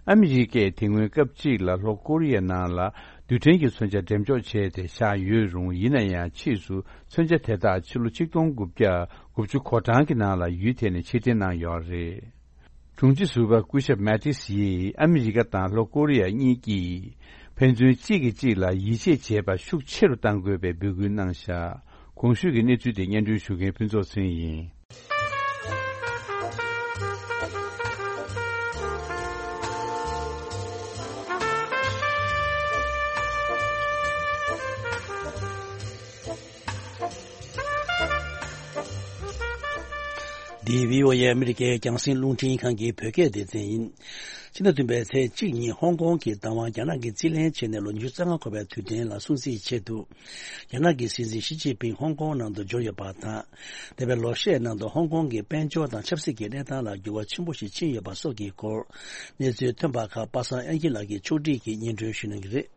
ཨ་མི་རི་ཀས་དེ་སྔོན་སྐབས་གཅིག་ལ་ལྷོ་ཀོ་རི་ཡའི་ནང་ལ་རྡུལ་ཕྲན་གྱི་མཚོན་ཆ་འགྲེམས་འཇོག་བྱས་ཏེ་བཞག་ཡོད་རུང་། ཡིན་ན་ཡང་ཕྱིས་སུ་མཚོན་ཆ་དེ་དག་ཕྱི་ལོ་ཆིག་སྟོང་དགུ་བརྒྱ་དགུ་བཅུ་གོ་གྲངས་ཀྱི་ནང་ལ་ཡུལ་དེ་ནས་ཕྱིར་འཐེན་གནང་ཡོད་རེད། དྲུང་ཆེ་ཟུར་པ་སྐུ་ཞབས་མེ་ཏིས་ཡིས་ཨ་མི་རི་ཀ་དང་ལྷོ་ཀོ་རི་ཡ་གཉིས་ཀྱིས་ཕན་ཚུན་གཅིག་གིས་གཅིག་ལ་ཡིད་ཆེས་བྱེད་པ་ཤུགས་ཆེ་རུ་གཏང་དགོས་པའི་འབོད་སྐུལ་གནང་བཞག་གོང་ཞུས་ཀྱི་གནས་ཚུལ་དེ་སྙན་སྒྲོན་ཞུ་མཁན་ཕུན་ཚོགས་ཚེ་རིང་ཡིན། འདི་བྷི་ཨོ་ཨེ་ཨ་མི་རི་ཀའི་རྒྱང་སྲིང་རླུང་འཕྲིན་ཁང་གི་བོད་སྐད་སྡེ་ཚན་ཡིན། ཕྱི་ཟླ་བདུན་པའི་ཚེས་གཅིག་ཉིན་ཧོང་ཀོང་གི་བདག་དབང་རྒྱ་ནག་གིས་རྩིས་ལེན་བྱས་ནས་ལོ་ཉི་ཤུ་རྩ་ལྔ་འཁོར་བའི་དུས་དྲན་ལ་སྲུང་བརྩིའི་ཆེད་དུ། རྒྱ་ནག་གི་སྲིད་འཛིན་ཞི་ཅིན་ཕིང་ཧོང་ཀོང་ནང་དུ་འབྱོར་ཡོད་པ་དང་། འདས་པའི་ལོ་ཤས་ནང་དུ་ཧོང་ཀོང་གི་དཔལ་འབྱོར་དང་ཆབ་སྲིད་ཀྱི་གནས་སྟངས་ལ་འགྱུར་བ་ཆེན་པོ་ཞིག་ཕྱིན་ཡོད་པ་སོགས་ཀྱི་སྐོར། གནས་ཚུལ་ཐོན་པ་ཁག་པ་སངས་དབྱངས་སྐྱིད་ལགས་ཀྱིས་ཕྱོགས་སྒྲིག་གིས་སྙན་སྒྲོན་ཞུ་གནང་གི་རེད།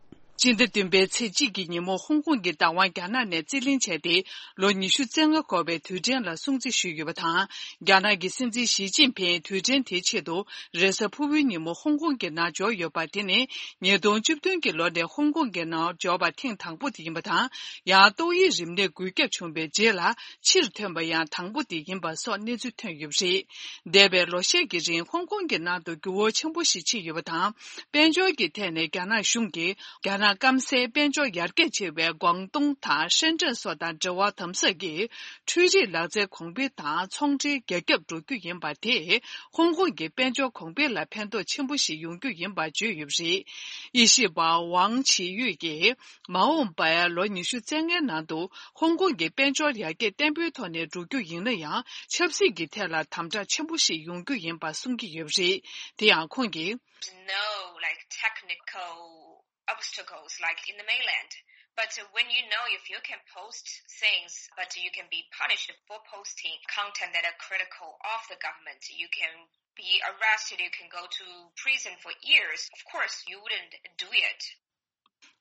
ཕྱི་ཟླ་བདུན་པའི་ཚེས་གཅིག་གི་ཉིན་མོ་ཧོང་ཀོང་གི་བདག་དབང་རྒྱ་ནག་ནས་རྩིས་ལེན་བྱས་ཏེ། ལོ་ཉི་ཤུ་རྩ་ལྔ་འཁོར་བའི་དུས་དྲན་ལ་སྲུང་བརྩི་ཞུས་ཡོད་པ་དང་། རྒྱ་ནག་གི་སྲིད་འཛིན་ཞི་ཅིན་ཕིང་དུས་དྲན་དེའི་ཆེད་དུ་རེས་གཟའ་ཕུར་བུའི་ཉིན་མོ་ཧོང་ཀོང་གི་ནང་འབྱོར་ཡོད་པ་དེ་ནི། ཉིས་སྟོང་བཅུ་བདུན་གྱི་ལོ་ནས་ཧོང་ཀོང་གི་ནང་འབྱོར་བ་ཐེངས་དང་པོ་དེ་ཡིན་པ་དང་། ཡང་ཏོག་དབྱིབས་རིམས་ནད་འགོས་ཁྱབ་བྱུང་བའི་རྗེས་ལ་ཕྱིར་ཐོན་པ་ཡང་དང་པོ་དེ་ཡིན་པ་སོགས་གནས་ཚུལ་ཐོན་ཡོད་པ་རེད། འདས་པའི་ལོ་ཤས་ཀྱི་རིང་ཧོང་ཀོང་གི་ནང་དུ་འགྱུར་བ་ཆེན་པོ་ཞིག་ཕྱིན་ཡོད་པ་དང་། དཔལ་འབྱོར་གྱི་ཐད་ནས་རྒྱ་ནག་གཞུང་གིས། རྒྱ་ནག་སྐམ་སའི་དཔལ་འབྱོར་ཡར་རྒྱས་ཆེ་བའི་ཀོང་ཏུང་དང་ཧྲེན་ཀྲེན་སོགས་དང་འབྲེལ་བ་དམ་ཟབ་ཀྱིས་འཕྲུལ་རིག་ལག་རྩལ་གོང་འཕེལ་དང་ཚོང་འབྲེལ་རྒྱ་ཁྱབ་འགྲོ་རྒྱུ་ཡིན་པ་དེས་ཧོང་ཀོང་གི་དཔལ་འབྱོར་གོང་འཕེལ་ལ་ཕན་ཐོགས་ཆེན་པོ་ཞིག་ཡོང་རྒྱུ་ཡིན་པ་བརྗོད་ཡོད་པ་རེད། དབྱེ་ཞིབ་པ་ཝང་ཆི་ཡུས་ཀྱིས་མ་འོངས་པའི་ལོ་ཉི་ཤུ་རྩ་ལྔའི་ནང་དུ་ཧོང་ཀོང་གི་དཔལ་འབྱོར་ཡར་རྒྱས་བརྟན་པོའི་ཐོག་ནས་འགྲོ་རྒྱུ་ཡིན་ན་ཡང་ཆབ་སྲིད་ཀྱི་ཐད་ལ་དམ་དྲག་ཆེན་པོ་ཞིག་ཡོང་རྒྱུ་ཡིན་པ་གསུང་གི་ཡོད་པ་རེད། དེ་ཡང་ཁོང་གིས། No, like, technical obstacles like in the mainland. But when you know if you can post things, but you can be punished for posting content that are critical of the government, you can be arrested, you can go to prison for years, of course you wouldn't do it.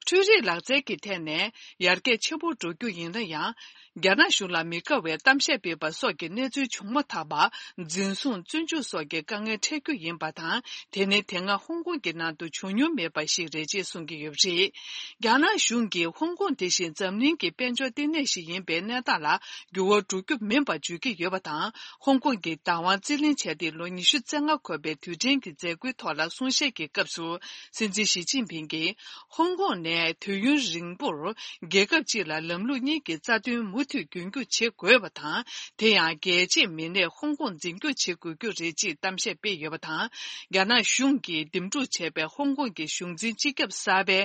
འཕྲུལ་རིག་ལག་རྩལ་གྱི་ཐད་ནས་ཡར་རྒྱས་ཆེན་པོ་འགྲོ་རྒྱུ་ཡིན་ན་ཡང་། རྒྱ་ནག་གཞུང་ལ་མི་དགའ་བའི་གཏམ་བཤད་སྤེལ་པ་སོགས་ཀྱི་གནས་ཚུལ་བྱུང་མ་ཐག་པར། འཛིན་བཟུང་། བཙོན་འཇུག་སོགས་ཀྱི་དཀའ་ངལ་འཕྲད་རྒྱུ་ཡིན་པ་དང་། དེ་ནི་དེ་སྔ་ཧོང་ཀོང་གི་ནང་དུ་བྱུང་མྱོང་མེད་པ་ཞིག་རེད་ཅེས་གསུང་གི་ཡོད་པ་རེད། རྒྱ་ནག་གཞུང་གིས་ཧོང་ཀོང་དེ་བཞིན་འཛམ་གླིང་གི་དཔལ་འབྱོར་ལྟེ་གནས་ཤིག་ཡིན་པའི་གནས་སྟངས་ལ་འགྱུར་བ་འགྲོ་རྒྱུ་མིན་པར་བརྗོད་ཀྱི་ཡོད་པ་དང་། ཧོང་ཀོང་གི་བདག་དབང་རྩིས་ལེན་བྱས་ཏེ་ལོ་ཉི་ཤུ་རྩ་ལྔ་འཁོར་བའི་དུས་དྲན་གྱི་མཛད་སྒོའི་ཐོག་ལ་གསུང་བཤད་ཀྱི་སྐབས་སུ། སྲིད་འཛིན་ཞི་ཅིན་ཕིང་གིས། ཧོང་ཀོང་ནས་དུས་ཡུན་རིང་པོར་རྒྱལ་ཁབ་གཅིག་ལ་ལམ་ལུགས་གཉིས་ཀྱི་རྩ་དོན་མུ་མཐུད་རྒྱུན་སྐྱོང་བྱེད་དགོས་པ་དང་། དེ་ཡང་རྒྱལ་སྤྱིའི་མི་སྣས་ཧོང་ཀོང་འཛིན་སྐྱོང་བྱེད་དགོས་རྒྱུ་རེད་ཅེས་གཏམ་བཤད་སྤེལ་ཡོད་པ་དང་། རྒྱ་ནག་གཞུང་གིས་འདེམས་སྒྲུག་བྱས་པའི་ཧོང་ཀོང་གི་གཞུང་འཛིན་སྤྱི་ཁྱབ་གསར་པའི་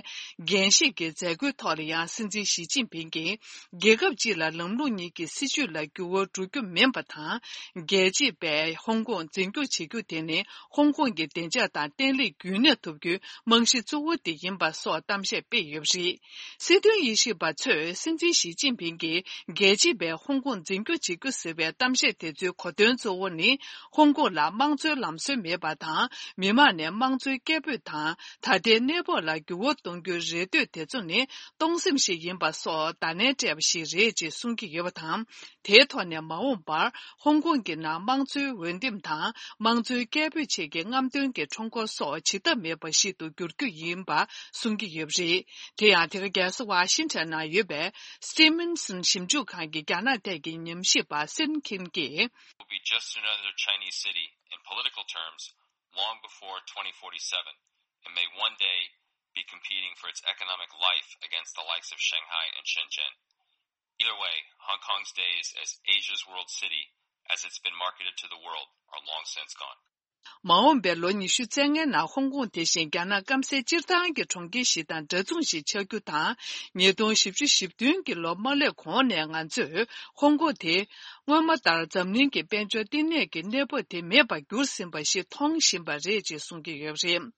འགན་བཞེས་ཀྱི་མཛད་སྒོའི་ཐོག་ལ་ཡང་། སྲིད་འཛིན་ཞི་ཅིན་ཕིང་གིས། རྒྱལ་ཁབ་གཅིག་ལ་ལམ་ལུགས་གཉིས་ཀྱི་སྲིད་བྱུས་ལ་འགྱུར་བ་འགྲོ་རྒྱུ་མིན་པ་དང་། རྒྱལ་སྤྱིའི་པས་ཧོང་ཀོང་འཛིན་སྐྱོང་བྱེད་རྒྱུ་དེ་ནི། ཧོང་ཀོང་གི་བདེ་འཇགས་དང་བརྟན་ལྷིང་རྒྱུན་གནས་ཐུབ་རྒྱུའི་རྨང་གཞི་གཙོ་བོ་དེ་ཡིན་པ་སོགས་གཏམ་བཤད་སྤེལ་ཡོད་པ་རེད། སྲིད་དོན་དབྱེ་ཞིབ་པ་ཚོས། སྲིད་འཛིན་ཞི་ཅིན་ཕིང་གིས། རྒྱལ་སྤྱིའི་པས་ཧོང་ཀོང་འཛིན་སྐྱོང་བྱེད་རྒྱུ་ཟེར་བའི་གཏམ་བཤད་དེ་ཚོའི་གོ་དོན་གཙོ་བོ་ནི། ཧོང་ཀོང་ལ་དམངས་གཙོའི་ལམ་སྲོལ་མེད་པ་དང་། མི་མང་ནས་དམངས་གཙོའི་སྐད་འབོད་དང་། ད་ལྟའི་གནས་བབ་ལ་འགྱུར་བ་གཏོང་རྒྱུའི་རེ་འདོད་དེ་ཚོ་ནི། སྟོང་སེམས་ཤིག་ཡིན་པ་སོགས་བརྡ་ལན་སྤྲད་པ་ཞིག་རེད་ཅེས་གསུང་གི་ཡོད་པ་དང་། དེའི་ཐོག་ནས་མ་འོངས་པར་ཧོང་ཀོང་གི་ནང་དམངས་གཙོའི་འོས་འདེམས་དང་། དམངས་གཙོའི་སྐད་འབོད་བཅས་ཀྱི་རྔམ་སྟོན་གྱི་ཁྲོམ་སྐོར་སོགས་བྱེད་ཐབས་མེད་པ་ཞིག་ཏུ་འགྱུར་རྒྱུ་ཡིན་པ་གསུང་གི་ཡོད་པ་རེད། དེ་ཡང་། དེ་ག་རྒྱལ་ས་ཝ་ཤིང་ཊོན་ནང་ཡོད་པའི་Stevenson་ཞིབ་འཇུག་ཁང་གི་རྒྱ་ནག་ཐད་ཀྱི་ཉམས་ཞིབ་པ་སིན་ཁིན་གྱིས། Will be just another Chinese city in political terms long before twenty forty-seven, and may one day be competing for its economic life against the likes of Shanghai and Shenzhen. Either way, Hong Kong's days as Asia's world city, as it's been marketed to the world, are long since gone. མ་འོངས་པའི་ལོ་ཉི་ཤུ་རྩ་ལྔའི་ནང་ཧོང་ཀོང་དེ་བཞིན་རྒྱ་ནག་སྐམ་སའི་སྤྱིར་བཏང་གི་གྲོང་ཁྱེར་ཞིག་དང་འདྲ་མཚུངས་ཤིག་ཆགས་རྒྱུ་དང་། ཉིས་སྟོང་བཞི་བཅུ་ཞེ་བདུན་གྱི་ལོ་མ་སླེབས་གོང་ནས་ང་ཚོས་ཧོང་ཀོང་དེ་སྔོན་མ་ལྟར་འཛམ་གླིང་གི་དཔལ་འབྱོར་བསྟི་གནས་ཀྱི་གནས་བབ་དེ་མེད་པར་གྱུར་ཟིན་པ་ཞིག་མཐོང་བཞིན་པ་རེད་ཅེས་གསུང་གི་ཡོད་པ་རེད།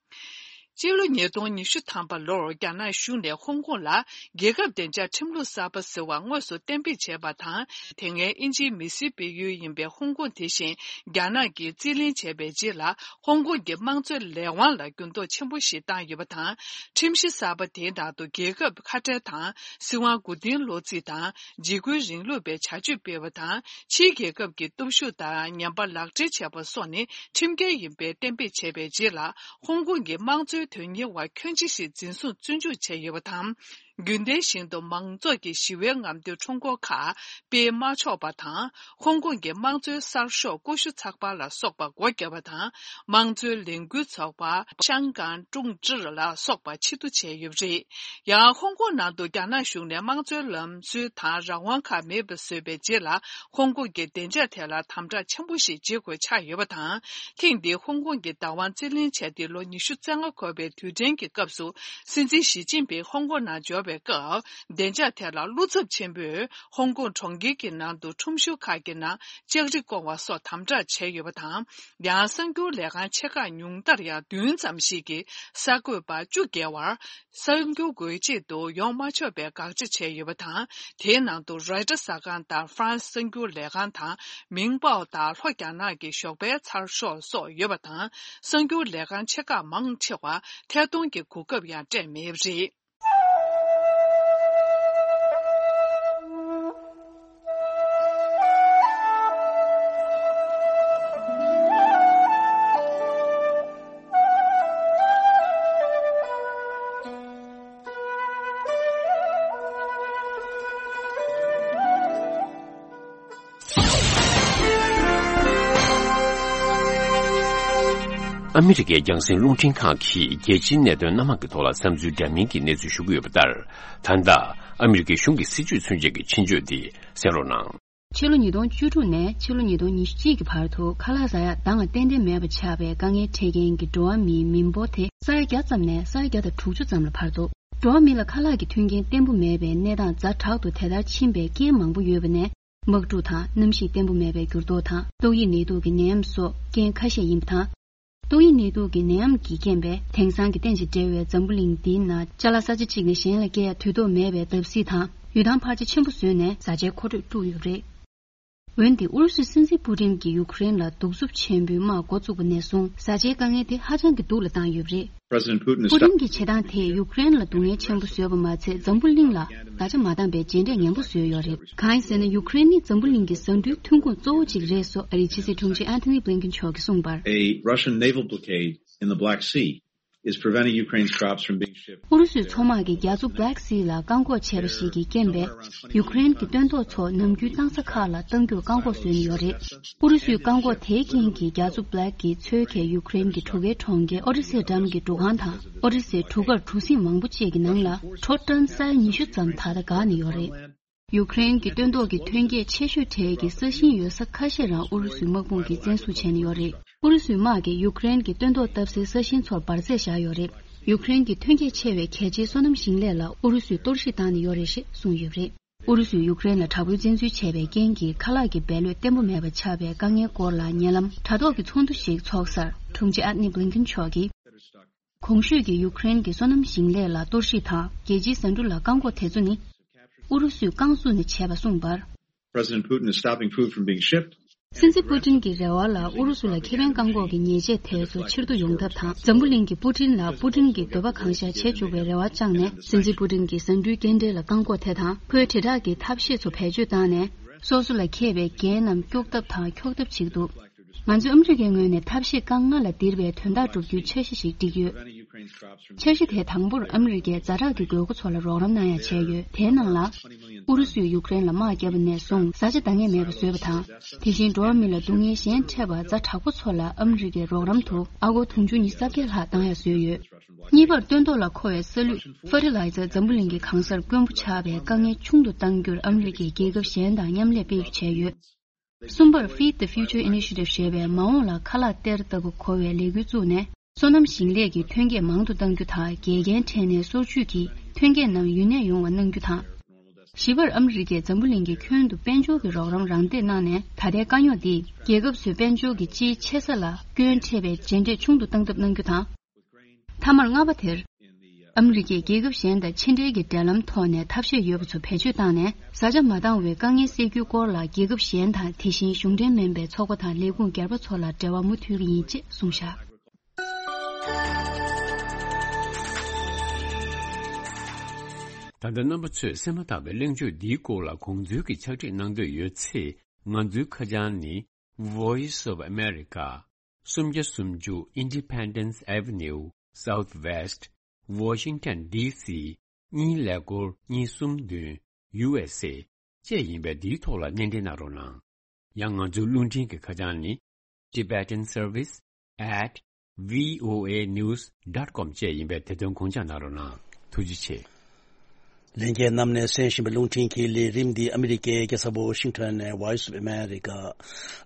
སྤྱི་ལོ་ཉིས་སྟོང་ཉི་ཤུ་ཐམ་པ་ལོར་རྒྱ་ནག་གཞུང་ནས་ཧོང་ཀོང་ལ་རྒྱལ་ཁབ་བདེ་འཇགས་ཁྲིམས་ལུགས་གསར་པ་ཟེར་བ་དངོས་སུ་གཏན་འབེབས་བྱས་པ་དང་། དེ་སྔའི་དབྱིན་ཇིའི་མི་སེར་སྤེལ་ཡུལ་ཡིན་པའི་ཧོང་ཀོང་དེ་བཞིན་རྒྱ་ནག་གིས་རྩིས་ལེན་བྱས་པའི་རྗེས་ལ། ཧོང་ཀོང་གི་དམངས་གཙོའི་ལས་དབང་ལ་འགྱུར་ལྡོག་ཆེན་པོ་ཞིག་བཏང་ཡོད་པ་དང་། ཁྲིམས་གཞི་གསར་པ་དེའི་ནང་དུ་རྒྱལ་ཁབ་ཁ་བྲལ་དང་། སྲིད་དབང་མགོ་རྟིང་སློག་རྩིས་དང་། འཇིགས་སྐུལ་རིང་ལུགས་པའི་བྱ་སྤྱོད་སྤེལ་བ་དང་། ཕྱིའི་རྒྱལ་ཁབ་ཀྱི་སྟོབས་ཤུགས་དང་ཉམས་པ་ལག་སྦྲེལ་བྱས་པ་སོགས་ནི་ཁྲིམས་འགལ་ཡིན་པའི་གཏན་འབེབས་བྱས་པའི་རྗེས་ལ། ཧོང་ཀོང་གི་དམངས་གཙོའི་དོན་གཉེར་བ་ཁྱོན་ཆེ་ཞིག་འཛིན་བཟུང་བཙོན་འཇུག་བྱས་ཡོད་པ་དང་། རྒྱུན་ལྡན་བཞིན་དུ་མང་ཚོགས་ཀྱི་ཞི་བའི་རྔམ་སྟོན་ཁྲོམ་སྐོར་ཁག་སྤེལ་མ་ཆོག་པ་དང་། ཧོང་ཀོང་གི་དམངས་གཙོའི་གསར་ཤོག་ཀུ་ཤུ་ཚགས་པར་ལ་སོགས་པ་སྒོ་བརྒྱབ་པ་དང་། དམངས་གཙོའི་ལས་འགུལ་ཚོགས་པ་ཤང་ཀང་ཀྲུང་ཀྲི་ལ་སོགས་པ་ཕྱིར་བསྡུ་བྱས་ཡོད་པ་རེད། ཡང་ཧོང་ཀོང་ནང་དུ་རྒྱ་ནག་གཞུང་ནས་དམངས་གཙོའི་ལམ་སྲོལ་དང་རང་དབང་ཁག་མེད་པ་བཟོས་པའི་རྗེས་ལ། ཧོང་ཀོང་གི་བདེ་འཇགས་ཐད་ལ་དམ་དྲག་ཆེན་པོ་ཞིག་བྱེད་དགོས་ཆགས་ཡོད་པ་དང་། ཐེངས་འདིའི་ཧོང་ཀོང་གི་བདག་དབང་རྩིས་ལེན་བྱས་ཏེ་ལོ་ཉི་ཤུ་རྩ་ལྔ་འཁོར་བའི་དུས་དྲན་གྱི་སྐབས་སུ། སྲིད་འཛིན་ཞི་ཅིན་ཕིང་ཧོང་ཀོང་ནང་འབྱོར་བའི་སྐབས། བདེ་འཇགས་ཐད་ལ་བློ་འཚབ་ཆེན་པོས་ཧོང་ཀོང་གྲོང་ཁྱེར་གྱི་ནང་དུ་ཁྲོམ་གཞུང་ཁག་གི་ནང་ལྕགས་རི་བཀོང་བ་སོགས་དམ་དྲག་བྱས་ཡོད་པ་དང་། ཡང་གསར་འགྱུར་ལས་ཁང་ཆེ་ཁག་ཉུང་མཐར་ཡང་བདུན་ཙམ་ཞིག་གིས་གསར་འགོད་པ་བཅུ་བརྒལ་བར། གསར་འགྱུར་འགོད་ཆེད་དུ་ཡོང་མ་ཆོག་པའི་དགག་བྱ་བྱས་ཡོད་པ་དང་། དེའི་ནང་དུ་རོའི་ཊར་གསར་ཁང་དང་ཧྥ་རན་སི་གསར་འགྱུར་ལས་ཁང་དང་མིང་པའོ་དང་ལྷོ་རྒྱ་ནག་གི་ཞོགས་པའི་ཚགས་ཤོག་སོགས་ཡོད་པ་དང་། གསར་འགྱུར་ལས་ཁང་ཆེ་ཁག་མང་ཆེ་བར་ཐད་གཏོང་གི་གོ་སྐབས་ཡང་སྤྲད་མེད་པ་རེད། ཨ་མི་རི་ཀའི་རྒྱང་སྲིང་རླུང་འཕྲིན་ཁང་གིས་རྒྱལ་སྤྱིའི་གནད་དོན་སྣ་མང་གི་ཐོག་ལ་བསམ་ཚུལ་འདྲ་མིན་གྱི་གནས་ཚུལ་ཞུ་གི་ཡོད་པ་ལྟར། ད་ལྟ་ཨ་མི་རི་ཀའི་གཞུང་གི་སྲིད་ཇུས་མཚོན་བྱེད་ཀྱི་ཆེད་བརྗོད་འདི་གསན་རོགས་གནང་། ཕྱི་ལོ་ཉིས་སྟོང་བཅུ་དྲུག་ནས་ཕྱི་ལོ་ཉིས་སྟོང་ཉི་ཤུ་གཅིག་གི་བར་དུ་ཁ་ལག་ཟ་ཡག་ད་ང་ཏན་ཏན་མེད་པ་ཆགས་པའི་དཀའ་ངལ་འཕྲད་མཁན་གྱི་འགྲོ་བ་མིའི་མི་འབོར་དེ་ས་ཡ་བརྒྱ་ཙམ་ནས་ས་ཡ་བརྒྱ་དང་དྲུག་ཅུ་ཙམ་ལ་འཕར་འདུག་འགྲོ་བ་མི་ལ་ཁ་ལག་གི་མཐུན་རྐྱེན་བརྟན་པོ་མེད་པའི་གནས་སྟངས་ཛ་དྲག་ཏུ་དེ་ལྟར་ཕྱིན་པའི་རྐྱེན་མང་པོ་ཡོད་པ་ནས། དམག་འཁྲུག་དང་གནམ་གཤིས་བརྟན་པོ་མེད་པའི་འགྱུར་ལྡོག་དང་ཏོག་དབྱིབས་ནད་དུག་གི་ནད་ཡམས་སོགས་རྐྱེན་ཁ་ཤས་ཡིན་པ་དང་། ཏོག་དབྱིབས་ནད་དུག་གི་ནད་ཡམས་ཀྱི་རྐྱེན་པས་དེང་སང་གི་བསྟན་བཅོས་འབྲེལ་བའི་འཛམ་བུ་གླིང་འདིའི་ནང་ཅ་ལག་ས་ཆ་གཅིག་ནས་གཞན་ལ་སྐྱེལ་ཡ་དུས་ཐོག་མེད་པའི་བརྡབ་གསིག་དང་ཡུལ་ཐང་འཕར་ཆ་ཆེན་པོ་བཟོས་ནས་བཟའ་བཅའི་མཁོ་སྤྲོད་དཀྲུགས་ཡོད་པ་རེད། འོན་ཏེ་ཨུ་རུ་སུའི་སྲིད་འཛིན་པུ་ཏིན་གྱིས་ཡུཀ་རེན་ལ་གདུག་རྩུབ་ཆེན་པོའི་དམག་འགོ་བཙུགས་པ་ནས་བཟུང་བཟའ་བཅའི་དཀའ་ངལ་དེ་ཧ་ཅང་གི་སྡུག་ལ་བཏང་ཡོད་པ་རེད། President Putin is པུ་ཏིན་གྱི་བྱེད་སྟངས་དེས་ཡུཀ་རེན་ལ་སྡུག་བསྔལ་ཆེན་པོ་བཟོས་པ་མ་ཚད་འཛམ་བུ་གླིང་ལ་བརྡ་ཆད་མ་བཏང་པའི་རྗེས་འབྲས་ངན་པོ་བཟོས་ཡོད་རེད། གང་ཡིན་ཟེར་ན་ཡུཀ་རེན་ནི་འཛམ་བུ་གླིང་གི་ཟ་འབྲུའི་ཐོན་ཁུངས་གཙོ་བོ་གཅིག་རེད་སོགས་ཨ་རིའི་ཕྱི་སྲིད་དྲུང་ཆེ་ཨན་ཐོ་ནི་བྷི་ལིན་ཀིན་མཆོག་གིས་གསུངས་པར། A Russian naval blockade in the Black Sea is preventing Ukraine's crops from being shipped. ཨུ་རུ་སུའི་མཚོ་དམག་གིས་རྒྱ་མཚོ་Black Sea ལ་བཀག་འགོག་བྱས་པ་ཞིག་གི་རྐྱེན་པས། ཡུཀ་རེན་གྱི་སྟོན་ཐོག་ཚོ་ནམ་རྒྱུན་གཏོང་ས་ཁག་ལ་གཏོང་རྒྱུར་བཀག་འགོག་བཟོས་ནས་ཡོད་རེད། ཨུ་རུ་སུའི་བཀག་འགོག་དེའི་རྐྱེན་གྱིས་རྒྱ་མཚོ་Black གི་མཚོའི་ཁའི་ཡུཀ་རེན་གྱི་གྲུ་ཁའི་གྲོང་ཁྱེར་ཨོ་ཌི་སེ་འགྲམ་གྱི་གྲུ་ཁང་དང་ཨོ་ཌི་སེ་གྲུ་ཁར་གྲུ་གཟིངས་མང་པོ་བཅས་ཀྱི་ནང་ལ་ཁྲོ་ཊོན་ས་ཡ་ཉི་ཤུ་ཙམ་ད་ལྟ་འགག་ནས་ཡོད་རེད། ཡུཀ་རེན་གྱི་སྟོན་ཐོག་གི་ཐོན་སྐྱེད་ཆེ་ཤོས་གྲས་ཀྱི་ས་ཞིང་ཡོད་ས་ཁ་ཤས་རང་ཨུ་རུ་སུའི་དམག་དཔུང་གིས་བཙན་བཟུང་བྱས་ནས་ཡོད་རེད། ཨུ་རུ་སུའི་དམག་གིས་ཡུཀ་རེན་གྱི་སྟོན་ཐོག་བཏབ་སའི་ས་ཞིང་ཚོར་འབར་རྫས་བཞག་ཡོད་རེད། ཡུཀ་རེན་གྱི་ཐོན་སྐྱེད་ཆེ་བའི་གལ་ཆེའི་སོ་ནམ་ཞིང་ལས་ལ་ཨུ་རུ་སུས་གཏོར་བཤིག་བཏང་ནས་ཡོད་རེད་ཞེས་གསུངས་ཡོད་པ་རེད། ཨུ་རུ་སུས་ཡུཀ་རེན་ལ་དྲག་པོའི་བཙན་འཛུལ་བྱས་པའི་རྐྱེན་གྱིས་ཁ་ལག་གི་འབེལ་ཡོད་བརྟན་པོ་མེད་པ་ཆགས་པའི་དཀའ་ངལ་སྐོར་ལ་ཉེ་ལམ་དྲ་ཐོག་གི་ཚོགས་འདུ་ཞིག་འཚོགས་སར་དྲུང་ཆེ་ཨན་ཐོ་ནི་བྷི་ལིན་ཀིན་མཆོག་གིས། གོང་ཞུས་ཀྱི་ཡུཀ་རེན་གྱི་སོ་ནམ་ཞིང་ལས་ལ་གཏོར་བཤིག་དང་རྒྱལ་སྤྱིའི་ཟ་འབྲུ་ལ་བཀག་འགོག་དེ་ཚོ་ནི། ཨུ་རུ་སུས་རྐང་བཙུགས་ནས་བྱས་པ་གསུངས་པར། President Putin is stopping food from being shipped. སྲིད་འཛིན་པུ་ཏིན་གྱི་རེ་བ་ལ་ཨུ་རུ་སུ་ལ་ཁེ་ཕན་བཀག་འགོག་གི་ཉེས་ཆད་དེ་ཚོ་ཕྱིར་བསྡུ་ཡོང་ཐབས་དང་། འཛམ་བུ་གླིང་གིས་པུ་ཏིན་ལ་པུ་ཏིན་གྱི་འདོད་པ་གང་ཤར་བྱེད་བཅུག་པའི་རེ་བ་བཅངས་ནས། སྲིད་འཛིན་པུ་ཏིན་གྱིས་ཟ་འབྲུའི་སྐྱེལ་འདྲེན་ལ་བཀག་འགོག་དེ་དང་། ཁོའི་དྲིལ་བསྒྲགས་ཀྱི་ཐབས་ཤེས་ཚོ་བེད་སྤྱོད་བཏང་ནས། སོ་སོ་ལ་འཁེལ་བའི་འགན་རྣམས་སྐྱོག་ཐབས་དང་འཁྱོག་ཐབས་བྱེད་ཀྱི་འདུག་ང་ཚོས་ཨ་མི་རི་ཀའི་ངོས་ནས་ཐབས་ཤེས་རྐང་ལྔ་ལ་ལྡིར་བའི་དོན་དག་སྒྲུབ་རྒྱུའི་འཆར་གཞི་ཞིག་བསྒྲིགས་ཡོད། འཆར་གཞི་དེ་དང་པོར་ཨ་མི་རི་ཀའི་ཛ་དྲག་གི་དགོས་མཁོ་ཚོ་ལ་རོགས་རམ་གནང་ཡ་བྱས་ཡོད། དེའི་ནང་ལ། ཨུ་རུ་སུས་ཡུཀ་རེན་ལ་དམག་བརྒྱབ་པ་ནས་བཟུང་བཟའ་བཅའ་འདང་ངེས་མེད་པ་བཟོས་པ་དང་། དེ་བཞིན་འགྲོ་བ་མི་ལ་སྡུག་བསྔལ་གཞན་འཕྲད་པ་ཛ་དྲག་པོ་ཚོ་ལ་ཨ་མི་རི་ཀའི་རོགས་རམ་དུ་ཨ་སྒོར་དུང་ཕྱུར་ཉི་ཤུ་རྩ་བརྒྱད་ལྷག་བཏང་ཡ་བཟོས་ཡོད། གཉིས་པར་སྟོན་ཐོག་ལ་མཁོ་བའི་ས་ལུད་ཕར་ཊི་ལའི་ཛར་འཛམ་བུ་གླིང་གི་གང་སར་དཀོན་པོ་ཆགས་པའི་དཀའ་ངལ་ཆུང་དུ་གཏང་རྒྱུར་ཨ་མི་རི་ཀས་རྒྱལ་ཁབ་གཞན་དང་མཉམ་ལས་དཔེ་བྱས་ཡོད། གསུམ་པར་Feed the Future Initiative ཞེས་པའི་མ་འོངས་ལ་ཁ་ལག་སྟེར་ལྟ་བུ་གོ་བའི་ལས་འགུལ་བཙུགས་ནས། སོ་ནམ་ཞིང་ལས་ཀྱི་ཐོན་སྐྱེད་མང་དུ་གཏང་རྒྱུ་དང་། འགལ་རྐྱེན་འཕྲད་ནས་སོར་ཆུད་ཀྱིས་ཐོན་སྐྱེད་རྣམས་ཡུན་གནས་ཡོང་བ་གནང་རྒྱུ་དང་། བཞི་པར་ཨ་མི་རི་ཀས་འཛམ་བུ་གླིང་གི་ཁྱོན་དུ་དཔལ་འབྱོར་གྱི་རོགས་རམ་རང་འདེགས་གནང་ནས། ད་ལྟའི་དཀའ་རྙོག་འདིས་རྒྱལ་ཁབ་ཚོའི་དཔལ་འབྱོར་གྱི་སྤྱིའི་ཆེ་ས་ལ་སྐྱོན་འཕྲད་པའི་རྗེས་འབྲས་ཆུང་དུ་གཏང་ཐབས་གནང་རྒྱུ་དང་། མཐའ་མར་ལྔ་པ་དེར། ཨ་མི་རི་ཀས་རྒྱལ་ཁབ་གཞན་དང་ཕྱི་འབྲེལ་གྱི་འབྲེལ་ལམ་ཐོག་ནས་ཐབས་ཤེས་ཡོད་པ་ཚོ་བེད་སྤྱོད་བཏང་ནས། བཟའ་བཅའ་མ་འདང་བའི་དཀའ་ངལ་སེལ་རྒྱུའི་སྐོར་ལ་རྒྱལ་ཁབ་གཞན་དང་། དེ་བཞིན་གཞུང་འབྲེལ་མིན་པའི་ཚོགས་པ་དང་ལས་ཁུངས་སྒེར་པ་ཚོ་ལ་འབྲེལ་བ་མུ་མཐུད་ཀྱི་ཡིན་ཅེས་གསུངས་བཞག་ད་ལྟ་རྣམ་པ་ཚོས་གསན་མ་ཐག་པའི་གླེང་བརྗོད་འདིའི་སྐོར་ལ་དགོངས་ཚུལ་གྱི་ཕྱག་བྲིས་གནང་འདོད་ཡོད་ཚེ། ང་ཚོའི་ཁ་བྱང་ནི། Voice of America། སུམ་བརྒྱ་སུམ་ཅུ། Independence Avenue Southwest, Washington D C གཉིས་ཀླད་ཀོར་གཉིས་གསུམ་བདུན། U S A བཅས་ཡིན་པས། འདིའི་ཐོག་ལ་སྣེ་འདྲེན་གནང་རོགས་གནང་། ཡང་ང་ཚོའི་རླུང་འཕྲིན་གྱི་ཁ་བྱང་ནི། Tibetan Service at V O A News dot com བཅས་ཡིན་པས། དེ་དོན་དགོངས་འཇགས་གནང་རོགས་གནང་། ཐུགས་རྗེ་ཆེ། ལྷན་རྒྱས་རྣམས་ནས་གསན་བཞིན་པའི་རླུང་འཕྲིན་གྱི་ལས་རིམ་འདི་ཨ་མི་རི་ཀའི་རྒྱལ་ས་ཝོ་ཤིང་ཊོན་ནས་Voice of America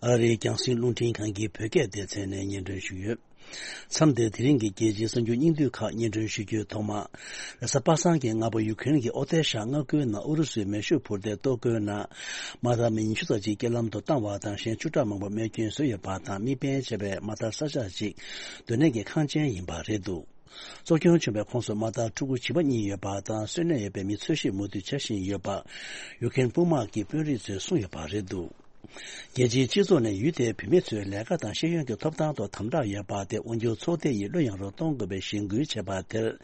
ཨ་རིའི་རྒྱང་སྲིང་རླུང་འཕྲིན་ཁང་གི་བོད་སྐད་སྡེ་ཚན་ནས་སྙན་སྒྲོན་ཞུས་ཡོད། མཚམས་འདིར་དེ་རིང་གི་རྒྱལ་སྤྱིའི་གསར་འགྱུར་སྙིང་བསྡུས་ཁག་སྙན་སྒྲོན་ཞུ་རྒྱུའི་ཐོག་མ། རེས་གཟའ་པ་སངས་ཀྱི་སྔ་པོ་ཡུ་ཁེ་རན་གྱི་ཨོ་ཏེ་ཤ་མངའ་ཁུལ་ནང་ཨུ་རུ་སུའི་མེ་ཤུགས་འཕུར་མདེལ་གཏོར་རྒོལ་ནང་དམག་ཐག་མི་ཉི་ཤུ་ཙམ་ཅིག་རྐྱེན་ལམ་དུ་བཏང་བ་དང་། གཞན་བཅུ་ཕྲག་མང་པོ་རྨས་སྐྱོན་བཟོས་ཡོད་པ་དང་། དམིགས་འབེན་བྱས་པའི་དམག་དར་ས་ཆ་ཅིག་སྡོད་གནས་ཀྱི་ཁང་ཆེན་ཡིན་པ་རེད་འདུག་གཙོ་སྐྱོན་བྱུང་བའི་ཁོངས་སུ་དམག་དར་ཕྲུ་གུ་བྱིས་པ་གཉིས་ཡོད་པ་དང་། གསོན་གནས་ཡོད་པའི་མི་འཚོལ་ཞིབ་མུ་མཐུད་བྱ་བཞིན་ཡོད་པ་ཡུ་ཁེ་རན་དཔུང་དམག་གི་དཔོན་རིགས་ཚོས་གསུངས་ཡོད་པ་རེད་འདུག་རྒྱལ་སྤྱིའི་སྤྱི་ཚོགས་ནས་ཡུལ་དེའི་བུད་མེད་ཚོའི་ལས་ཀ་དང་ཤེས་ཡོན་གྱི་ཐོབ་ཐང་ཐོག་དམ་དྲག་ཡོད་པ་དེ་དབང་སྒྱུར་ཚོགས་སྡེ་ཡིས་བློ་ཡངས་རུ་གཏོང་དགོས་པའི་གཞེན་སྐུལ་བྱས་པ་དེར།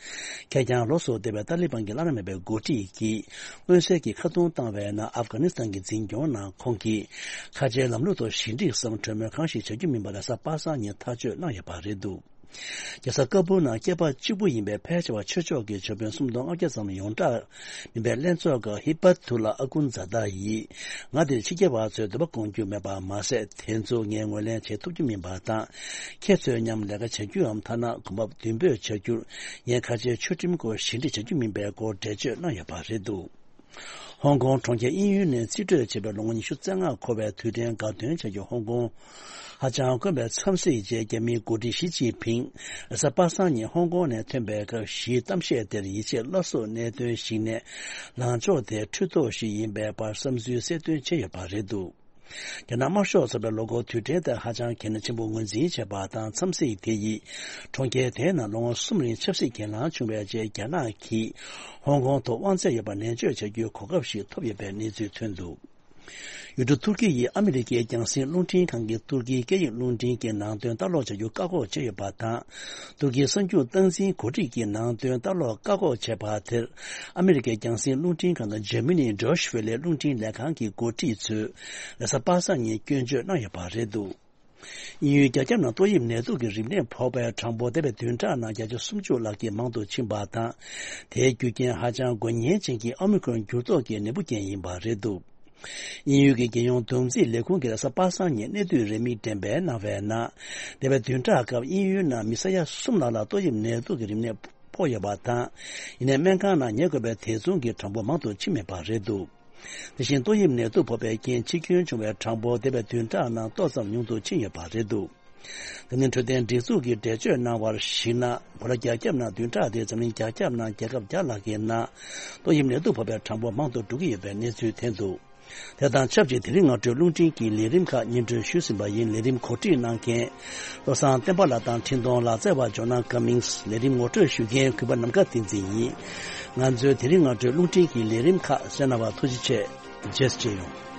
ཁེར་རྐྱང་ལོ་སོ་བསྡད་པའི་ཏཱ་ལི་བན་གྱི་བླ་ན་མེད་པའི་འགོ་ཁྲིད་ཀྱིས་མངོན་གསལ་གྱིས་ཁ་རྡུང་བཏང་བའི་ནང་། ཨབ་གྷ་ནི་སི་ཐན་གྱི་འཛིན་སྐྱོང་ནང་ཁོང་གིས་ཁ་ཆེའི་ལམ་ལུགས་ཐོག་ཞི་འགྲིག་སམ་གྲོས་མོལ་གང་ཞིག་བྱ་རྒྱུ་མིན་པ་རེས་གཟའ་པ་སངས་ཉིན་ཐག་གཅོད་གནང་ཡོད་པ་རེད་འདུག་རྒྱལ་ས་ཀ་སྦུལ་ནང་སྐྱེས་པ་གཅིག་པུ་ཡིན་པའི་ཕལ་ཆེ་བ་ཆོས་ཕྱོགས་ཀྱི་ཆོས་དཔོན་སུམ་སྟོང་ལྔ་བརྒྱ་ཙམ་ཡོངས་གྲགས་མིན་པའི་ལྷན་ཚོགས་ཀྱི་ཧི་པ་ཐུ་ལ་ཨ་ཀུན་ཛ་ད་ཡིས། ང་འདིར་ཕྱི་རྒྱལ་བ་ཚོའི་འདོད་པ་སྐོང་རྒྱུ་མེད་པ་མ་ཟད། དེ་ཚོ་ངས་ངོས་ལེན་བྱེད་ཐུབ་རྒྱུ་མིན་པ་དང་། ཁྱེད་ཚོའི་མཉམ་ལས་ཀ་བྱ་རྒྱུའམ་ཐ་ན་གོམ་པ་མདུན་སྤོས་བྱ་རྒྱུར་ངས་ཁ་ཆེའི་ཆོས་ཁྲིམས་སྐོར་ཞི་འགྲིག་བྱ་རྒྱུ་མིན་པའི་སྐོར་འགྲེལ་བརྗོད་གནང་ཡོད་པ་རེད་འདུག་ཧོང་ཀོང་གྲོང་ཁྱེར་དབྱིན་ཡུལ་ནས་རྩིས་སྤྲོད་བྱས་པའི་ལོ་ངོ་ཉི་ཤུ་རྩ་ལྔ་འཁོར་བའི་དུས་དྲན་དགའ་སྟོན་བྱ་རྒྱུ་ཧོང་ཀོང་ཧ་ཅང་དཀོན་པའི་འཚམས་གཟིགས་རྗེས། རྒྱ་མིའི་འགོ་ཁྲིད་ཞི་ཅིན་ཕིང་རེས་གཟའ་པ་སངས་ཉིན་ཧོང་ཀོང་ནས་ཐོན་པའི་སྐབས། ཞི་གཏམ་བཤད་དེར་ཡིད་ཆེས་སླར་གསོ་གནད་དོན་ཞིག་ནས། ལངས་ཕྱོགས་དེ་འཁྲུལ་རྟོག་ཞིག་ཡིན་པའི་བར་བསམ་ཚུལ་གསལ་སྟོན་བྱས་ཡོད་པ་རེད་འདུག་རྒྱ་ནག་དམར་ཤོག་ཚོགས་པས་ལོ་འཁོར་དུས་དྲན་དེ་ཧ་ཅང་གལ་གནད་ཆེན་པོ་ངོས་འཛིན་བྱས་པ་དང་། འཚམས་གཟིགས་དེ་ཡིས་གྲོང་ཁྱེར་དེའི་ནང་ལོ་ངོ་གསུམ་རིང་ཆབ་སྲིད་གྱེན་ལངས་བྱུང་བའི་རྗེས། རྒྱ་ནག་གིས་ཧོང་ཀོང་ཐོག་དབང་ཚད་ཡོད་པ་ནན་བརྗོད་བྱ་རྒྱུའི་གོ་སྐབས་ཤིག་ཐོབ་ཡོད་པའི་གནས་ཚུལ་ཐོན་འདུག་ཡུལ་གྲུ་ཐུར་ཀི་ཡིས་ཨ་མི་རི་ཀའི་རྒྱང་སྲིང་རླུང་འཕྲིན་ཁང་གིས་ཐུར་ཀིའི་སྐད་ཡིག་རླུང་འཕྲིན་གྱི་ནང་དོན་ལྟ་ཀློག་བྱ་རྒྱུ་བཀག་འགོག་བྱས་ཡོད་པ་དང་། ཐུར་ཀིའི་གསར་འགྱུར་སྟངས་འཛིན་འགོ་ཁྲིད་ཀྱི་ནང་དོན་ལྟ་ཀློག་བཀག་འགོག་བྱས་པ་དེར། ཨ་མི་རི་ཀའི་རྒྱང་སྲིང་རླུང་འཕྲིན་ཁང་དང་འཇར་མ་ནིའི་ཌོ་ཤི་ཝེ་ལེ་རླུང་འཕྲིན་ལས་ཁང་གི་འགོ་ཁྲིད་ཚོས་རེས་གཟའ་པ་སངས་ཉིན་སྐྱོན་བརྗོད་གནང་ཡོད་པ་རེད་འདུག་དབྱིན་ཡུལ་རྒྱ་ཁྱབ་ནང་ཏོག་དབྱིབས་ནད་དུག་གི་རིམས་ནད་ཕོག་པའི་གྲངས་འབོར་འདས་པའི་བདུན་ཕྲག་ནང་བརྒྱ་ཆ་སུམ་ཅུ་ལྷག་གིས་མང་དུ་ཕྱིན་པ་དང་། དེའི་རྒྱུ་རྐྱེན་ཧ་ཅང་འགོས་ཉེན་ཅན་གྱི་ཨོ་མི་ཁོན་འགྱུར་ལྡོག་གི་ནད་འབུ་རྐྱེན་ཡིན་པ་རེད་འདུག་དབྱིན་ཡུལ་གྱི་རྒྱལ་ཡོངས་བསྡོམས་རྩིས་ལས་ཁུངས་ཀྱིས་རེས་གཟའ་པ་སངས་ཉིན་གནས་སྡུད་རེའུ་མིག་འགྲེམས་སྤེལ་གནང་བའི་ནང་། འདས་པའི་བདུན་ཕྲག་སྐབས་དབྱིན་ཡུལ་ནང་མི་ས་ཡ་གསུམ་ལྷག་ལ་ཏོག་དབྱིབས་ནད་དུག་གི་རིམས་ནད་ཕོག་ཡོད་པ་དང་། ཡིན་ནའི་སྨན་ཁང་ནང་ཉལ་དགོས་པའི་དེ་མཚུངས་ཀྱི་གྲངས་འབོར་མང་དུ་ཕྱིན་མེད་པ་རེད་འདུག་དེ་བཞིན་ཏོག་དབྱིབས་ནད་དུག་ཕོག་པའི་རྐྱེན་འཆི་སྐྱོན་བྱུང་བའི་གྲངས་འབོར་འདས་པའི་བདུན་ཕྲག་ནང་ཏོག་ཙམ་ཉུང་དུ་ཕྱིན་ཡོད་པ་རེད་འདུག་འཛམ་གླིང་འཕྲོད་བསྟེན་སྒྲིག་འཛུགས་ཀྱིས་འགྲེལ་བརྗོད་གནང་བར་གཞིགས་ན། གོ་ལ་རྒྱ་ཁྱབ་ནང་བདུན་ཕྲག་འདིའི་འཛམ་གླིང་རྒྱ་ཁྱབ་ནང་རྒྱལ་ཁབ་བརྒྱ་ལྷག་གི་ནང་ཏོག་དབྱིབས་ནད་དུག་ཕོག་པའི་གྲངས་འབོར་མང་དུ་འགྲོ་གི་ཡོད་པའི་གནས་ཚུལ་ཐོན་འདུག་དེ་དང་ཆབས་ཅིག་དེ་རིང་སྔ་དྲོའི་རླུང་འཕྲིན་གྱི་ལས་རིམ་ཁག་སྙན་སྒྲོན་ཞུས་ཟིན་པ་ཡིན། ལས་རིམ་གོ་སྒྲིག་གནང་མཁན་བློ་བཟང་བསྟན་པ་ལགས་དང་འཕྲིན་གཏོང་ལག་རྩལ་བ་ཇོ་ནང་ཀ་མིང་སི། ལས་རིམ་ངོ་སྤྲོད་ཞུ་མཁན་གུས་པ་ནམ་མཁའ་བསྟན་འཛིན་ཡིན། ང་ཚོའི་དེ་རིང་སྔ་དྲོའི་རླུང་འཕྲིན་གྱི་ལས་རིམ་ཁག་གསན་གནང་བར་ཐུགས་རྗེ་ཆེ། རྗེས་སུ་མཇལ་ཡོང་།